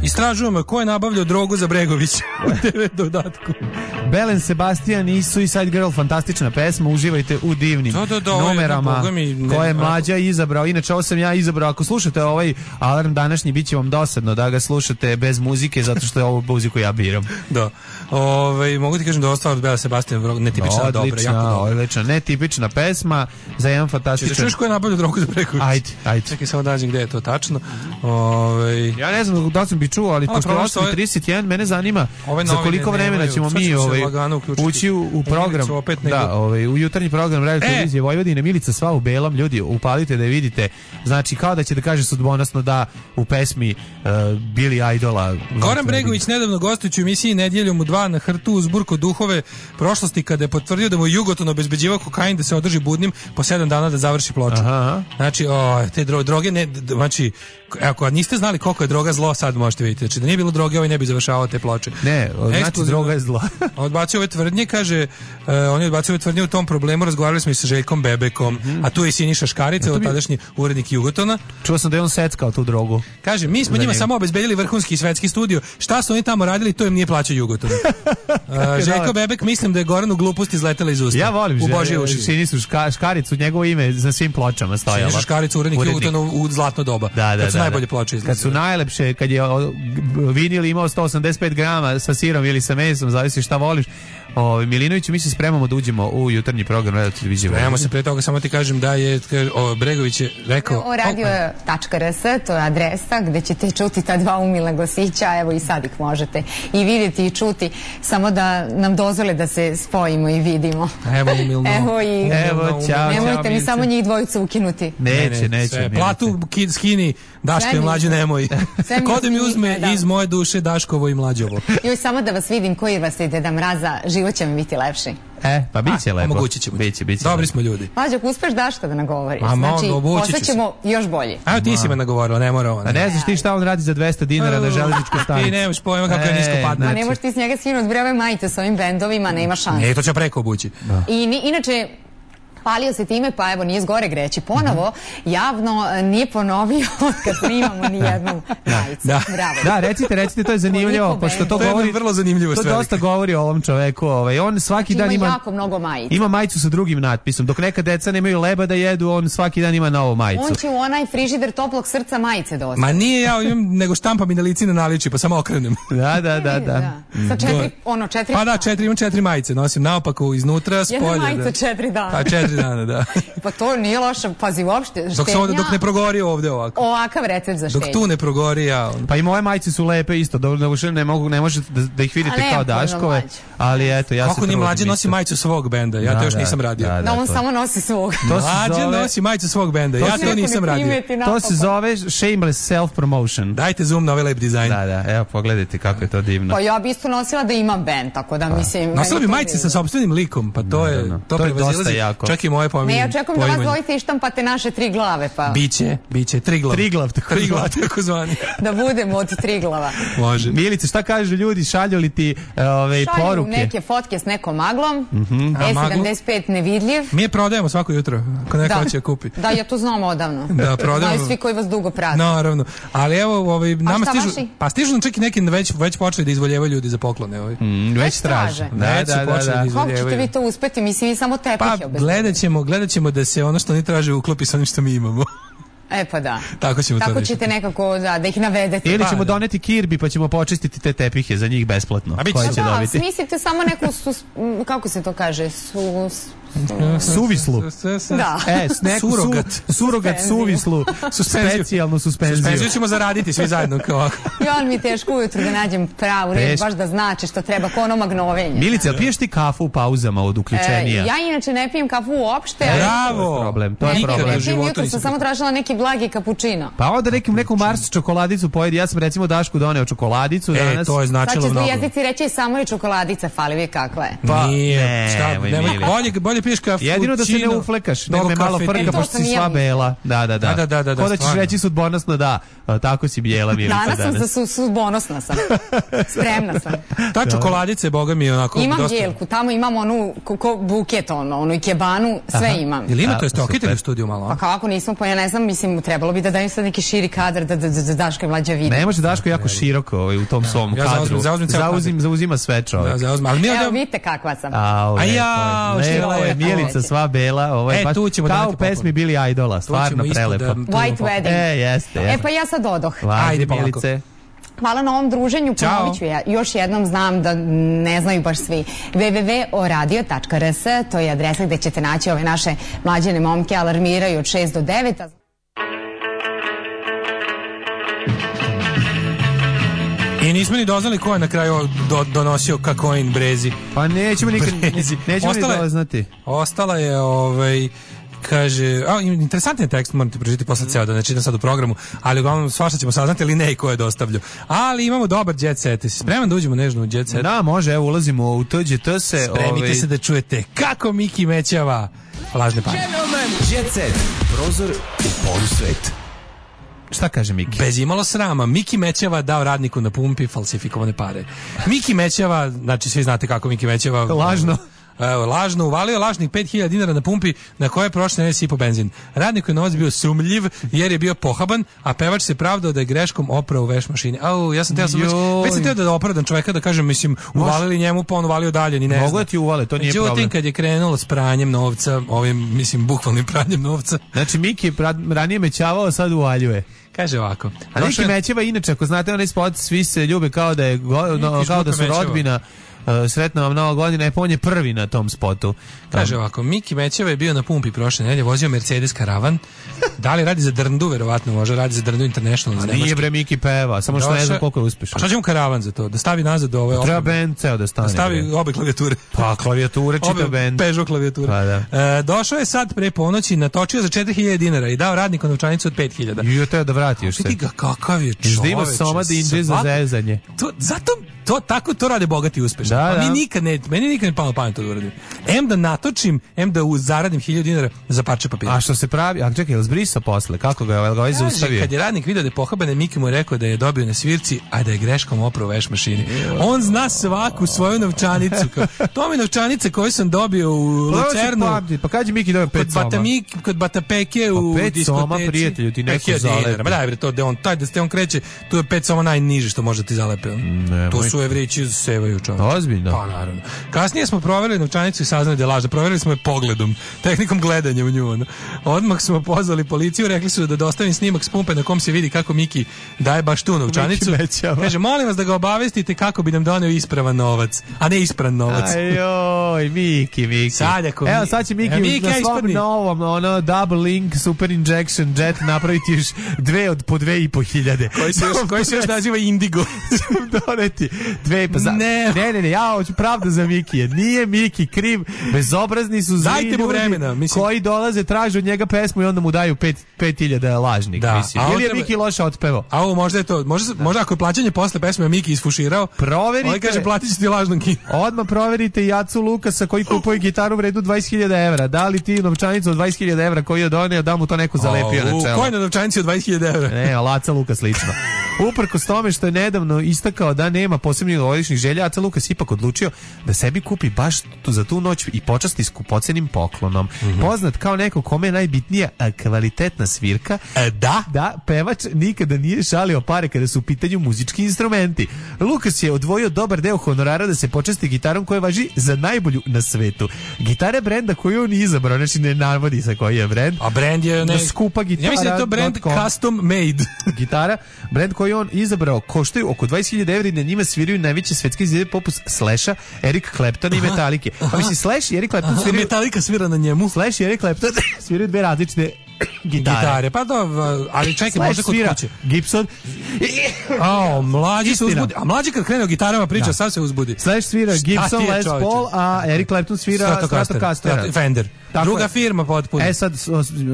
Istražujemo ko je nabavljao drogu za Bregovića u TV dodatku. Belen Sebastian i Suicide Girl, fantastična pesma, uživajte u divnim numerama koje je Mlađa izabrao. Inače, ovo sam ja izabrao. Ako slušate ovaj alarm današnji, bit će vam dosadno da ga slušate bez muzike, zato što je ovo muziku ja biram. Da. Mogu ti kažem da ostalo od Bela Sebastian netipična, dobra, jako dobra. Odlična, netipična pesma za jedan fantastičan... Češ ko je nabavljao drogu za Bregovića? Ajde. Čekaj, samo dađem gde je to tačno. Ja ne znam da sam bi čuo, ali pošto je 8:31, mene zanima za koliko vremena ćemo mi ući u program, u jutarnji program Radio televizije Vojvodine. Milica sva u belom, ljudi, upalite da je vidite. Znači, kao da će da kaže sudbonosno da u pesmi Billy Idola. Goran Bregović nedavno gostujući u emisiji Nedjeljom u 2 na Hrtu uzburko duhove prošlosti kada je potvrdio da mu Jugoton obezbeđivao kokain da se održi budnim po 7 dana da završi ploču. Znači, te droge ne, znači, ako niste znali koliko je droga zlo, sad možete vidjeti. Znači, da nije bilo droge, ovaj ne bi završavao te ploče. Ne, znači droga je zlo. Odbacio ove tvrdnje, kaže, on je odbacio ove tvrdnje u tom problemu, razgovarali smo i sa Željkom Bebekom, a tu je i Siniša Škarica, tadašnji urednik Jugotona. Čuo sam da je on seckao tu drogu. Kaže, mi smo njima samo obezbedili vrhunski i svetski studio. Šta su oni tamo radili, to im nije plaćao Jugoton. Željko Bebek, mislim da je Goranu glupost izletela iz usta. Ja volim Sinišu Škaricu, njegovo ime za svim pločama stojalo. Siniša Škarica, urednik Jugotona u zlatno doba. Kad su najbolje ploče izlazile. Kad su najlepše, kad je vinil imao 185 grama sa sirom ili sa mesom, zavisi šta voliš. Milinoviću, mi se spremamo da uđemo u jutarnji program Radio televizije. Spremamo se, pre toga samo ti kažem da je Bregović je rekao... Radio.rs, to je adresa gde ćete čuti ta dva umilna glasića, evo i sad ih možete i vidjeti i čuti, samo da nam dozvole da se spojimo i vidimo. Evo umilno. Evo, ćao. Nemojte mi samo njih dvojicu ukinuti. Neće. Platu skini, Daško i Mlađe nemoj. Kode mi uzme iz moje duše Daškovo i Mlađovo. Joj, samo da vas vidim koji vas je Deda Mraza, život će mi biti lepši. Pa bit će lepo. Omogućit ćemo. Biće. Dobri smo ljudi. Mlađo, ako uspeš Daška da nagovoriš, znači postaćemo još bolje. Evo ti si me nagovorila, ne mora ona. A ne znaš ti šta on radi za 200 dinara na železničkoj stanici. Ti nemaš pojma kako je nisko padne. Ma ne možeš ti s njega skinuti bre ove majice s ovim bendovima, nema šanse. Ne, to će preko obući. I inače, hvalio se time, pa evo nije zgore greći. Ponovo, javno nije ponovio kad snimamo ni jednu majicu. Da, recite, to je zanimljivo, pošto to govori, vrlo zanimljivo to dosta govori o ovom čoveku. On svaki dan ima jako mnogo majica. Ima majicu sa drugim natpisom. Dok neka deca nemaju leba da jedu, on svaki dan ima novu majicu. On će u onaj frižider toplog srca majice dosta. Ma nije ja imam, nego štampam i na lici na naliči, pa samo okrenem. Da. Sa 4. Pa da, imam 4 majice, nosim naopako iznutra, spolje. Jedna majica 4 dana. Pa 4 dana, da. Pa to nije loše, pazi uopšte. Dok ne progori ovde ovako. Ovakav recept za štenja. Dok tu ne progori, ja. Pa i moje majice su lepe isto, ne možete da ih vidite kao Daškove, ali eto, ja se kako ni Mlađe nosi majicu svog benda, ja to još nisam radio. Da, on samo nosi svog. Mlađe nosi majicu svog benda, ja to nisam radio. To se zove shameless self-promotion. Dajte zoom na ovaj lep dizajn. Da, evo pogledajte kako je to divno. Pa ja bi isto nosila da imam bend, tako da mislim... Nosila bi majice sa sopstvenim likom, pa to je dosta jako. Čak i moje pominje. Ne, ja čekam da vas dvojice ištampate naše 3 glave, pa... Biće, Triglav, tako zvani. Da budemo od 3 glava. Može. Milice, šta kažu ljudi, šalju li ti poruke? Šalju neke fotke s nekom maglom, E75 nevidljiv. Mi je prodajemo svako jutro, ako neko hoće kupi. Da, ja to znam odavno. Da, prodajemo. Znaju svi koji vas dugo prate. Naravno. Ali evo, nama stižu nam čak i neki već počeli da izvoljevaju ljudi za poklone. Već traže. Da. Kako ćete vi to uspeti? Mislim, vi samo tepihe obezbedite. Pa gledat ćemo da se ono što oni traže uklopi sa onim što mi imamo. Pa da. Tako ćemo Tako ćete nekako da ih navedete. Ili ćemo doneti kirbi pa ćemo počistiti te tepihe za njih besplatno. Koji će dobiti? Smislite samo neku, kako se to kaže, suvislu. Da. Surogat suvislu. Specijalnu suspenziju. Suspenziju ćemo zaraditi svi zajedno. I on mi teško ujutru da nađem pravu reč, baš da znači što treba, ko ono magnovenje. Milice, ali piješ ti kafu u pauzama od uključenija? Ja inače ne pijem kafu uopšte. Bravo! To je problem. Ne pijem, jutro sam samo tražila neki blagi kapućino. Pa onda neku Mars čokoladicu pojedi. Ja sam recimo Dašku doneo čokoladicu danas. To je značilo mnogo. Sad će jezici reći samo je čokoladica, fali vi kakva je. Pa nije. Bolje piješ kafu. Jedino da se ne uflekaš, da me malo frka, pošto si sva bela. Da. Ko da ćeš reći sudbonosno da, tako si bijela, Milica, danas. Danas sam sudbonosna sam. Spremna sam. Ta čokoladica je, boga mi, onako... Imam jelku, tamo imam onu buket, onu ikebanu, sve imam. Jel ima to, jeste okitali u studiju malo? Pa kako nismo, pa ja ne znam, mislim, mislim, trebalo bi da daju sad neki širi kadar da Daško i Mlađa vidi. Ne može Daško jako široko u tom svom kadru. Zauzima sve čovjek. Evo, vidite kakva sam. Lepo je, Mijelica sva bela, ovo je baš kao u pesmi Billy Idola, stvarno prelepo. White Wedding. Jeste. Pa ja sad odoh. Ajde, Mijelice. Hvala na ovom druženju, ponovit ću ja. Još jednom, znam da ne znaju baš svi. www.oradio.rs, to je adresa gde ćete naći ove naše mlađene momke, alarmiraju od 6 do 9. I nismo ni doznali ko je na kraju donosio kakoin brezi. Pa nećemo nikad ni doznati. Ostala je kaže, interesantan je tekst, moram ti pročitati posle ceo, da ne čitam sad u programu, ali uglavnom svašta ćemo saznati, ali ne i ko je dostavljao. Ali imamo dobar jet set. Si spreman da uđemo nežno u jet set? Da, može, evo ulazimo u TGT se. Spremite se da čujete kako Miki mećava lažne pare. Jet set, prozor u polusvet. Šta kaže Miki? Bez imalo srama, Miki mećava dao radniku na pumpi falsifikovane pare. Miki mećava, znači svi znate kako Miki mećava. Lažno. Lažno uvalio lažnih 5000 dinara na pumpi na koje je prošle nedelje sipao benzin. Radniku je novac bio sumljiv jer je bio pohaban, a pevač se pravdao da je greškom oprao u veš mašini. Ja sam teo da opravdam čoveka, da kažem, mislim, uvalili njemu, pa on uvalio dalje, ni ne znam. Mogu da ti uvale, to nije problem. Međutim, kad je krenulo s pranjem novca, mislim, bukvalnim pranjem novca. Znači, Miki je ranije mećavao, sad uvaljuje. Kaže ovako. A Miki mećeva, inače, ako znate onaj spot, svi se ljube kao da su rodbina. Sretna vam nova godina, on je prvi na tom spotu. Kaže ovako, Miki Mećeva je bio na pumpi prošle nedelje, vozio Mercedes Karavan. Da li radi za Drndu, verovatno može, radi za Drndu International. A nije bre, Miki peva, samo što ne znam koliko je uspešan. Pa šta će mu Karavan za to? Da stavi nazad ove... Treba band ceo da stane. Da stavi obe klavijature. Pa klavijature, čitav band. Peugeot klavijature. Pa da. Došao je sad pre ponoći, natočio za 4000 dinara i dao radniku novčanicu od 5000. I teo da vrati još se. Vidi ga kakav je čoveče. Da ima soma da inđe za zezanje. Zato to rade bogati i uspešni. Meni nikad ne palo pamet to da uradim. Da natočim, da zaradim 1000 dinara za parče papira. A što se pravi? A čekaj, je li zbrisao posle? Kako ga je zaustavio? Kad je radnik vidio da je pohaban, Miki mu je rekao da je dobio na svirci, a da je greškom oprao veš mašini. On zna svaku svoju novčanicu. To mi novčanice koje sam dobio u Lucernu. Pa kad je Miki dobio 5 soma? Kod Batapeke u diskoteci. 5 soma, prijatelju, ti neko zalepi. Ma daj bre, to da on kreće, tu je 5 soma najniže što može ti zalepe. To su Evrići sevaju čovječe. Ozbiljno? Pa naravno. Kasnije smo proverili novčanicu i saznali da je lažna. Proverili smo je pogledom, tehnikom gledanja u nju. Odmah smo pozvali policiju, rekli su da dostavim snimak s pumpe na kom se vidi kako Miki daje baš tu novčanicu. Kaže, molim vas da ga obavestite kako bi nam doneo ispravan novac, a ne ispran novac. Ajoj, Miki. Evo sad će Miki na svom novom double link super injection jet napraviti još po 2500. Koji se još naziva Indigo. Doneti. Ne, ja hoću pravda za Mikije. Nije Miki kriv, bezobrazni su zli ljudi koji dolaze, traže od njega pesmu i onda mu daju 5000 lažnih. Ili je Miki loše otpevao? A ovo možda je to. Možda ako je plaćanje posle pesme Miki isfuširao, proverite. On kaže platit ću ti lažnom kinu. Odmah proverite Jacu Lukasa koji kupuje gitaru vrednu 20.000 evra. Da li ti novčanicu od 20.000 evra koju je doneo, da mu to neko zalepio na čelo? Ko je na novčanici od 20.000 evra? Ne, Laca Lukas lično. Uprkos tome što je nedavno istakao da nema posebnih novogodišnjih želja, Aca Lukas ipak odlučio da sebi kupi baš za tu noć i počasti skupocenim poklonom. Poznat kao neko kome je najbitnija kvalitetna svirka. Da, pevač nikada nije šalio pare kada su u pitanju muzički instrumenti. Lukas je odvojio dobar deo honorara da se počasti gitarom koja važi za najbolju na svetu. Gitara brenda koju on izabrao, znači ne navodi se koji je brend. A brend je skupa gitara. Ja mislim da je to brend custom made. Gitara, brend koji on izabrao, koštaju oko 20.000 evra i na njima sviraju najveće svetske izvedbe poput Slasha, Eric Claptona i Metallica. Pa mislim, Slash i Eric Clapton sviraju... Metallica svira na njemu. Slash i Eric Clapton sviraju dve različite gitare. Pa ali čekaj, možda kod kuće. Gibson. Mlađi se uzbudi. A mlađi kad krene o gitarama priča, sad se uzbudi. Slash svira Gibson Les Paul, a Eric Clapton svira Stratocaster. Fender. Druga firma potpuno. Sad,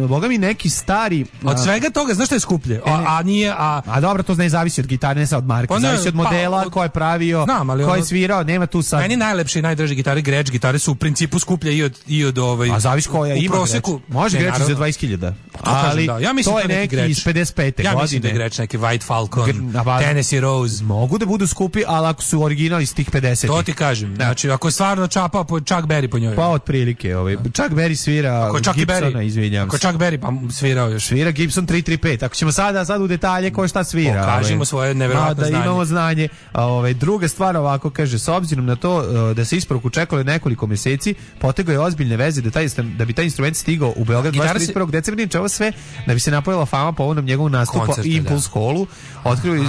boga mi neki stari... Od svega toga, znaš što je skuplje? A dobro, to ne zavisi od gitare, ne sad od marke. Zavisi od modela, ko je pravio, ko je svirao, nema tu sad... Meni najlepše i najdraže gitare, Gretsch gitare su u principu skuplje i od A zavisi koja ima Gretsch. Može Gretsch za 20.000. Ali ja mislim to je neki iz 55. godine. Ja mislim da je Gretsch neki White Falcon Falcon, Tennessee Rose. Mogu da budu skupi, ali ako su originali iz tih 50. To ti kažem. Znači, ako je stvarno čapa po Chuck Berry po njoj. Pa otprilike, Chuck Berry svira Gibsona, izvinjam se. Ako Chuck Berry, pa svirao još. Svira Gibson 335. Ako ćemo sad u detalje ko šta svira. Pokažimo svoje neverovatno znanje. Da imamo znanje. Druga stvar ovako kaže, s obzirom na to da se isporuku čekalo nekoliko meseci, potegao je ozbiljne veze da bi taj instrument stigao u Beograd 21. decembra, ovo sve da bi se napojila fama po ovom njegovom nastupu Impulse Hallu. Otkrili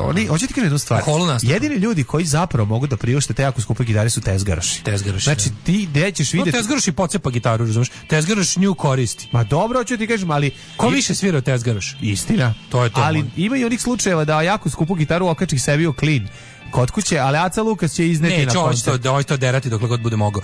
oni, hoćete ti kažem jednu stvar. Jedini ljudi koji zapravo mogu da priušte te jako skupe gitare su tezgaroši. Znači ti gde ćeš videti. Tezgaroš i pocepa gitaru, razumeš? Tezgaroš nju koristi. Ma dobro, hoću ti kažem, ali ko više svira od tezgaroš? Istina. To je to. Ali ima i onih slučajeva da jako skupu gitaru okači sebi u klin kod kuće, ali Aca Lukas će izneti na koncert. Neće to derati dokle god bude mogao.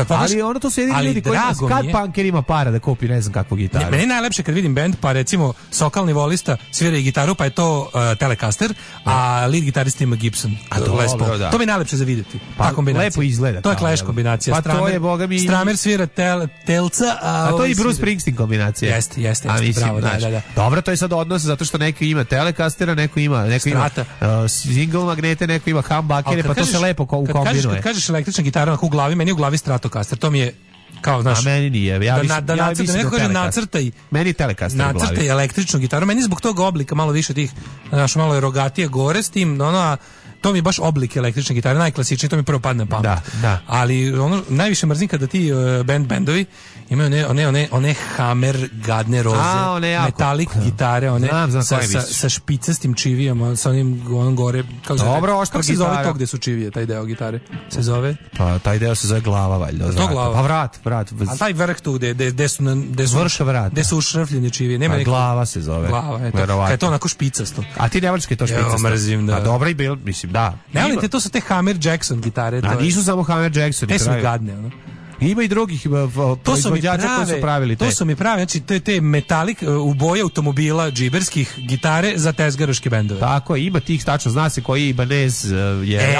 Ali ono to su jedini ljudi koji kad punker ima para da kupi ne znam kakvu gitaru. Meni je najlepše kad vidim bend, pa recimo sokalni volista svira i gitaru, pa je to Telecaster, a lead gitarist ima Gibson. To mi je najlepše za vidjeti. Pa lepo izgleda. To je Clash kombinacija. Pa to je, boga mi... Stramer svira Telca, a to je i Bruce Springsteen kombinacija. Jeste, bravo, da. Dobro, to je sad odnos zato što neko ima Telecastera, neko ima single magnete, neko ima humbuckere, pa to se lepo ukombinuje. Kad kažeš električna gitara u glavi, meni u glavi Stratocaster, to mi je kao, znaš, a meni nije. Nacrtaj. Meni je Telecaster u glavi. Nacrtaj električnu gitaru, meni zbog tog oblika malo više tih, znaš, malo je rogatije gore s tim, to mi je baš oblik električne gitare, najklasičniji, to mi prvo padne na pamet. Da. Ali najviše mrzim kada ti bendovi imaju one Hammer gadne roze, metalik gitare, sa špicastim čivijama, sa onim gore. Kako se zove to gde su čivije, taj deo gitare? Se zove? Pa taj deo se zove glava, valjda. To glava. Pa vrat. A taj vrh tu gde su ušrfljene čivije. Pa glava se zove. Glava, kad je to onako špicasto. A ti ne voliš kad je to špicasto? Mrzim, da. A dobro i bilo, mislim, da. Ne, ali to su te Hammer Jackson gitare. A nisu samo Hammer Jackson. Te su gadne, Ima i drugih proizvođača koji su pravili te. To su mi pravi, znači te metalik u boji automobila džiberskih gitare za tezgaroške bendove. Tako je, ima tih, tačno zna se koji Ibanez je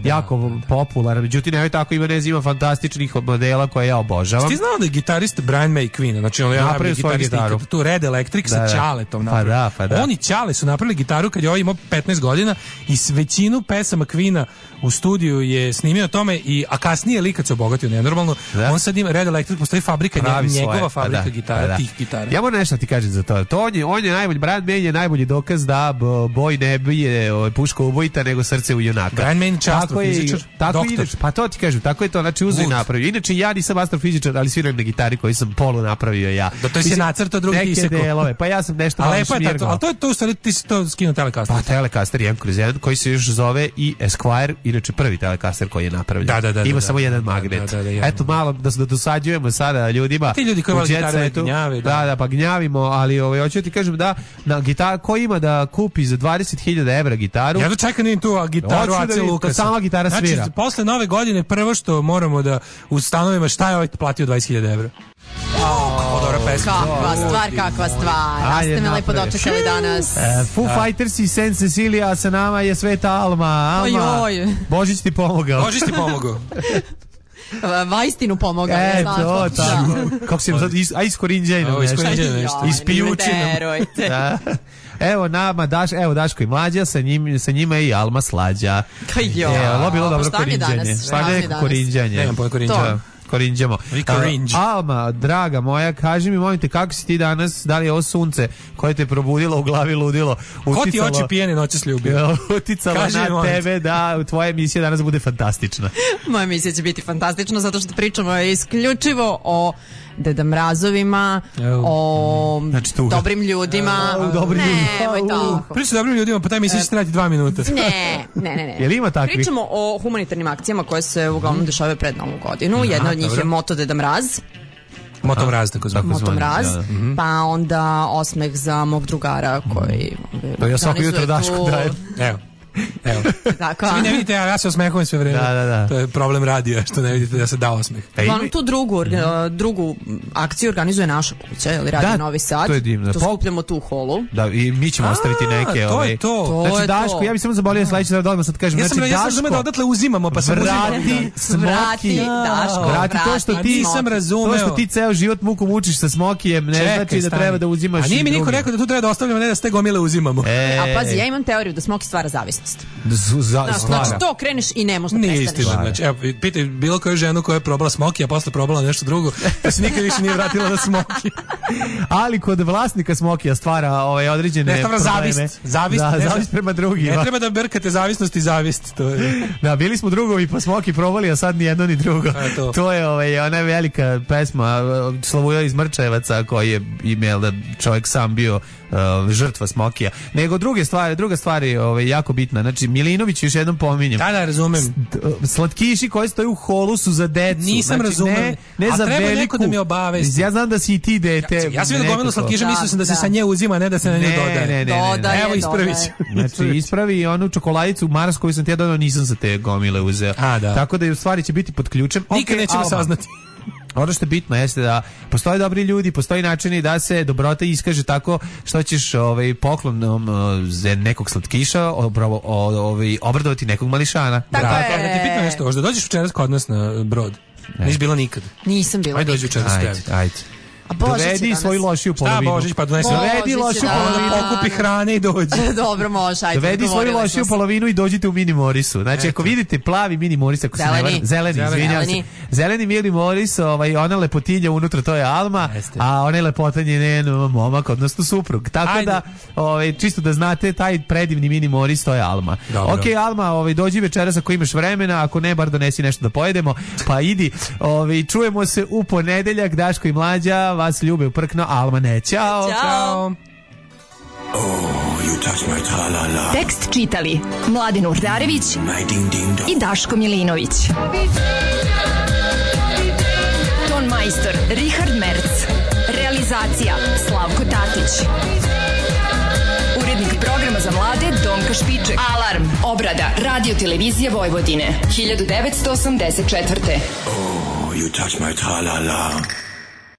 jako popularan, međutim nemoj tako, Ibanez ima fantastičnih modela koje ja obožavam. Ti znao da je gitarist Brian May Queen, znači on je napravio svoju gitaru, tu Red Electric sa Ćaletom napravio. Pa da. Oni Ćale su napravili gitaru kad je ovaj imao 15 godina i s većinu pesama Queena u studiju je snimio tome, a kasnije lik kad se obogatio nenormalno. Da. On sad ima Red Electric, postoji fabrika, njegova fabrika gitara, tih gitara. Ja moram nešto ti kažem za to. On je najbolji, Brian May je najbolji dokaz da boj ne bije puška ubojita, nego srce u junaka. Brian May je astrofizičar, doktor. Pa to ti kažem, tako je to, znači uzeo i napravio. Inače ja nisam astrofizičar, ali sviram na gitari koji sam polu napravio ja. Da to si nacrtao, drugi ti isekao. Neke delove, pa ja sam nešto malo šmirgao. Ali to je stvari, ti si to skinuo Telecaster. Pa Telecaster 1/1 koji se još zove i Esquire, inače prvi Telecaster koji je napravljen. Ima samo jedan magnet. Eto malo da dosađujemo sada ljudima. Ti ljudi koji vole gitare gnjave. Da, pa gnjavimo, ali hoću ti kažem da na gitar ko ima da kupi za 20.000 evra gitaru. Ja čekam da im tu gitaru Ace Lukasa. Sama gitara svira. Znači, posle nove godine prvo što moramo da ustanovimo šta je ovaj platio 20.000 evra. Dobra pesma. Kakva stvar. Da ste me lepo dočekali danas. Foo Fighters i Saint Cecilia, sa nama je Sveta Alma. Božić ti pomogao. Vaistinu pomogao. To, tako. Kako se sad, iskorinđajno nešto. Ispijučino. Evo nama, Daško i Mlađa, sa njima je i Alma Slađa. Ovo bilo dobro korinđanje. Pa neko korinđanje. Nemam pojma korinđanje. Korinđamo. Alma, draga moja, kaži mi, molim te, kako si ti danas, da li je ovo sunce koje te probudilo u glavi ludilo? Ko ti oči pijene noći sljubio? Uticalo na tebe da tvoja emisija danas bude fantastična. Moja emisija će biti fantastična zato što pričamo isključivo o Deda Mrazovima, o dobrim ljudima. Nemoj tako. Pričamo o dobrim ljudima, pa taj emisija će trajati 2 minuta. Ne. Jel ima takvih? Pričamo o humanitarnim akcijama koje se uglavnom dešavaju pred Novu godinu. Jedna od njih je Moto Deda Mraz. Moto Mraz, tako zvani. Moto Mraz, pa onda osmeh za mog drugara koji ja svako jutro Dašku dajem. Evo. Evo. Tako. Vi ne vidite, ja se osmehujem sve vreme. Da. To je problem radija, što ne vidite da se da osmeh. Uglavnom tu drugu akciju organizuje naša kuća, ili radi Novi Sad. To je divno. To skupljamo tu u holu. Da, i mi ćemo ostaviti neke. To je to. Znači, Daško, ja bih samo zabolio sledeći da odmah sad kažem. Ja sam razumeo da odatle uzimamo, pa sam vrati Smoki. Daško, vrati to što ti nisam razumeo. To što ti ceo život muku mučiš sa Smokijem, ne znači da treba da uzimaš. A nije mi niko rekao da tu treba da ostavljamo, ne da ste gomile uzimamo. A pazi, ja imam teoriju da Smoki stvara zavisnost. Znači to kreneš i ne možeš da prestaneš. Nije istina, znači, evo, pitaj bilo koju ženu koja je probala Smoki, a posle probala nešto drugo, pa se nikad više nije vratila na Smoki. Ali kod vlasnika Smokija stvara određene probleme. Zavist prema drugima. Ne treba da brkate zavisnost i zavist. To je. Da, bili smo drugovi pa Smoki probali, a sad ni jedno ni drugo. To je ona velika pesma Slavuja iz Mrčevaca koji je imao da čovjek sam bio žrtva Smokija. Nego druga stvar je jako bitna. Znači Milinović još jednom pominjem. Da, razumem. Slatkiši koji stoje u holu su za decu. Nisam razumem. Ne za treba veliku. Neko da mi obavesti. Ja znam da si i ti dete. Ja sam vidio gomilu slatkiša, mislio sam da se sa nje uzima, ne da se na nju dodaje. Ne. Evo ispravit. Znači ispravi onu čokoladicu Mars koju sam ti ja dodao, nisam sa te gomile uzeo. Tako da u stvari će biti pod ključem. Nikad nećemo saznati. Ono što je bitno jeste da postoje dobri ljudi, postoji načini da se dobrota iskaže tako što ćeš poklonom za nekog slatkiša obradovati nekog mališana. Tako je. Da ti pitno nešto, možda dođeš večeras kod nas na Brod? Nisi bila nikad? Nisam bila. Ajde dođi večeras. Ajde. Dovedi svoju lošiju polovinu. Šta Božić, pa donesi. Dovedi lošiju polovinu. Pokupi hrane i dođi. Dobro, može, ajde. Dovedi svoju lošiju polovinu i dođite u Mini Morisu. Znači, ako vidite plavi Mini Moris, ako se ne varam, zeleni, izvinjam se. Zeleni Mini Moris, ona lepotinja unutra, to je Alma, a onaj lepotan je njen momak, odnosno suprug. Tako da, čisto da znate, taj predivni Mini Moris, to je Alma. Ok, Alma, dođi večeras ako imaš vremena, ako ne, bar donesi nešto da pojedemo, pa idi. Čujemo se u ponedeljak, Daško i Mlađa, vas ljube uprkno, Alma ne. Ćao. Ćao. Tekst čitali Mladin Urdarević i Daško Milinović. Ton majstor Richard Merc. Realizacija Slavko Tatić. Urednik programa za mlade Donka Špiček. Alarm. Obrada Radio Televizije Vojvodine 1984. Oh, you touch my tra-la-la.